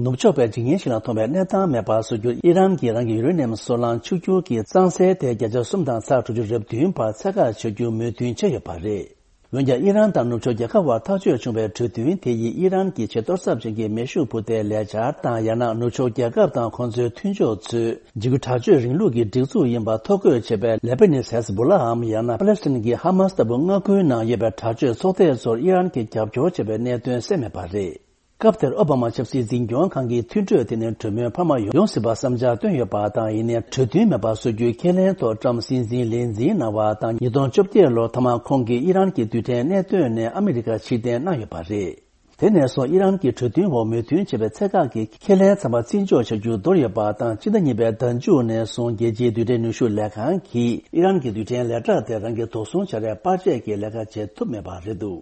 ནུབ་ཕྱོགས་པའི་འཇིག་ཉེན་ཞིག་ལ་མཐོང་བའི་གནས་སྟངས་མེད་པར་བཟོ་རྒྱུར་ཨི་རན་གྱིས་རང་གི་ཡུ་རེ་ནི་ཡམ་སོལ་རླངས་ཕྱུག་འགྱུར་གྱི་གཙང་སེལ་དེ་བརྒྱ་ཆ་གསུམ་དང་ཚེག་དྲུག་ཅུ་རེ་བདུན་བར་ཚད་བཀག་བྱ་རྒྱུ་མོས་མཐུན་བྱས་ཡོད་པ་རེད། འོན་ཀྱང་ཨི་རན་དང་ནུབ་ཕྱོགས་རྒྱལ་ཁབ་བར་ཐག་གཅོད་བྱུང་བའི་གྲོས་མཐུན་དེ་ཡིས་ཨི་རན་གྱི་ཆེས་གཏོར་ཚབས་ཅན་གྱི་མེ་ཤུགས་འཕུར་མདེལ་ལས་འཆར་དང་། ཡང་ན་ནུབ་ཕྱོགས་རྒྱལ་ཁབ་དང་ཁོང་ཚོའི་མཐུན་ཕྱོགས་ཚོས་འཇིགས་སྐུལ་དྲག་སྤྱོད་རིང་ལུགས་ཀྱི་སྒྲིག་འཛུགས་ཡིན་པ་ཐོ་འགོད་བྱས་པའི་ལེ་པ་ནིས་ཧེ་ཟ་བྷོ་ལའམ། ཡང་ན་པ་ལེ་སི་ཐན་གྱི་ཧ་མ་སི་ལྟ་བུ་མངའ་ཁུལ་ནང་ཡོད་པའི་དྲག་སྤྱོད་ཚོགས་སྡེ་ཚོར་ཨི་རན་གྱིས་རྒྱབ་སྐྱོར་བྱས་པའི་གནད་དོན་གསལ་མེད་པ་རེད། སྐབས་དེར་ཨོ་བྷ་མ་ཆབ་སྲིད་འཛིན་སྐྱོང་ཁང་གིས་མཐུན་གྲོས་དེ་ནི་གྲོས་མོལ་འཕར་མ་ཡོང་སྲིད་པ་བསམ་འཆར་བཏོན་ཡོད་པ་དང་། ཡིན་ནའི་གྲོས་མཐུན་མེད་པར་བཟོ་རྒྱུའི་ཁས་ལེན་ཐོག་ཊམ་སྲིད་འཛིན་ལས་འཛིན་གནང་བ་དང་། ཉིས་སྟོང་བཅོ་བརྒྱད་ལོར་མཐའ་མར་ཁོང་གིས་ཨི་རན་གྱི་རྡུལ་ཕྲན་གནད་དོན་ནས་ཨ་མི་རི་ཀ་ཕྱིར་འཐེན་གནང་ཡོད་པ་རེད། དེ་ནས་བཟུང་ཨི་རན་གྱིས་གྲོས་མཐུན་འོག་མོས་མཐུན་བྱས་པའི་ཚད་བཀག་གི་ཁས་ལེན་ཚང་མ་བརྩི་འཇོག་བྱ་རྒྱུ་འདོར་ཡོད་པ་དང་། སྤྱི་ཟླ་གཉིས་པའི་ཟླ་མཇུག་ནས་བཟུང་རྒྱལ་སྤྱིའི་རྡུལ་ཕྲན་ནུས་ཤུགས་ལས་ཁང་གིས་ཨི་རན་གྱི་རྡུལ་ཕྲན་ལས་གྲྭ་དེ་རང་གི་དོགས་ཟོན་བྱ་རའི་པར་ཆས་ཀྱི་ལས་ཀ་བྱེད་ཐུབ་མེད་པ་རེད་འདུག་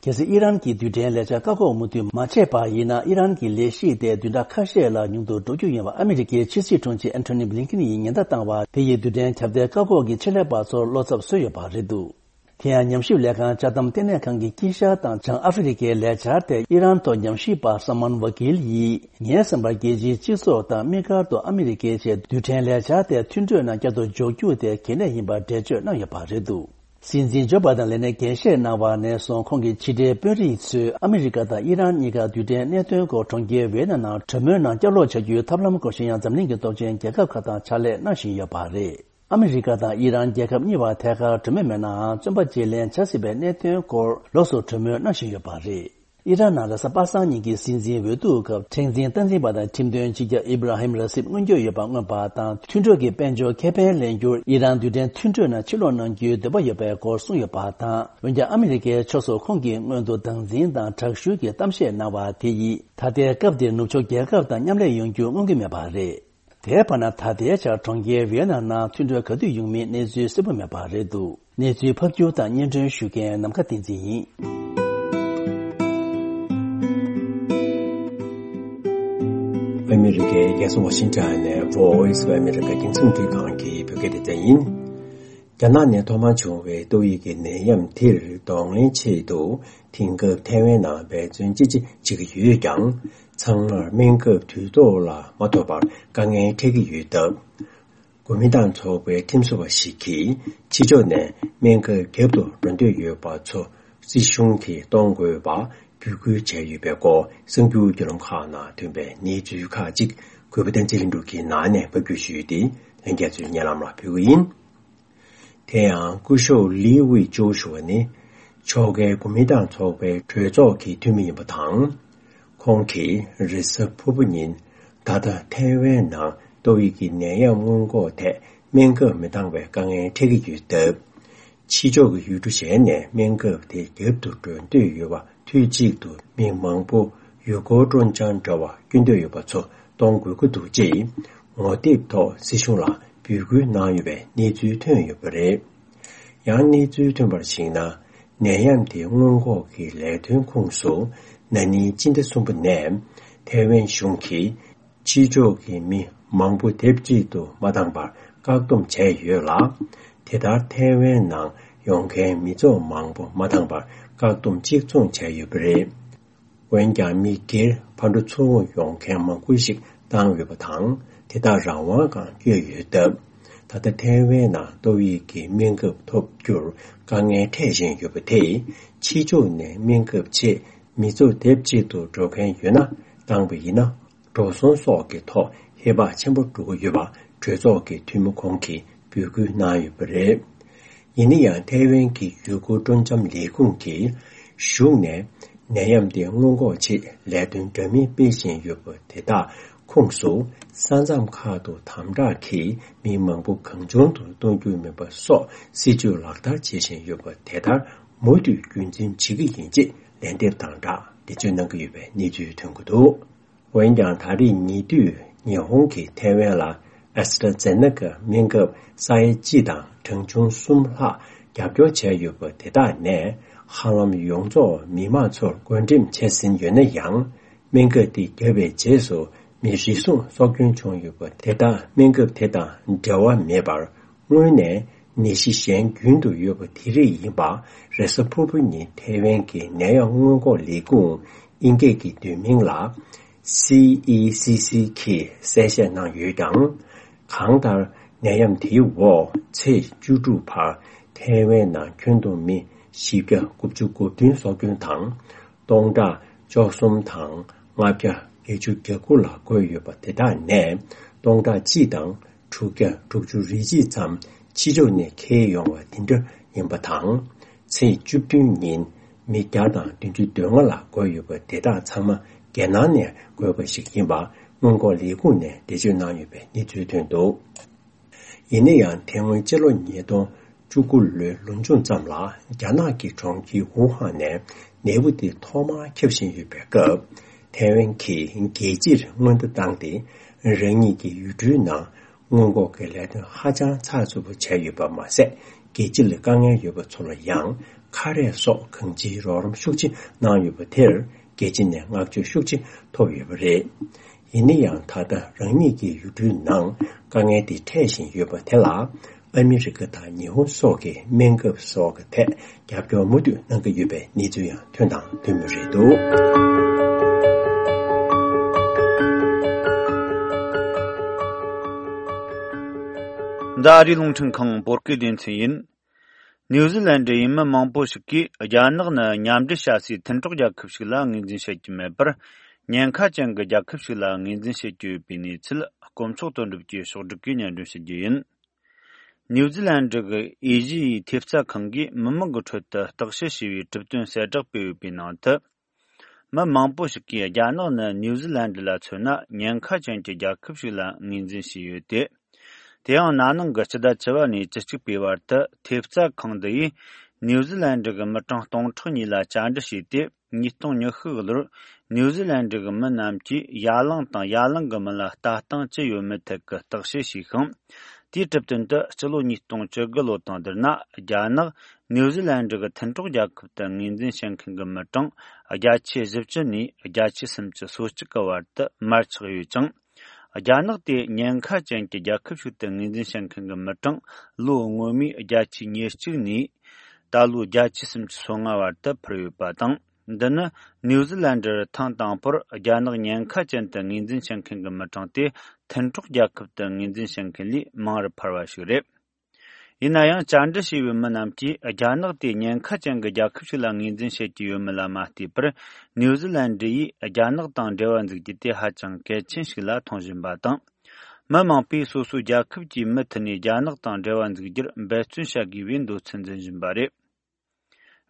གལ་སྲིད་ཨི་རན་གྱིས་རྡུལ་ཕྲན་ལས་འཆར་བཀག་འགོག་མུ་མཐུད་མ་བྱས་པ་ཡིན་ན། ཨི་རན་གྱི་ལས་གཞི་དེ་བདུན་ཕྲག་ཁ་ཤས་ལ་ཉུང་དུ་འགྲོ་རྒྱུ་ཡིན་པ་ཨ་མི་རི་ཀའི་ཕྱི་སྲིད་དྲུང་ཆེ་ཨན་ཐོ་ནི་བྷི་ལིན་ཀིན་ཡིས་ཉེན་བརྡ་བཏང་བ་དེ་ཡིས་རྡུལ་ཕྲན་ཁྱབ་གདལ་བཀག་འགོག་གི་ཆེད་ལས་པ་ཚོར་བློ་འཚབ་བཟོས་ཡོད་པ་རེད་འདུག་དེ་ཡང་ཉམས་ཞིབ་ལས་ཁང་ཅ་དམ་ལྟེ་གནས་ཁང་གི་དཀྱིལ་ཤར་དང་བྱང་ཨ་ཧྥེ་རི་ཁའི་ལས་འཆར་དེ་ཨི་རན་ཐོག་ཉམས་ཞིབ་པ་སམ་མན་ཝ་ཀིལ་ཡིས། ངའི་བསམ་པར་རྒྱལ་སྤྱིའི་སྤྱི་ཚོགས་དང་དམིགས་བཀར་དུ་ཨ་མི་རི་ཀའི་ཆེད་རྡུལ་ཕྲན་ལས་འཆར་དེ་མཐུན་གྲོས་ནང་བསྐྱར་དུ་འཇོག་རྒྱུ་དེ་གལ་གནད་ཡིན་པར་འགྲེལ་བརྗོད་གནང་ཡོད་པ་རེད་འདུག་སྲིད་འཛིན་ཇོ་བྷའི་ཌེན་ལས་གནས་འགན་བཞེས་གནང་བ་ནས་བཟུང་ཁོང་གི་ཕྱི་འབྲེལ་དཔོན་རིགས་ཚོས་ཨ་མི་རི་ཀ་དང་ཨི་རན་གཉིས་ཀ་རྡུལ་ཕྲན་གནད་དོན་སྐོར་གྲོང་ཁྱེར་ཝི་ཡེ་ན་ནང་གྲོས་མོལ་ནང་བསྐྱར་ལོག་བྱ་རྒྱུའི་ཐབས་ལམ་སྐོར་གཞན་ཡང་འཛམ་གླིང་གི་སྟོབས་ཆེན་རྒྱལ་ཁབ་ཁག་དང་ཕྱག་ལས་གནང་བཞིན་ཡོད་པ་རེད། ཨ་མི་རི་ཀ་དང་ཨི་རན་རྒྱལ་ཁབ་གཉིས་བར་ཐད་ཀར་གྲོས་མོལ་མེད་ནའང་། བཙོན་པ་བརྗེ་ལེན་བྱ་སྲིད་པའི་གནད་དོན་སྐོར་ལོགས་སུ་གྲོས་མོལ་གནང་བཞིན་ཡོད་པ་རེད། ཨི་རན་ནང་རེས་གཟའ་པ་སངས་ཉིན་གྱི་སྲིད་འཛིན་འོས་བསྡུ་སྐབས་ཁྲིམས་འཛིན་སྟངས་འཛིན་པ་དང་ཁྲིམས་དོན་སྤྱི་ཁྱབ་ཨི་བྷ་ར་ཧིམ་ར་སིབ་མངོན་འགྱོད་ཡོད་པ་མངོན་པ་དང་། མཐུན་གྲོས་ཀྱི་དཔལ་འབྱོར་ཁེ་ཕན་ལེན་རྒྱུར་ཨི་རན་རྡུལ་ཕྲན་མཐུན་གྲོས་ནང་ཕྱིར་ལོག་གནང་རྒྱུའི་འདོད་པ་ཡོད་པའི་སྐོར་གསུངས་ཡོད་པ་དང་། འོན་ཀྱང་ཨ་མི་རི་ཀའི་ཕྱོགས་སུ་ཁོང་གིས་སྔོན་དུ་སྡང་འཛིན་དང་དྲག་ཤུལ་གྱི་གཏམ་བཤད་གནང་བ་དེ་ཡིས་ད་ལྟའི་སྐབས་འདིར་ནུབ་ཕྱོགས་རྒྱལ་ཁབ་དང་མཉམ་ལས་ཡོང་རྒྱུ་མངོན་གྱི་མེད་པ་རེད། དེའི་བར་ན་ད་ལྟའི་ཆར་གྲོང་ཁྱེར་ཝི་ཡེ་ན་ནང་མཐུན་གྲོས་ག་དུས་ཡོང་མིན་གནས་ཚུལ་གསལ་པོ་མེད་པ་རེད་འདུག་གནས་ཚུལ་ཕབ་སྒྱུར་དང་སྙན་སྒྲོན་ཞུ་མཁན་ནམ་མཁའ་བསྟན་འཛིན་ཡིན། ཨ་མི་རི་ཀའི་རྒྱལ་ས་ཝ་ཤིང་ཊོན་ནས་Voice of America་རྒྱང་སྲིང་རླུང་འཕྲིན་ཁང་གི་བོད་སྐད་སྡེ་ཚན་ཡིན། རྒྱ་ནག་ནས་ཐོག་མར་བྱུང་བའི་ཏོག་དབྱིབས་ཀྱི་ནད་ཡམས་དེར་གདོང་ལེན་ཆེད་དུ། དེང་སྐབས་ཐའེ་ཝན་ནང་འབད་བརྩོན་ཅི་ཆེ་བྱེད་ཀྱི་ཡོད་ཀྱང་། ཚང་མར་སྨན་ཁབ་དུས་ཐོག་ལ་མ་ཐོབ་པར་དཀའ་ངལ་འཕྲད་ཀྱི་ཡོད་སྟབས། གོ་མིན་ཏང་ཚོགས་པའི་ཁྲིམས་བཟོ་བ་ཞིག་གིས་ཕྱི་ཕྱོགས་ནས་སྨན་ཁབ་བརྒྱབ་ཏུ་འགྲོ་འདོད་ཡོད་པ་ཚོ་སྲིད་གཞུང་གིས་གཏོང་དགོས་པ་འབོད་སྐུལ་བྱས་ཡོད་པའི་སྐོར་གསར་འགྱུར་བརྒྱུད་ལམ་ཁག་ནང་ཐོན་པའི་གནས་ཚུལ་ཁག་ཅིག་གུས་པ་བསྟན་འཛིན་ལྷུན་གྲུབ་ཀྱིས་ནང་ནས་ཕབ་སྒྱུར་ཞུས་ཏེ། ལྷན་རྒྱས་ཚོའི་སྙན་ལམ་ལ་ཕུལ་གྱི་ཡིན། དེ་ཡང་སྐུ་ཞབས་ལི་ཝི་ཅོ་ཞུ་བ་ནི། ཕྱོགས་འགལ་གོ་མིན་ཏང་ཚོགས་པའི་གྲོས་ཚོགས་ཀྱི་འཐུས་མི་ཡིན་པ་དང་། ཁོང་གིས་རེས་གཟའ་ཕུར་བུ་ཉིན། ད་ལྟ་ཐའེ་ཝན་ནང་ཏོག་དབྱིབས་ཀྱི་ནད་ཡམས་སྔོན་འགོག་ཐད་སྨན་ཁབ་མི་འདང་བའི་དཀའ་ངལ་འཕྲད་ཀྱི་ཡོད་སྟབས། ཕྱི་ཕྱོགས་ཀྱི་ཡུལ་གྲུ་གཞན་ནས་སྨན་ཁབ་དེ་བརྒྱབ་ཏུ་འགྲོ་འདོད་ཡོད་པ། དུས་གཅིག་ཏུ་མི་མང་པོ་ཡུལ་སྐོར་སྤྲོ་འཆམ་འདྲ་བ་སྐྱོན་འདོད་ཡོད་པ་ཚོ་གཏོང་དགོས་ཀྱི་འདུག་ཅེས་ངོ་དེབ་ཐོག་སྲིད་གཞུང་ལ་འབོད་སྐུལ་གནང་ཡོད་པའི་གནས་ཚུལ་ཐོན་ཡོད་པ་རེད། ཡང་གནས་ཚུལ་ཐོན་པར་གཞིགས་ན། ནད་ཡམས་དེ་སྔོན་འགོག་གི་ལས་དོན་ཁོངས་སུ་ན་ནིང་སྤྱི་ཟླ་གསུམ་པ་ནས་ཐའེ་ཝན་གཞུང་གིས། ཕྱི་ཕྱོགས་ཀྱི་མི་མང་པོ་དེབ་གཅིག་ཏུ་མ་འདང་བར་བཀག་སྡོམ་བྱས་ཡོད་ལ། དེ་ལྟར་ཐའེ་ཝན་ནང་ཡོང་མཁན་མི་ཚོགས་མང་པོ་མ་འདང་བར་བཀག་སྡོམ་གཅིག་མཚུངས་བྱས་ཡོད་པ་རེད། འོན་ཀྱང་མི་སྒེར་ཕར་འགྲོ་ཚུར་འོང་ཡོང་མཁན་མང་པོ་ཞིག་བཏང་ཡོད་པ་དང་། དེ་དག་རང་དབང་སྒང་བསྐྱོད་ཡོད་སྟབས། ད་ལྟ་ཐའེ་ཝན་ནང་ཏོག་དབྱིབས་ཀྱི་སྨན་ཁབ་ཐོབ་རྒྱུར་དཀའ་ངལ་འཕྲད་བཞིན་ཡོད་པ་དེས། ཕྱི་ཕྱོགས་ནས་སྨན་ཁབ་ཆེད་མི་ཚོགས་དེབ་གཅིག་ཏུ་འགྲོ་མཁན་ཡོད་ན་བཏང་པ་ཡིན་ན། འགྲོ་སོང་སོགས་ཀྱི་ཐོག་ཧེ་བག་ཆེན་པོ་འགྲོ་གི་ཡོད་པ་གྲོས་ཚོགས་ཀྱི་འཐུས་མི་ཁོང་གིས་འབོད་སྐུལ་གནང་ཡོད་པ་རེད། ཡིན་ན་ཡང་ཐའེ་ཝན་གྱི་ཡུལ་སྐོར་སྤྲོ་འཆམ་ལས་ཁུངས་ཀྱིས་གཞུང་ནས་ནད་ཡམས་དེ་སྔོན་འགོག་ཆེད་ལས་དོན་འདྲ་མིན་སྤེལ་བཞིན་ཡོད་པ་དེ་དག་ཁོངས་སུ། ས་མཚམས་ཁག་ཏུ་དམ་དྲག་གིས་མི་མང་པོ་གང་བྱུང་དུ་གཏོང་རྒྱུ་མིན་པ་སོགས་སྲིད་ཇུས་ལག་བསྟར་བྱེད་བཞིན་ཡོད་པ་དེ་ལྟར་མུ་མཐུད་རྒྱུན་འཛིན་བྱེད་ཀྱི་ཡིན་ཅེས་ལན་འདེབས་དང་སྦྲགས་འགྲེལ་བརྗོད་གནང་གི་ཡོད་པའི་གནས་ཚུལ་ཐོན་གྱི་འདུག། འོན་ཀྱང་ད་རེས་ཉེ་དུས་ཉི་ཧོང་གིས་ཐའེ་ཝན་ལ་ཨེ་སི་ཊ་ཛེ་ནེ་ཀ་སྨན་ཁབ་ས་ཡ་གཅིག་དང་གྲངས་ཆུང་གསུམ་ལྷག་རྒྱབ་སྐྱོར་བྱས་ཡོད་པ་དེ་དག་ནས། ཧ་ལམ་ཡོངས་རྫོགས་མི་མང་ཚོར་བགོ་འགྲེམས་བྱས་ཟིན་ཡོད་ན་ཡང་། སྨན་ཁབ་དེ་བརྒྱབ་པའི་རྗེས་སུ་མི་རེ་ཟུང་སྲོག་སྐྱོན་བྱུང་ཡོད་པ་དེ་དག་སྨན་ཁབ་དེ་དང་འབྲེལ་བ་མེད་པར། སྔོན་ནས་ནད་གཞི་གཞན་རྒྱུན་དུ་ཡོད་པ་དེ་རིགས་ཡིན་པ། རེས་གཟའ་ཕུར་བུ་ཉིན་ཐའེ་ཝན་གྱི་ནད་ཡམས་སྔོན་འགོག་ལས་ཁུངས་ཨིན་སྐད་ཀྱི་བསྡུས་མིང་ལ་སི་ཨི་སི་སི་གིས་གསལ་བཤད་གནང་ཡོད་ཀྱང་། གང་ལྟར་ནད་ཡམས་དེའི་འོག་ཚེས་བཅུ་དྲུག་བར་ཐའེ་ཝན་ནང་ཁྱོན་བསྡོམས་མི་བཞི་བརྒྱ་དགུ་བཅུ་གོ་བདུན་སྲོག་སྐྱོན་དང་། སྟོང་ཕྲག་བཅུ་གསུམ་དང་ལྔ་བརྒྱ་བརྒྱད་ཅུ་གྱ་དགུ་ལ་འགོས་ཡོད་པ་དེ་དག་ནས་སྟོང་ཕྲག་གཅིག་དང་དྲུག་བརྒྱ་དྲུག་ཅུ་རེ་གཅིག་ཙམ་ཕྱི་ཕྱོགས་ནས་འཁྱེར་ཡོང་བ་དེ་འདྲ་ཡིན་པ་དང་། ཚེས་བཅུ་བདུན་ཉིན་མི་བརྒྱ་དང་བདུན་ཅུ་དོན་ལྔ་ལ་འགོས་ཡོད་པ་དེ་དག་ཚང་མ་རྒྱལ་ནང་ནས་འགོས་པ་ཞིག་ཡིན་པ་སྔོན་འགོག་ལས་ཁུངས་ནས་འགྲེལ་བརྗོད་གནང་ཡོད་པའི་གནས་ཚུལ་ཐོན་འདུག། ཡིན་ན་ཡང་དེ་སྔོན་སྤྱི་ལོ་ཉིས་སྟོང་བཅུ་དགུ་ལོའི་ལོ་མཇུག་ཙམ་ལ་རྒྱ་ནག་གི་གྲོང་ཁྱེར་ཝུ་ཧན་ནས་ནད་འབུ་དེ་ཐོག་མར་ཁྱབ་བཞིན་ཡོད་པའི་སྐབས། ཐའེ་ཝན་གྱིས་རྒྱལ་སྤྱིར་སྔོན་བརྡ་བཏང་སྟེ། རང་ཉིད་ཀྱི་ཡུལ་གྲུའི་ནང་སྔོན་འགོག་གི་ལས་དོན་ཧ་ཅང་ཚགས་ཚུད་པོ་བྱས་ཡོད་པ་མ་ཟད། རྒྱལ་སྤྱི་ལ་དཀའ་ངལ་ཡོད་པ་ཚོ་ལ་ཡང་ཁ་རས་སོགས་གང་ཅིའི་རོགས་རམ་ཤུགས་ཆེ་གནང་ཡོད་པ་དེར། རྒྱལ་སྤྱི་ནས་བསྔགས་བརྗོད་ཤུགས་ཆེ་ཐོབ་ཡོད་པ་རེད། ཡིན་ན་ཡང་ད་ལྟ་རང་ཉིད་ཀྱི་ཡུལ་གྲུའི་ནང་དཀའ་ངལ་དེ་འཕྲད་བཞིན་ཡོད་པ་དེ་ལ། ཨ་མི་རི་ཀ་དང་ཉི་ཧོང་སོགས་ཀྱིས་སྨན་ཁབ་སོགས་ཀྱི་ཐད་རྒྱབ་སྐྱོར་མུ་མཐུད་གནང་གི་ཡོད་པའི་གནས་ཚུལ་ཡང་ཐོན་དང་ཐོན་མུས་རེད་འདུག། འདི་ཨ་རིའི་རླུང་འཕྲིན་ཁང་བོད་སྐད་སྡེ་ཚན་ཡིན། ནིའུ་ཛི་ལན་ཌི་ཡི་མི་མང་པོ་ཞིག་གིས་རྒྱ་ནག་ནི་མཉམ་འབྲེལ་ཞ་སིའི་མཐུན་གྲོགས་རྒྱལ་ཁབ་ཞིག་ལ་ངོས་འཛིན་བྱེད་ཀྱི་མེད་པར། ཉེན་ཁ་ཅན་གྱི་རྒྱལ་ཁབ་ཞིག་ལ་ངོས་འཛིན་བྱེད་ཀྱི་ཡོད་པའི་གནས་ཚུལ། དཀོན་མཆོག་དོན་གྲུབ་ཀྱིས་ཕྱོགས་བསྒྲིགས་ཀྱིས་སྙན་སྒྲོན་ཞུ་རྒྱུ་ཡིན། ནིའུ་ཛི་ལན་ཌི་གི་ཨེ་ཤི་ཡའི་ཐེབས་རྩ་ཁང་གིས་མི་མང་གི་ཁྲོད་དུ་བརྟག་དཔྱད་བྱས་པའི་གྲུབ་དོན་གསལ་བསྒྲགས་སྤེལ་ཡོད་པའི་ནང་དུ། མི་མང་པོ་ཞིག་གིས་རྒྱ་ནག་ནི་ནིའུ་ཛི་ལན་ཌི་ལ་མཚོན་ན་ཉེན་ཁ་ཅན་གྱི་རྒྱལ་ཁབ་ཞིག་ལ་ངོས་འཛིན་བྱས་ཡོད་དེ། དེ་ཡང་ན་ནིང་གི་སྤྱི་ཟླ་བཅུ་པ་ནས་བཅུ་གཅིག་པའི་བར་དུ་ཐེབས་རྩ་ཁང་འདི་ཡིས་ནིའུ་ཛི་ལན་ཌི་གི་མི་གྲངས་སྟོང་ཕྲག་གཉིས་ལ་བཅར་འདྲི་བྱས་ཏེ། ཉིས་སྟོང་ཉི་ཤུ་གི་ལོར་ནིའུ་ཛི་ལན་ཌི་གི་མི་རྣམས་ཀྱིས་ཡ་གླིང་དང་ཡ་གླིང་གི་མི་ལ་ལྟ་སྟངས་ཅི་ཡོད་མེད་ཐད་ཀྱི་བརྟག་དཔྱད་བྱས་ཤིང་། དེའི་གྲུབ་དོན་དུ་སྤྱི་ལོ་ཉིས་སྟོང་བཅུ་དགུ་ལོ་དང་བསྡུར་ན། རྒྱ་ནག་ནིའུ་ཛི་ལན་ཌི་གི་མཐུན་གྲོགས་རྒྱལ་ཁབ་ཏུ་ངོས་འཛིན་བྱེད་མཁན་གྱི་མི་གྲངས་བརྒྱ་ཆ་བཞི་བཅུ་ནས་བརྒྱ་ཆ་སུམ་ཅུ་སོ་གཅིག་གི་བར་དུ་མར་ཆག་ཡོད་ཅིང་། རྒྱ་ནག་དེ་ཉེན་ཁ་ཅན་གྱི་རྒྱལ་ཁབ་ཞིག་ཏུ་ངོས་འཛིན་བྱེད་མཁན་གྱི་མི་གྲངས་ལོ་སྔོན་མའི་བརྒྱ་ཆ་ཉེར་གཅིག་ནས་ད་ལོའི་བརྒྱ་ཆ་སུམ་ཅུ་སོ་ལྔ་བར་དུ་འཕར་ཡོད་པ་དང་། འདི་ནི་ནིའུ་ཛི་ལན་ཌར་ཐེངས་དང་པོར་རྒྱ་ནག་ཉེན་ཁ་ཅན་དུ་ངོས་འཛིན་བྱེད་མཁན་གྱི་མི་གྲངས་དེ་མཐུན་གྲོགས་རྒྱལ་ཁབ་ཏུ་ངོས་འཛིན་བྱེད་མཁན་ལས་མང་རུ་འཕར་བ་ཞིག་རེད། ཡིན་ན་ཡང་བཅར་འདྲི་བྱས་པའི་མི་རྣམས་ཀྱིས་རྒྱ་ནག་དེ་ཉེན་ཁ་ཅན་གྱི་རྒྱལ་ཁབ་ཞིག་ལ་ངོས་འཛིན་བྱེད་ཀྱི་ཡོད་མེད་ལ་མ་ལྟོས་པར། ནིའུ་ཛི་ལན་ཌི་ཡིས་རྒྱ་ནག་དང་འབྲེལ་བ་འཛུགས་རྒྱུ་དེ་ཧ་ཅང་གལ་ཆེན་ཞིག་ལ་མཐོང་བཞིན་པ་དང་། མི་མང་པོས་སོ་སོའི་རྒྱལ་ཁབ་ཀྱི་མུ་མཐུད་ནས་རྒྱ་ནག་དང་འབྲེལ་བ་འཛུགས་རྒྱུར་འབད་བརྩོན་བྱ་དགོས་པའི་འདོད་ཚུལ་འཛིན་བཞིན་པ་རེད།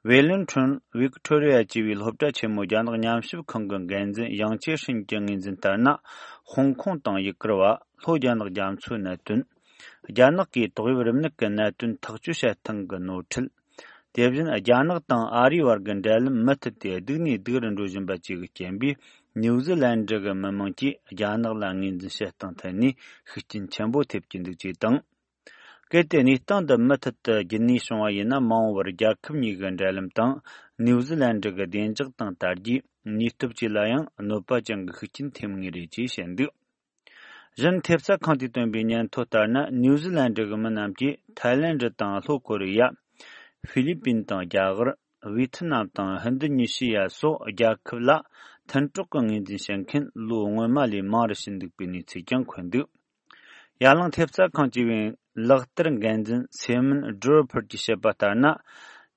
ཝེ་ལིན་ཁྲོན་ཝིག་ཐོ་རི་ཡ་ཅེས་པའི་སློབ་གྲྭ་ཆེན་མོའི་རྒྱ་ནག་ཉམས་ཞིབ་ཁང་གི་འགན་འཛིན་ཡང་ཅེ་ཧྲིན་གྱིས་ངོས་འཛིན་ལྟར་ན། ཧོང་ཀོང་དང་ཡུ་གུར་བ། ལྷོ་རྒྱ་ནག་རྒྱ་མཚོའི་གནད་དོན། རྒྱ་ནག་གིས་ཏོག་དབྱིབས་རིམས་ནད་ཀྱི་གནད་དོན་ཐག་གཅོད་བྱེད་སྟངས་ཀྱི་ནོར་འཁྲུལ། དེ་བཞིན་རྒྱ་ནག་དང་ཨ་རིའི་བར་གྱི་འབྲེལ་ལམ་མུ་མཐུད་དེ་སྡུག་ནས་སྡུག་རུ་འགྲོ་བཞིན་པ་བཅས་ཀྱི་རྐྱེན་པས། ནིའུ་ཟི་ལན་ཌི་གི་མི་དམངས་ཀྱིས་རྒྱ་ནག་ལ་ངོས་འཛིན་བྱེད་སྟངས་ཐད་ནས་ཤུགས་རྐྱེན་ཆེན་པོ་ཐེབས་ཀྱི་འདུག་ཅེས་དང་། གལ་ཏེ་གནས་སྟངས་འདི་མུ་མཐུད་དུ་རྒྱུན་གནས་བྱུང་བ་ཡིན་ན། མ་འོངས་པར་རྒྱལ་ཁབ་གཉིས་ཀྱི་འབྲེལ་ལམ་དང་ནིའུ་ཟི་ལན་ཌི་གི་བདེ་འཇགས་དང་དར་རྒྱས། ནུས་སྟོབས་བཅས་ལ་ཡང་གནོད་པ་ཅན་གྱི་ཤུགས་རྐྱེན་ཐེབས་ངེས་རེད་ཅེས་བཤད་འདུག་གཞན་ཐེབས་རྩ་ཁང་དུ་བཏོན་པའི་སྙན་ཐོ་ལྟར་ན། ནིའུ་ཟི་ལན་ཌི་གི་མི་རྣམས་ཀྱིས་ཐའི་ལེན་ཌི་དང་ལྷོ་ཀོ་རི་ཡ། ཧྥི་ལི་པིན་དང་རྒྱ་གར། ཝི་ཐི་ནམ་དང་ཧིན་རྡུ་ཉི་ཤི་ཡ་སོགས་རྒྱལ་ཁབ་ལ་མཐུན་གྲོགས་ཀྱི་ངོས་འཛིན་བྱེད་མཁན་ལོ་སྔོན་མ་ལས་མང་རུ་ཕྱིན་འདུག་པའི་གནས་ཚུལ་ཀྱང་འཁོད་འདུག་ཡ་གླིང་ཐེབས་རྩ་ཁང་བཅས་པའི་ལག་བསྟར་འགན་འཛིན་སེ་མོན་ཌོ་ཕར་གྱིས་བཤད་པ་ལྟར་ན།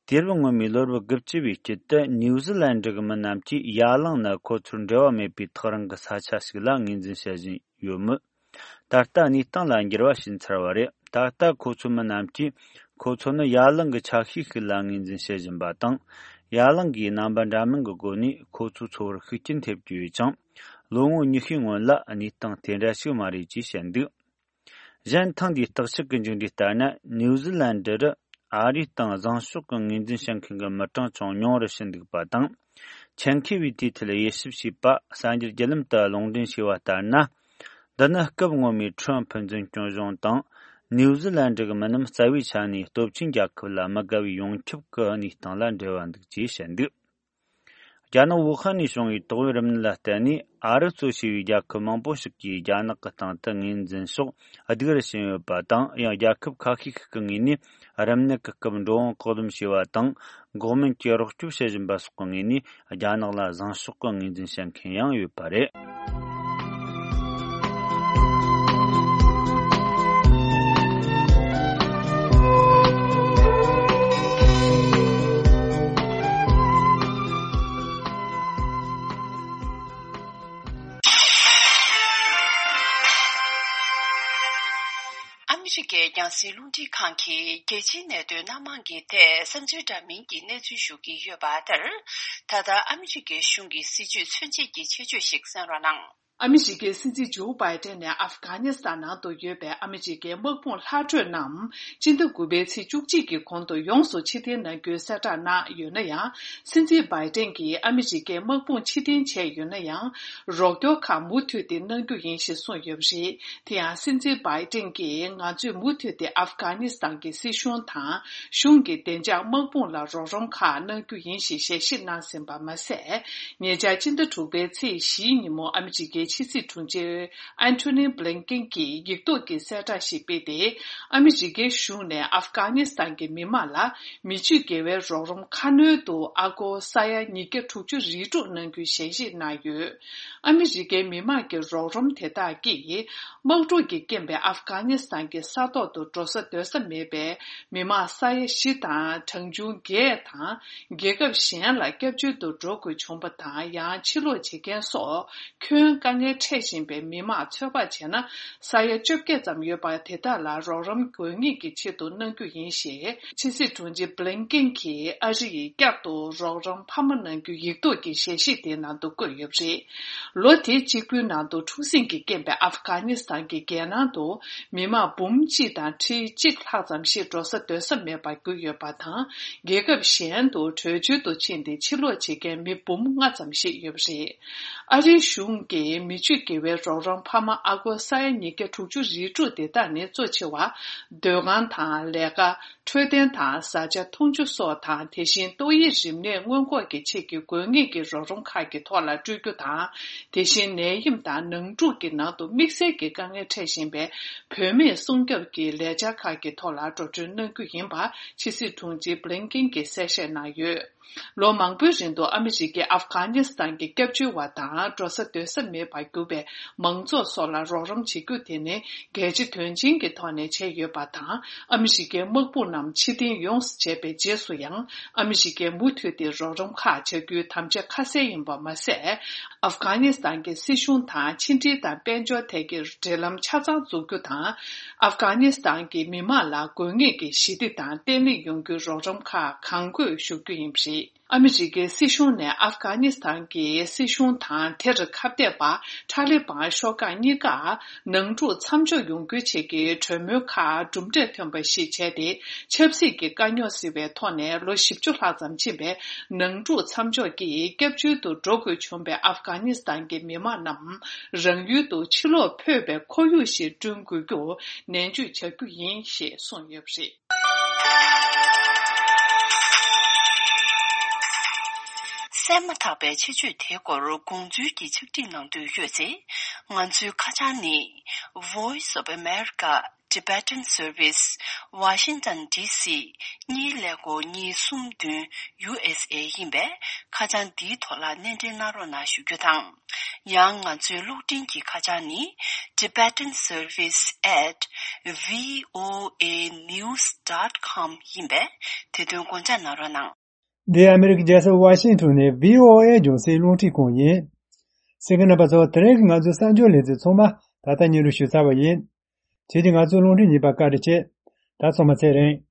དུས་རབས་སྔོན་མའི་ལོ་རབས་དགུ་བཅུ་བའི་དཀྱིལ་དུ་ནིའུ་ཟི་ལན་ཌི་གི་མི་རྣམས་ཀྱིས་ཡ་གླིང་ནི་ཁོ་ཚོར་འབྲེལ་བ་མེད་པའི་ཐག་རིང་གི་ས་ཆ་ཞིག་ལ་ངོས་འཛིན་བྱེད་བཞིན་ཡོད་མོད། ད་ལྟ་གནས་སྟངས་ལ་འགྱུར་བ་ཕྱིན་ཚར་བ་རེད། ད་ལྟ་ཁོ་ཚོའི་མི་རྣམས་ཀྱིས་ཁོ་ཚོ་ནི་ཡ་གླིང་གི་ཆ་ཤས་ཤིག་ལ་ངོས་འཛིན་བྱེད་བཞིན་པ་དང་། ཡ་གླིང་གིས་རྣམ་པ་འདྲ་མིན་གྱི་སྒོ་ནས་ཁོ་ཚོའི་འཚོ་བར་ཤུགས་རྐྱེན་ཐེབས་ཀྱི་ཡོད་ཅིང་། ལོ་ངོ་ཉི་ཤུའི་སྔོན་ལ་གནས་སྟངས་དེ་འདྲ་ཞིག་མ་རེད་ཅེས་བཤད་འདུག་གཞན་ཐེངས་འདིའི་བརྟག་དཔྱད་ཀྱི་མཇུག་འབྲས་ལྟར་ན། ནིའུ་ཟི་ལན་ཌི་རུ་ཨ་རིའི་སྟེང་བཟང་ཕྱོགས་ཀྱི་ངོས་འཛིན་བྱེད་མཁན་གྱི་མི་གྲངས་ཀྱང་ཉུང་རུ་ཕྱིན་འདུག་པ་དང་། ཆེད་མཁས་པས་དེའི་ཐད་དབྱེ་ཞིབ་བྱས་པ་གསར་འགྱུར་བརྒྱུད་ལམ་དུ་ལུང་འདྲེན་བྱས་པ་ལྟར་ན། འདི་ནི་སྐབས་སྔོན་མའི་ཁྲོམ་ཕུན་ཚོགས་སྐྱོང་གཞུང་དང་། ནིའུ་ཟི་ལན་ཌི་གི་མི་རྣམས་རྩ་བའི་ཆ་ནས་སྟོབས་ཆེན་རྒྱལ་ཁབ་ལ་མི་དགའ་བའི་ཡོངས་ཁྱབ་ཀྱི་གནས་སྟངས་ལ་འབྲེལ་བ་འདུག་ཅེས་བཤད་འདུག་རྒྱ་ནག་ཝུ་ཧན་ནས་བྱུང་བའི་ཏོག་དབྱིབས་རིམས་ནད་ལ་བརྟེན་ནས། ཨ་རི་གཙོ་བྱས་པའི་རྒྱལ་ཁབ་མང་པོ་ཞིག་གིས་རྒྱ་ནག་གི་སྟེང་དུ་ངོས་འཛིན་ཕྱོགས་སྡུག་རུ་ཕྱིན་ཡོད་པ་དང་། ཡང་རྒྱལ་ཁབ་ཁ་ཤས་ཤིག་གི་ངོས་ནས་རིམས་ནད་ཀྱི་སྐབས་འགྲོ་འོང་བཀག་སྡོམ་བྱས་པ་དང་། འགོག་སྨན་གྱི་རོགས་སྐྱོབ་བྱེད་བཞིན་པ་སོགས་ཀྱི་ངོས་ནས་རྒྱ་ནག་ལ་བཟང་ཕྱོགས་ཀྱི་ངོས་འཛིན་བྱེད་མཁན་ཡང་ཡོད་པ་རེད། ཨ་མི་རི་ཀའི་རྒྱང་སྲིང་རླུང་འཕྲིན་ཁང་གིས་རྒྱལ་སྤྱིའི་གནད་དོན་སྣ་མང་གི་ཐད་བསམ་ཚུལ་འདྲ་མིན་གྱི་གནས་ཚུལ་ཞུ་གི་ཡོད་པ་ལྟར། ད་ལྟ་ཨ་མི་རི་ཀའི་གཞུང་གི་སྲིད་བྱུས་མཚོན་བྱེད་ཀྱི་ཆེད་བརྗོད་ཞིག་གསན་རོགས་གནང་། ཨ་མི་རི་ཀའི་སྲིད་འཛིན་ཇོ་བྷའི་ཏན་ནས་ཨབ་གྷ་ནི་སི་ཐན་ནང་དུ་ཡོད་པའི་ཨ་མི་རི་ཀའི་དམག་དཔུང་ལྷག་འཕྲོས་རྣམས་སྤྱི་ཟླ་དགུ་པའི་ཚེས་བཅུ་གཅིག་གི་གོང་དུ་ཡོངས་སུ་ཕྱིར་འཐེན་གནང་རྒྱུའི་གསལ་བསྒྲགས་གནང་ཡོད་ན་ཡང་། སྲིད་འཛིན་བྷའི་ཏན་གྱིས་ཨ་མི་རི་ཀའི་དམག་དཔུང་ཕྱིར་འཐེན་བྱས་ཡོད་ན་ཡང་། རོགས་སྐྱོར་ཁག་མུ་མཐུད་དེ་གནང་རྒྱུ་ཡིན་ཞེས་གསུངས་ཡོད་པ་རེད། དེ་ཡང་སྲིད་འཛིན་བྷའི་ཏན་གྱིས། ང་ཚོས་མུ་མཐུད་དེ་ཨབ་གྷ་ནི་སི་ཐན་གྱི་སྲིད་གཞུང་དང་། གཞུང་གི་བདེ་འཇགས་དམག་དཔུང་ལ་རོགས་རམ་ཁག་གནང་རྒྱུ་ཡིན་ཞེས་ཞལ་བཞེས་གནང་ཟིན་པ་མ་ཟད། ཉེ་ཆར་སྤྱི་ཟླ་དྲུག་པའི་ཚེས་བཞིའི་ཉིན་མོ་ཨ་མི་རི་ཀའི་ཕྱི་སྲིད་དྲུང་ཆེ་ཨན་ཐོ་ནི་བྷི་ལིན་ཀེན་གྱིས་ཡིག་ཐོག་གི་གསལ་བསྒྲགས་ཤིག་སྤེལ་ཏེ། ཨ་མི་རི་ཀའི་གཞུང་ནས་ཨབ་གྷ་ནི་སི་ཐན་གྱི་མི་མང་ལ་མི་ཆོས་དགེ་བའི་རོགས་རམ་ཁ་སྣོན་དུ་ཨ་སྒོར་ས་ཡ་ཉིས་བརྒྱ་དྲུག་ཅུ་རེ་དྲུག་གནང་རྒྱུའི་ཞལ་བཞེས་གནང་ཡོད། ཨ་མི་རི་ཀའི་མི་མང་གི་རོགས་རམ་དེ་དག་གིས། དམག་འཁྲུག་གི་རྐྱེན་པས་ཨབ་གྷ་ནི་སི་ཐན་གྱི་ས་ཐོག་ཏུ་འགྲོ་ས་སྡོད་ས་མེད་པའི་མི་མང་ས་ཡ་བཞི་དང་གྲངས་ཆུང་བརྒྱད་དང་། རྒྱལ་ཁབ་གཞན་ལ་སྐྱབས་བཅོལ་དུ་འགྲོ་དགོས་བྱུང་བ་དང་། ཡང་ཕྱིར་ལོག་བྱེད་མཁན་སོགས་ཁྱོན་དཀའ་ངལ་འཕྲད་བཞིན་པའི་མི་མང་ཚོད་དཔག་བྱས་ན་ས་ཡ་བཅོ་བརྒྱད་ཙམ་ཡོད་པ། དེ་དག་ལ་རོགས་རམ་དགོས་ངེས་ཀྱི་ཆེད་དུ་གནང་རྒྱུ་ཡིན་ཞེས་ཕྱི་སྲིད་དྲུང་ཆེ་བྷི་ལིན་ཀེན་གྱིས་ཨ་རི་ཡིས་བསྐྱར་དུ་རོགས་རམ་འཕར་མ་གནང་རྒྱུ་ཡིག་ཐོག་གི་ཞལ་བཞེས་དེའི་ནང་དུ་བཀོད་ཡོད་པ་རེད། ལོ་དེ་གཅིག་པུའི་ནང་དུ་འཁྲུག་ཟིང་གི་རྐྱེན་པས་ཨབ་གྷ་ནི་སི་ཐན་གྱི་རྒྱལ་ནང་དུ་མི་མང་འབུམ་གཅིག་དང་ཁྲི་གཅིག་ལྷག་ཙམ་ཞིག་འགྲོ་ས་སྡོད་ས་མེད་པར་གྱུར་ཡོད་པ་དང་། རྒྱལ་ཁབ་གཞན་དུ་བྲོས་བྱོལ་དུ་ཕྱིན་ཏེ་ཕྱིར་ལོག་བྱེད་མཁན་མི་འབུམ་ལྔ་ཙམ་ཞིག་ཡོད་པ་རེད། ཨ་རིའི་གཞུང་གིས་མི་ཆོས་དགེ་བའི་རོགས་རམ་འཕར་མ་ཨ་སྒོར་ས་ཡ་ཉིས་བརྒྱ་དྲུག་ཅུ་རེ་དྲུག་དེ་དག་ནི་གཙོ་ཆེ་བ་སྡོད་ཁང་དང་ལས་ཀ། འཕྲོད་བསྟེན་དང་བཟའ་བཅའ་འཐུང་ཆུ་སོགས་དང་། དེ་བཞིན་ཏོག་དབྱིབས་རིམས་ནད་སྔོན་འགོག་གི་ཆེད་ཀྱི་དགོས་ངེས་ཀྱི་རོགས་རམ་ཁག་གི་ཐོག་ལ་སྤྲོད་རྒྱུ་དང་། དེ་བཞིན་ནད་ཡམས་དང་ནང་འཁྲུག་གི་ནང་དུ་དམིགས་བསལ་གྱི་དཀའ་ངལ་འཕྲད་བཞིན་པའི་བུད་མེད་སྲུང་སྐྱོབ་ཀྱི་ལས་འཆར་ཁག་གི་ཐོག་ལ་འགྲོ་གྲོན་གནང་རྒྱུ་ཡིན་པ་ཕྱི་སྲིད་དྲུང་ཆེ་བྷི་ལིན་ཀེན་གྱིས་གསལ་བཤད་གནང་ཡོད། ལོ་མང་པོའི་རིང་དུ་ཨ་མི་རི་ཀས་ཨབ་གྷ་ནི་སི་ཐན་གྱི་སྐྱབས་བཅོལ་བ་དང་འགྲོ་ས་སྡོད་ས་མེད་པར་གྱུར་པའི་མང་ཚོགས་སོགས་ལ་རོགས་རམ་བྱེད་རྒྱུ་དེ་ནི་གལ་ཆེ་དོན་ཆེན་གྱི་ཐོག་ནས་བྱས་ཡོད་པ་དང་། ཨ་མི་རི་ཀའི་དམག་དཔུང་རྣམས་ཕྱིར་འཐེན་ཡོངས་སུ་བྱས་པའི་རྗེས་སུ་ཡང་། ཨ་མི་རི་ཀས་མུ་མཐུད་དེ་རོགས་རམ་ཁག་བྱ་རྒྱུའི་དམ་བཅའ་ཁ་གསལ་ཡིན་པ་མ་ཟད། ཨབ་གྷ་ནི་སི་ཐན་གྱི་སྲིད་གཞུང་དང་ཕྱི་འབྲེལ་དང་དཔལ་འབྱོར་ཐད་ཀྱི་འབྲེལ་ལམ་ཆ་ཚང་འཛུགས་རྒྱུ་དང་། ཨབ་གྷ་ནི་སི་ཐན་གྱི་མི་མང་ལ་དགོས་ངེས་ཀྱི་ཞི་བདེ་དང་བརྟན་ལྷིང་ཡོང་རྒྱུའི་རོགས་རམ་ཁག་གང་དགོས་ཞུ་རྒྱུ་ཡིན་པ་རེད། ཨ་མི་རི་ཀའི་སྲིད་གཞུང་ནས་ཨབ་གྷ་ནི་སི་ཐན་གྱི་སྲིད་གཞུང་དང་དེར་ཁ་གཏད་པ་ ཊཱ་ལི་བན་ཤོག་ཁག་གཉིས་ཀ་ནང་འཁྲུག་མཚམས་འཇོག་ཡོང་རྒྱུའི་ཆེད་ཀྱི་གྲོས་མོལ་ཁག་གྲུབ་འབྲས་ཐོན་པ་ཞིག་བྱས་ཏེ། ཆབ་སྲིད་ཀྱི་དཀའ་རྙོག་སེལ་བའི་ཐོག་ནས་ལོ་བཞི་བཅུ་ལྷག་ཙམ་ཕྱིན་པའི་ནང་འཁྲུག་མཚམས་འཇོག་གིས་སྐྱབས་བཅོལ་དུ་འགྲོ་དགོས་བྱུང་བའི་ཨབ་གྷ་ནི་སི་ཐན་གྱི་མི་མང་རྣམས་རང་ཡུལ་དུ་ཕྱིར་ལོག་ཕོད་པའི་ཁོར་ཡུག་ཞིག་བསྐྲུན་དགོས་རྒྱུར་ནན་བརྗོད་བྱ་རྒྱུ་ཡིན་ཞེས་གསུངས་ཡོད་པ་རེད། གསན་མ་ཐག་པའི་ཆེད་བརྗོད་དེའི་སྐོར་དགོངས་ཚུལ་གྱི་ཕྱག་བྲིས་གནང་འདོད་ཡོད་ཚེ། ང་ཚོའི་ཁ་བྱང་ནི། Voice of America Tibetan Service Washington D C གཉིས་ཀླད་ཀོར་གཉིས་གསུམ་བདུན་U S A ཡིན་པས། ཁ་བྱང་འདིའི་ཐོག་ལ་སྣེ་འདྲེན་གནང་རོགས་གནང་ཞུ་རྒྱུ་དང་། ཡང་ང་ཚོའི་གློག་འཕྲིན་གྱི་ཁ་བྱང་ནི། Tibetan Service at V O A news dot com ཡིན་པས། དེ་དོན་དགོངས་འཇགས་གནང་རོགས་གནང་། འདི་ཨ་མི་རི་ཀའི་རྒྱལ་ས་ཝ་ཤིང་ཊོན་ནས་V O A རྒྱང་སྲིང་རླུང་འཕྲིན་ཁང་ཡིན། གསན་མཁན་རྣམ་པ་ཚོ། དེ་རིང་གི་ང་ཚོའི་གསར་འགྱུར་ལེ་ཚན་ཚང་མ་ད་ལྟ་སྙན་སྒྲོན་ཞུས་ཚར་བ་ཡིན། ཁྱེད་ཀྱིས་ང་ཚོའི་རླུང་འཕྲིན་ཉན་པར་བཀའ་དྲིན་ཆེ། ད་ཚང་མ་ཚེ་རིང་།